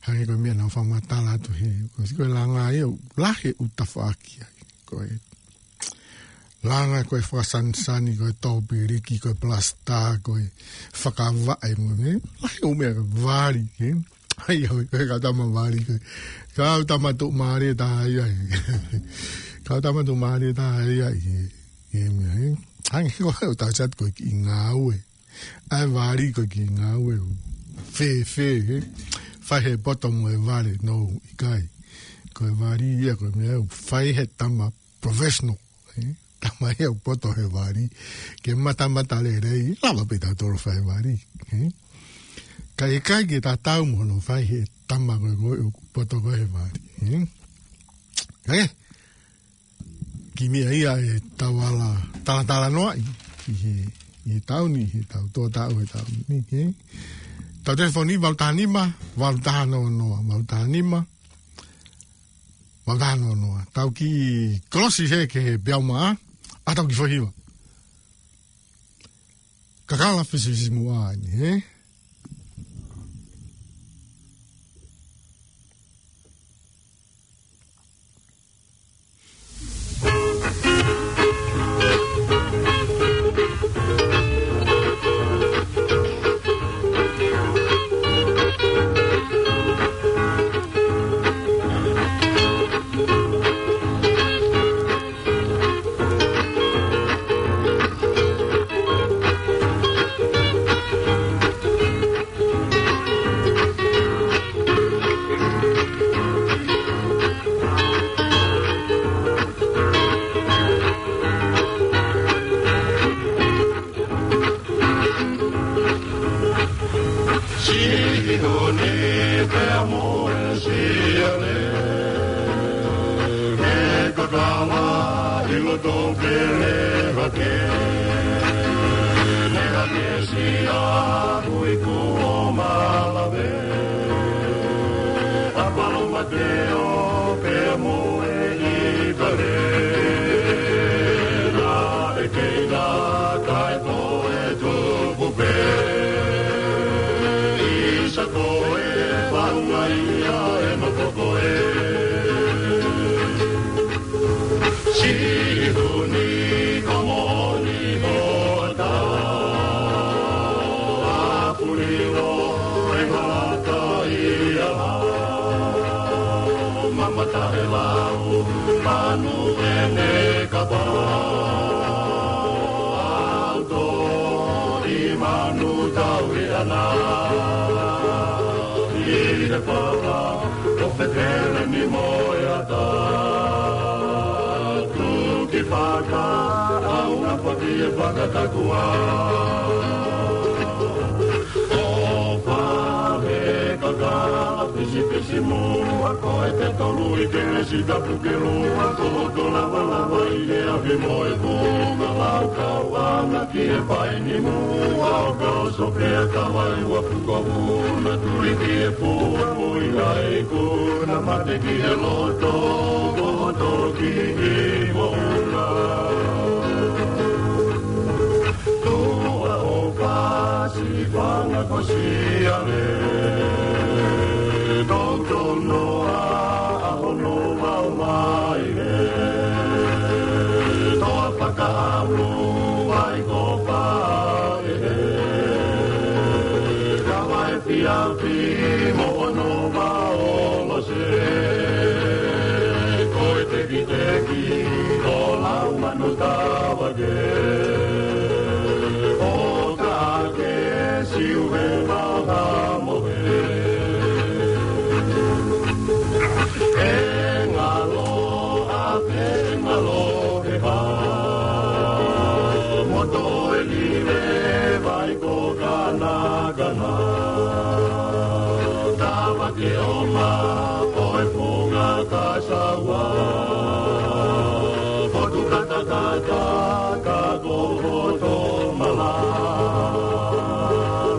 Hangē ko e meʻa naʻa ku fakamatala atu he, ko e siko e langa ia, lahi e ʻū tafaʻaki ai. Ko e langa, ko e fakasanisani, ko e tōpiliki, ko e palasitā, ko e fakavaʻe mo e meʻa. Lahi e ʻū meʻa, ko e vali, ē? ʻAi, ʻoi, ko e kau tama vali, ko e kau tama tuʻumālie taha ia, ē? Kau tama tuʻumālie taha ia, ē? ʻE meʻa, ē? Hangē ko e tau sat ko e kiʻi ngāue. ʻAi vali ko e kiʻi ngāue ʻo fēfē, ē? Fai he poto mo e vale, no, ʻikai. Ko e vali ia ko e meʻa ʻoku fai he tama professional, ē? Tama ia ʻoku poto he vali. Ke matamata lelei, lava pē tautolu ʻo fai vali, ē? Ka ʻikai ke tatau mo hono fai he tama ko ē ko ē ʻoku poto ko ē he vali, ē? Ē? Kiʻi meʻa ia ʻetau ala talatalanoaʻi ʻi he, ʻi he taʻu ni, ʻi heʻetau tō taʻu he taʻu ni, ē? Tau telefoni valu taha nima, valu taha noa noa, valu taha nima, valu taha noa noa. Tau kiʻi kolosi hē ki he peau mā, ʻa tau kiʻi foʻi hiva. Kakala fisifisimuʻa eni, ē? Ilo to pele hake, ne hake si a hui kuo malave. A palo mateo pe mo e i kale. Na e keina kae toe tupu pe. Isa ko e paunga ia e no ko ko e. Sihuni ko moni mo ata. Apulilo e ngata ia. Mamata e lau, manu e ne kapa. Au to i manu tau i ana. I le papa, o fetele ni mo e ata. Tuki faka, au na paki e faka kakua. O pahe kakala pisi pisi mo, a ko e te tolu i ke le si tapu ke lua, ko to lava lava i le afi mo e kunga lau kau ana ki e pai ni mo, a o ka o so pe a ka vai ua puko mo, na tuli ki e pua mo i ai ko, na mate ki e loto, ko to ki i mo na. Tua o kasi fanga ko si ale. Tau tau no a a hono mau mai e. Toa pakaamu vai ko pa e. Kawai fiafi mo ono mau mo se. Ko e tekiteki o lau manu tava ke. O ka ke siu he maha mo he. E ngalo a pe ngalo he ha. Mo to e ni le vai ko kana kana. Tava ke o ma o e funga ka saua. Potu kata kata ka ko hoto mala.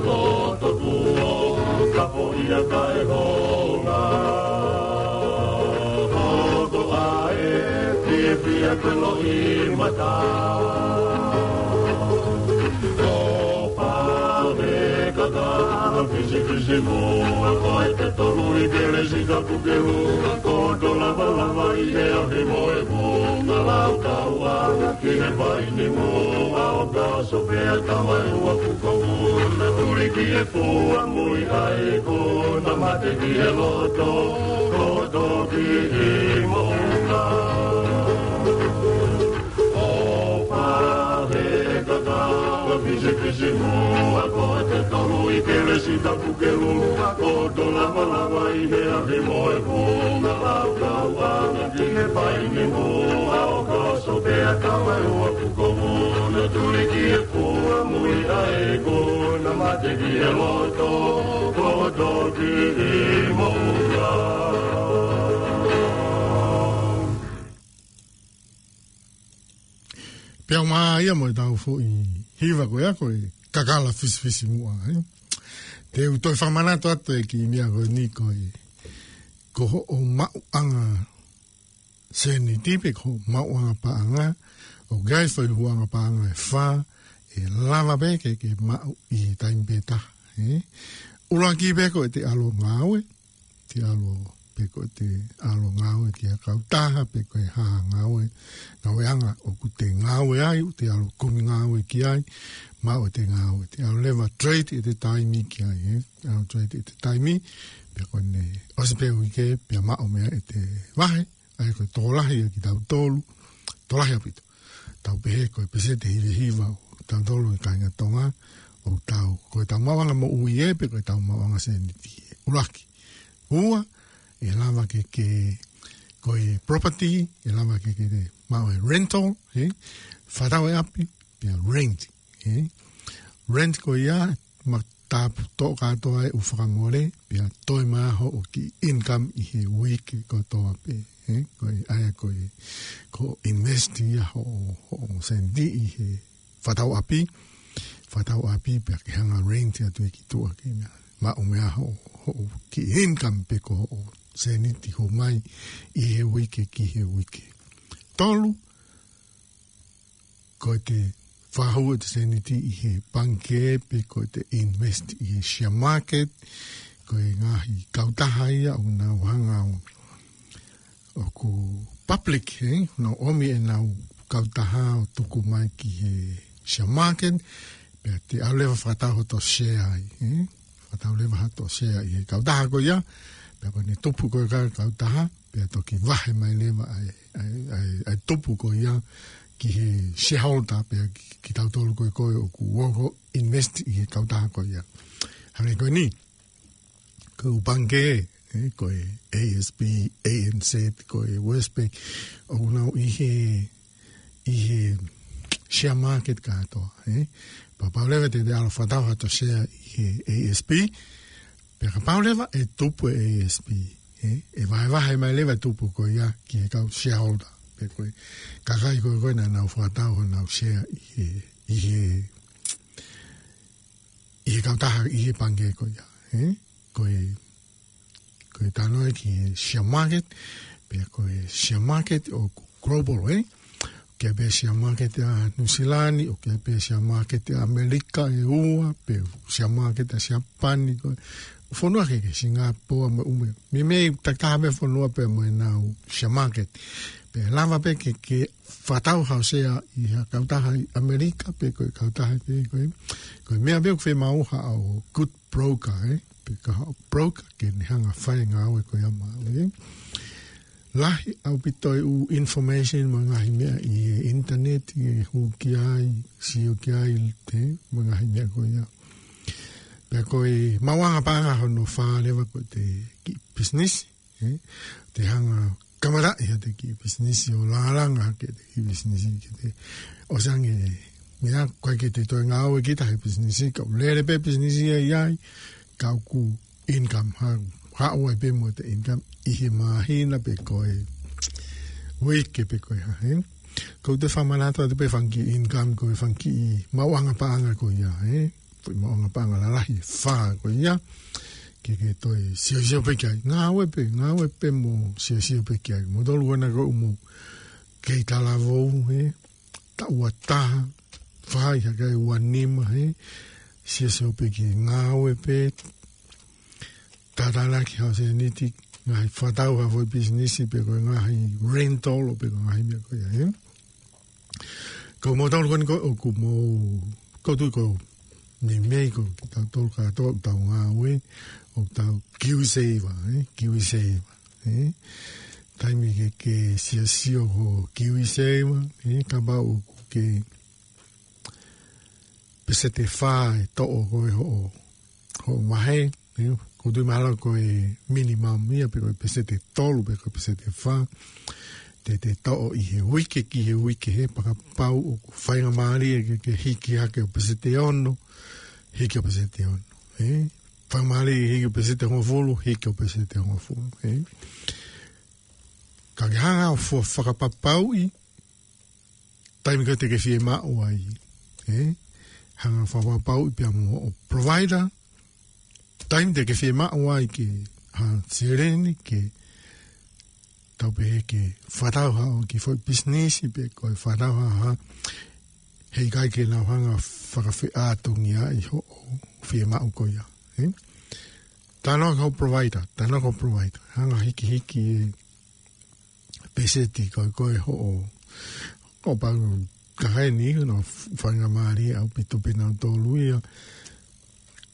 Ko to kuo ka po ia ka e honga. Ko ko a e fie fie ko lo i mata. Ko pa me ka ka pisi pisi mo. Ko e te tolu i ke le si ka Ke lua ko to lava lava i he ahi mo e mo na lau kau ana ki he pai ni mo a o ka so pe a ka mai ua kuko mo na tuli ki he fua mui ai ko na mate ki he loto ko to ki he mo na. O pa he ka ka pisi pisi mo a ko te tolu i ke le si tapu Ke lua ko to lava lava i he ahi mo e mo na lau kau ana ki he pai ni mo a o ka so pe a ka mai ua kuko mo na tuli ki he fua mui ai ko na mate ki he loto ko to ki i mo na. Pea ʻoku māʻia mo e tau foʻi hiva ko ia ko e kakala fisifisimuʻa, ē. Te u toe fakamanatu atu e kiʻi meʻa ko eni ko e, ko hoʻo maʻuʻanga sēniti pe ko hoʻo maʻuʻanga paʻanga, ʻoku ʻi ai e foʻi huʻanga paʻanga ʻe fā, ʻe lava pē ke, ke maʻu ʻi he taimi pē taha, ē. ʻUluaki pē ko e te ʻalu ʻo ngāue, te ʻalu pe ko e te ʻalu ʻo ngāue ki ha kautaha, pe ko e hā ha ngāue, ngāueʻanga ʻoku te ngāue ai, ʻoku te ʻalu ʻo kumi ngāue ki ai, maʻu ʻete ngāue, te ʻalu leva ʻo trade ʻete taimi ki ai, ē, ʻalu ʻo trade ʻete taimi, pe ko ʻene ʻosi pē uike, pea maʻu mei ai ʻete vahe, ʻa ia ko e tokolahi ʻa kitautolu, tokolahi ʻaupito. Tau pehē ko e peseti ʻe hiva hiva ʻo tautolu ʻi he kāinga Tonga, ʻoku tau, ko e tau maʻuʻanga moʻui ē, pe ko e tau maʻuʻanga sēniti ē. ʻUluaki. Ua, ʻe lava ke, ke, ko e property, ʻe lava ke, ke te maʻu e rental, ē? Fakatau e ʻapi, pea rent, ē? Rent ko ia, ma tapu toʻo kātoa e ʻū fakamole, pea toe mai hoʻo kiʻi income ʻi he uike kotoa pē. ē, ko e ʻai ko e, ko e invest ia hoʻo, hoʻo sēniti ʻi he fakatau ʻapi, fakatau ʻapi pea ke hanga rent atu ia ki tuʻa ki mea. Maʻu mei ai hoʻo, hoʻo kiʻi income pe ko hoʻo sēniti ʻoku hū mai ʻi he uike ki he uike. Tolu, ko ʻete fakahū ʻete sēniti ʻi he pangikē pe ko ʻete invest ʻi he share market, ko e ngaahi kautaha ia ʻoku nau hanga ʻo, ʻoku public, ē, nau ʻomi ʻenau kautaha ʻo tuku mai ki he share market, pea te ʻalu leva ʻo fakatau hoto share ai, ē? Fakatau leva hoto share ʻi he kautaha ko ia, pea ko ʻene tupu ko ē ʻa e kautaha, pea toki vahe mai leva ʻa e, ʻa e, ʻa e, ʻa e tupu ko ia ki he shareholder, pea ki, kitautolu ko ē ko ē ʻoku ō ʻo invest ʻi he kautaha ko ia. Hangē ko eni, ko e ʻū pangikē, ē, ko e A S B, A N Z, ko e Westpac, ʻoku nau ʻi he, ʻi he share market kātoa, ē. Pea kapau leva te te ʻalu ʻo fakatau hato share ʻi he A S B, pea kapau leva ʻe tupu e A S B, ē, ʻe vahevahe mai leva e tupu ko ia ki he kau shareholder, pe ko e kakai ko ē ko ē naʻa nau fakatau honau share ʻi he, ʻi he, ʻi he kautaha, ʻi he pangikē ko ia, ē? Ko e, ko e talanoa ki he share market, pea ko e share market ʻoku global, ē? ʻOku ʻi ai pē share market ʻa Nuʻusila ni, ʻoku ʻi ai pē share market ʻa ʻAmelika ʻe ua, pe share market ʻa Siapani, ko e fonua kehekehe, Singapore mo e ʻū meʻa. Meimei takitaha pē fonua pea mo ʻenau share market. Pea lava pē ke, ke fakatau haʻo share ʻi ha kautaha ʻi ʻAmelika, pe ko e kautaha pe ko e, ko e meʻa pē ʻoku fiemaʻu haʻo good broker, ē? Pe ko haʻo broker ke ne hanga ʻo fai e ngāue ko ia maʻau, ē? Lahi ʻaupito e ʻū information mo e ngaahi meʻa ʻi he internet, ʻe hū ki ai, sio ki ai, ē, mo e ngaahi meʻa ko ia. Pea ko e maʻuʻanga paʻanga hono fā leva ko ʻete kiʻi business, ē? Te hanga ʻo kamataʻi haʻate kiʻi business ʻo lālanga hake ʻete kiʻi business ke te ʻosi ange meʻa, ʻikai ke te toe ngāue kita he business, ka ʻoku lele pē business ia ʻi ai, ka ʻoku income, ha, haʻu ai pē mo ʻete income ʻi he māhina pe ko e uike pe ko e hā, ē? Ko ʻete fakamanatu atu pē fanga kiʻi income, ko e fanga kiʻi maʻuʻanga paʻanga ko ia, ē? Foʻi maʻuʻanga paʻanga lalahi ʻe fā ko ia, ke ke toe siosio pē ki ai. Ngāue pē, ngāue pē mo siosio pē ki ai. Moutolu ko ena ʻoku mou kei talavou, ē? Taʻu ua taha, fai hake ai ua nima, ē? Siosio pē ki he ngāue pē, tātānaki haʻo sēniti, ngaahi fakatau ha foʻi business pe ko e ngaahi rental pe ko e ngaahi meʻa ko ia, ē? Ko moutolu ko eni ko ē ʻoku mou, ʻoku ou tui ko e meimei ko kitautolu kātoa ʻoku tau ngāue, ʻoku tau KiwiSaver, ē? KiwiSaver, ē? Taimi ke ke siosio ho KiwiSaver, ē? Kapau ʻoku ke peseti ʻe fā ʻe toʻo ko ē hoʻo, hoʻo vahe, ē, ʻoku ou tui mahalo ko e minimum ia pe ko e peseti ʻe tolu pe ko e peseti ʻe fā. Te te toʻo ʻi he uike ki he uike, ē, pea kapau ʻoku faingamālie ke, ke hiki hake ʻo peseti ʻe ono, hiki ʻo peseti ʻe ono, ē. Faingamālie hiki ʻo peseti ʻe hongofulu, hiki ʻo peseti ʻe hongofulu, ē. Ka ke hanga ʻo fua fakapapauʻi, taimi ko ē te ke fiemaʻu ai, ē? Hanga ʻo fakapapauʻi pea mo hoʻo provider, taimi te ke fiemaʻu ai ke ha seleni ke tau pehē ke fakatau haʻo kiʻi foʻi business pe ko e fakatau ha, ha, heʻikai ke nau hanga ʻo fakafeʻātungiaʻi hoʻo fiemaʻu ko ia, ē? Talanoa ki hoʻo provider, talanoa ki hoʻo provider. Hanga ʻo hikihiki e peseti ko ē ko ē hoʻo, ʻo pau ka heni, hono faingamālie ʻaupito pē nautolu ia.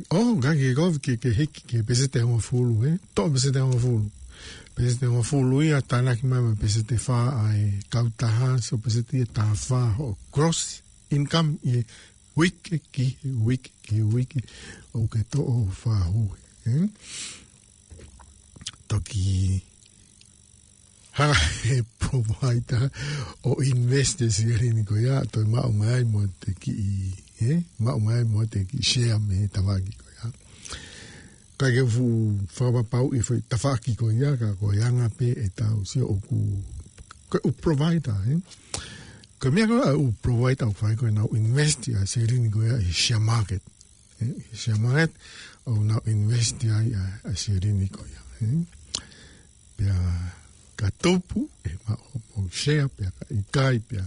ʻO, ka ke ko ke, ke hiki ki he peseti ʻe hongofulu, ē? Toʻo peseti ʻe hongofulu. Peseti ʻe hongofulu ia, tānaki mai mo e peseti ʻe fā ʻa e kautaha, so peseti ʻe taha fā hoʻo gross income ʻi he uike ki he uike ki he uike ʻoku ke toʻo fakahū, ē? Toki hanga ʻe he provider ʻo invest e seleni ko ia, toe maʻu mai ai mo ʻete kiʻi, ē? Maʻu mai ai mo ʻete kiʻi share mei he tafaʻaki ko ia. ʻikai ke u fuʻu fakapapauʻi e foʻi tafaʻaki ko ia, ka ko e anga pē ʻetau sio ʻoku, ko e ʻū provider, ē? Ko e meʻa ko ē ʻa e ʻū provider ʻoku fai ko ē ʻenau invest ʻa e silini ko ia ʻi he share market. Ē, ʻi he share market, ʻoku nau invest ai ʻa, ʻa e silini ko ia, ē? Pea ka tupu, ʻe maʻu hoʻomou share, pea ka ʻikai, pea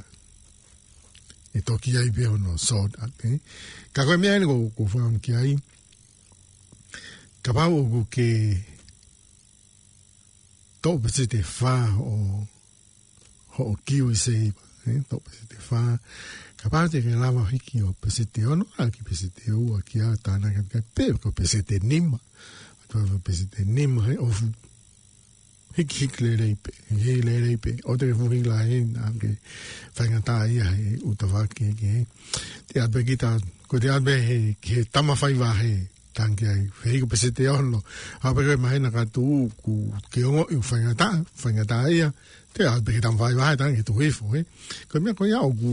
ʻe toki ʻi ai pē hono sort out, ē? Ka ko e meʻa eni ʻoku, ʻoku ou fakaʻamu ki ai, kapau ʻoku ke toʻo peseti ʻe fā hoʻo, hoʻo KiwiSaver, ē? Toʻo peseti ʻe fā. Kapau te ke lava hiki ʻo peseti ʻe ono, ʻa ki peseti ʻe ua ki ai, tānaki atu ki ai, pe ko peseti ʻe nima. Atu ʻa peseti ʻe nima, ē, ʻoku fuʻu hiki, hiki lelei pē, hiki lelei pē. ʻOua te ke fuʻu hiki lahi, naʻa ke faingataʻaʻia he ʻū tafaʻaki kehekehe. Te ʻalu pē kita, ko te ʻalu pē he, ki he tama faiva he, tangi ai, he ʻikai ko peseti ʻe ono. ʻAlu pē ko e māhina ka tuʻu, ʻoku ke ongoʻi ʻoku faingataʻa, faingataʻaʻia. Te ʻalu pē ki he tama faiva he, tangi tuʻu hifo, ē. Ko e meʻa ko ia ʻoku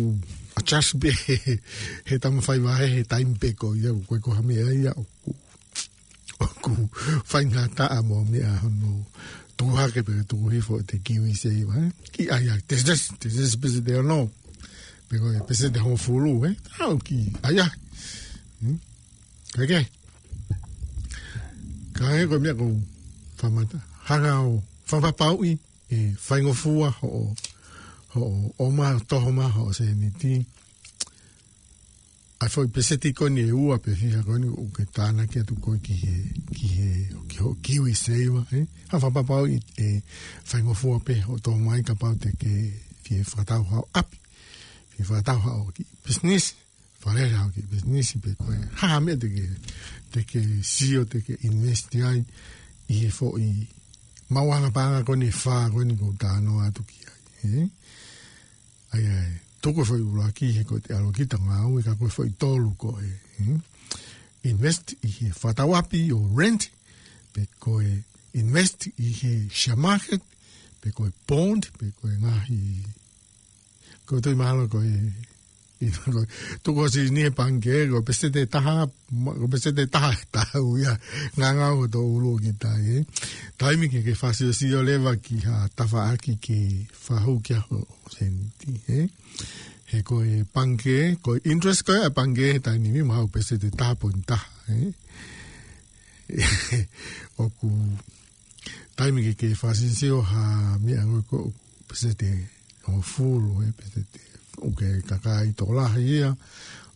adjust pē he, he tama faiva he, he taimi pē ko ia, ko e ko ha meʻa ia, ʻoku ʻoku faingataʻa mo e meʻa hono tuku hake pe tuku hifo ʻete KiwiSaver, ē? Ki ai ai, te, te, te, te peseti ʻe ono. Pe ko e peseti ʻe hongofulu, ē? ʻAu ki ai ai. Hmm? Kae kehe. Kae kehe ko e meʻa ʻoku ou fakamata. Hanga ʻo fakapapauʻi ʻe faingofua hoʻo, hoʻo ʻomai, toho mai hoʻo sēniti. ʻA e foʻi peseti ko eni ʻe ua pe fiha ko eni ʻoku ke tānaki atu ko ē ki he, ki he, ki hoʻo KiwiSaver, ē? Hanga ʻo fakapapauʻi ʻe faingofua pē hoʻo toho mai kapau te ke fie fakatau haʻo ʻapi. Fie fakatau haʻo kiʻi business, fale haʻo kiʻi business pe ko e hā ha meʻa te ke, te ke sio, te ke invest ai ʻi he foʻi maʻuʻanga paʻanga ko eni ʻe fā ko eni ʻoku ou talanoa atu ki ai, ē? ʻA ia ʻe tuku e foʻi ʻuluaki he ko ʻete ʻalu kita ngāue, ka ko e foʻi tolu ko e, hmm? Invest ʻi he fakatau ʻapi ʻo rent, pe ko e invest ʻi he share market, pe ko e bond, pe ko e ngaahi, ʻoku ou tui mahalo ko e, ʻi, ko e, tuku ʻo silini he pangikē, ko e peseti ʻe taha, ma-, ko e peseti ʻe taha ʻe taha ia, ngangau ʻo tō ʻulu ki tai, ē. Taimi ke ke fakasiosio leva ki ha tafaʻaki ke fakahū ki ai hoʻo sēniti, ē. He ko e pangikē, ko e interest ko ē ʻa e pangikē he taimi ni mahalo peseti ʻe taha poini taha, ē. ʻOku taimi ke ke fakasiosio ha meʻa ko ē ko e peseti ʻe hongofulu, ē, peseti ʻoku ke kakai tokolahi ia,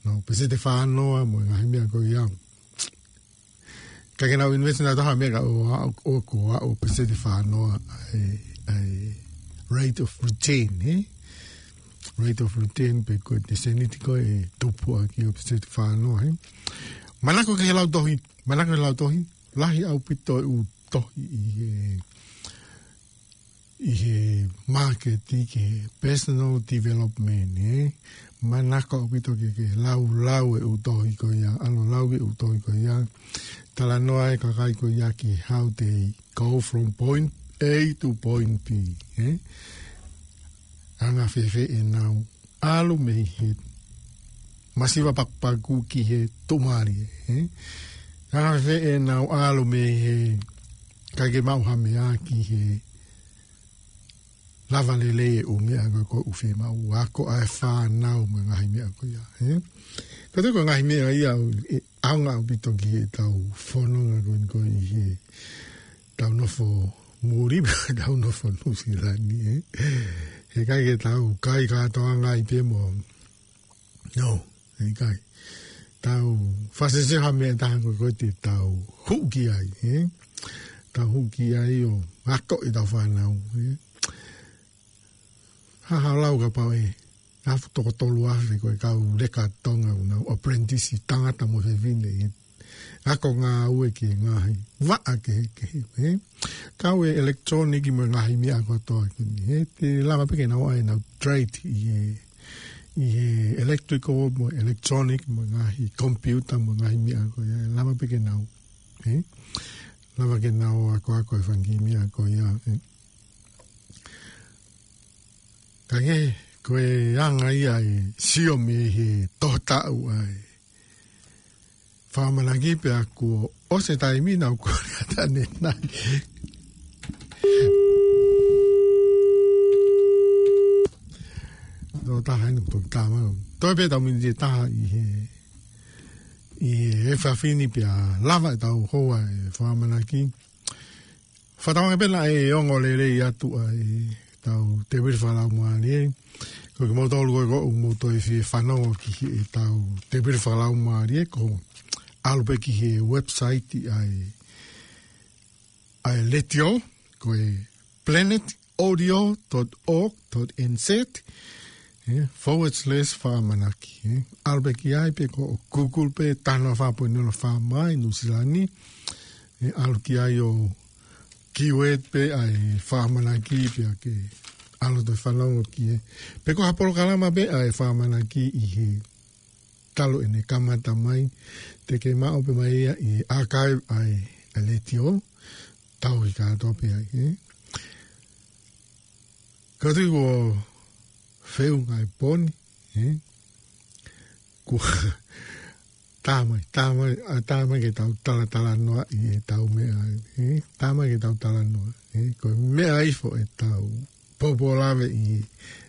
nau peseti ʻe fā noa mo e ngaahi meʻa ko ia. Ka ke nau invest nautolu ha meʻa ka ʻoku, ʻoku, ʻoku peseti ʻe fā noa ʻa e, ʻa e rate of return, ē? Rate of return pe ko ʻete sēniti ko ē ʻe tupu ʻaki ʻo peseti ʻe fā noa, ē? Manako ki he lautohi, manako ki he lautohi, lahi ʻaupito e ʻū tohi ʻi he, ʻi he māketi ki he personal development, ē? Manako ʻaupito ke, ke lau, lau e ʻū tohi ko ia, ʻalu ʻo lau e ʻū tohi ko ia. Talanoa e kakai ko ia ki how they go from point A to point B, ē? Anga fēfē ʻenau ʻalu mei he masiva pakupaku ki he tuʻumālie, ē? Anga fēfē ʻenau ʻalu mei he ʻikai ke maʻu ha meʻa ki he lava lelei e ʻū meʻa ko ē ʻoku fiemaʻu, ako ʻa e fānau mo e ngaahi meʻa ko ia, ē? Ko e toko ngaahi meʻa ia ʻoku, ē, ʻaonga ʻaupito ki heʻetau fononga ko eni ko ē ʻi heʻetau nofo muli, tau nofo Nuʻusila ni, ē? He ʻikai ke tau kai kātoanga ai pē mo, no, ʻikai. Tau fakasiosio ha meʻa ʻe taha ko ē ʻoku ʻikai te tau hū ki ai, ē? Tau hū ki ai ʻo ako ʻetau fānau, ē? Hā haʻo lau kapau ʻe afe toko tolu afe ko e kau leka Tonga ʻoku nau apprentice, tangata mo fefine, ē? Ako ngāue ki he ngaahi vaʻa kehekehe, ē? Kau e electronic mo e ngaahi meʻa kotoa ko eni, ē? Te lava pē ke nau ʻai ʻenau trade ʻi he, ʻi he electrical mo e electronic mo e ngaahi computer mo e ngaahi meʻa ko ia, ʻe lava pē ke nau, ē? Lava ke nau akoako e fanga kiʻi meʻa ko ia, ē? Ka ke, ko e anga ia e sio mei he tohotaʻu ʻa e fakamanaki pea kuo ʻOsi e taimi naʻá ku kole atu ʻanenai. Nō taha inu toki tama. Toe pē ʻetau miniti ʻe taha ʻi he, ʻi he efiafi ni pea lava ʻetau houa e fakaʻamanaki. Fakatauange pē naʻe ongo lelei atu ʻa ʻetau tēpile fakalaumālie. Ko kimoutolu ko ē ʻoku mou toe fie fanongo ki heʻetau tēpile fakalaumālie, ko e ʻalu pē ki he website ʻa e, ʻa e letiō, ko e planet audio dot org dot N Z, ē, forward slash fakaʻamanaki, ē. ʻAlu pē ki ai pe ko e Google pē, taha noa fā poini nima fā mai Nuʻu Sila ni, ē, ʻalu ki ai ʻo keyword pē ʻa e fakaʻamanaki pea ke ʻalu ʻo toe fanongo ki ai. Pe ko ha polokalama pē ʻa e fakaʻamanaki ʻi he talu ʻene kamata mai, te ke maʻu pē mai ia ʻi he archive ʻa e, ʻa e letiō, tau ʻi kātoa pē ai, ē. Ka tui ko feu ngai poni, ē. Ko tā mai, tā mai, ʻa, tā mai ke tau talatalanoa ʻi heʻetau meʻa, ē. Tā mai ke tau talanoa, ē. Ko e meʻa ifo ʻetau pōpōlave ʻi